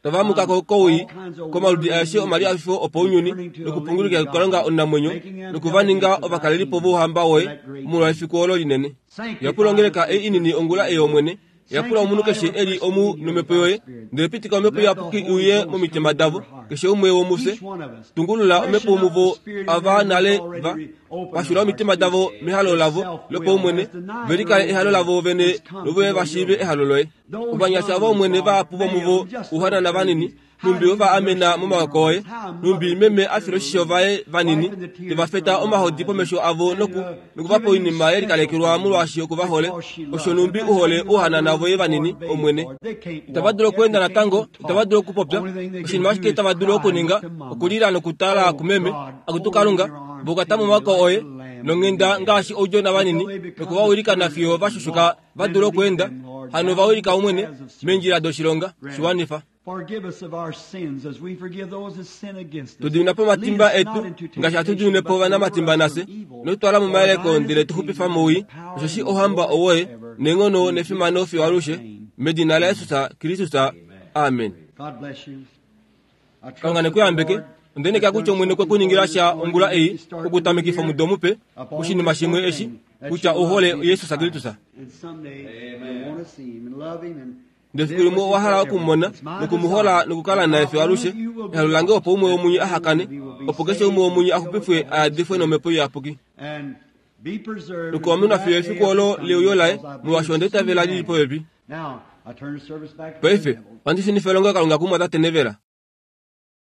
Tavamukako kowii, komaludi aeshe omalihafifo opounyuni, nokupungulukila kuKalunga omunamwenyo, nokuvaninga ovakalelipo vouhamba woye molwa efiku olo linene. Yapula ongeleka ei inini ongula ei Omwene. Yapula omunhu keshe eli omu nomhepo yoye, ndele pitika omhepo iyapuki iuye momitima davo, keshe umwe womufye. Tungulula omhepo muvo ava nale va pashula omitima davo mehalo lavo lopaumwene, ve likale ehalo lavo vene novoye va shiive ehalo loye. Ovanyasha ava Omwene vahapu vomuvo ouhanana vanini, numbi ova amena momawako oye, numbi meme a fila oshisho vaye vanini, teva feta omahodi pomesho avo noku nokuvapa oinima yelikalekelwa molwaashi okuvahole. Osho numbi uhole ouhanana voye vanini, Omwene. Itava dulu okweenda natango, itava dulu okupopya. Oshinima ashike tava dulu okuninga okulila nokutala kumeme. Akutu Kalunga, vokwata momawako oye nonghenda ngaashi oudjona vanini, nokuvawilika nafiyo vashushuka va dule okweenda. Hano vawilika Omwene meendjila doshilonga. Shiwanifa. Tudimina po omatimba etu ngaashi hatu dimine po ovanamatimba nafye, notutwala momayeleko ndele tuxupifa mowii. Osheshi ouhamba owoye, neenghono nefimano fiyo alushe, medina laJesus Kristus. Amen. Kalunga nekuyambeke. Onde kutya Omwene okwe kuningila sha ongula ei okutamekifa omudo mupe oshinima shimwe eshi kutya ouhole Jesus Kristus. Ndele fiku limwe owa hala okumumona nokumuhola nokukala naye fiyo alushe. Ehalo lange opo umwe womunye ahakane, opo keshe umwe womunye axupifwe ayadifwe nomhepo iyapuki. Nokuwamenwa fiyo efiku olo leuyo laye, molwaashi onda itavela lili popepi. Paife ohandi shunifa elongo Kalunga kumwatate Nevela.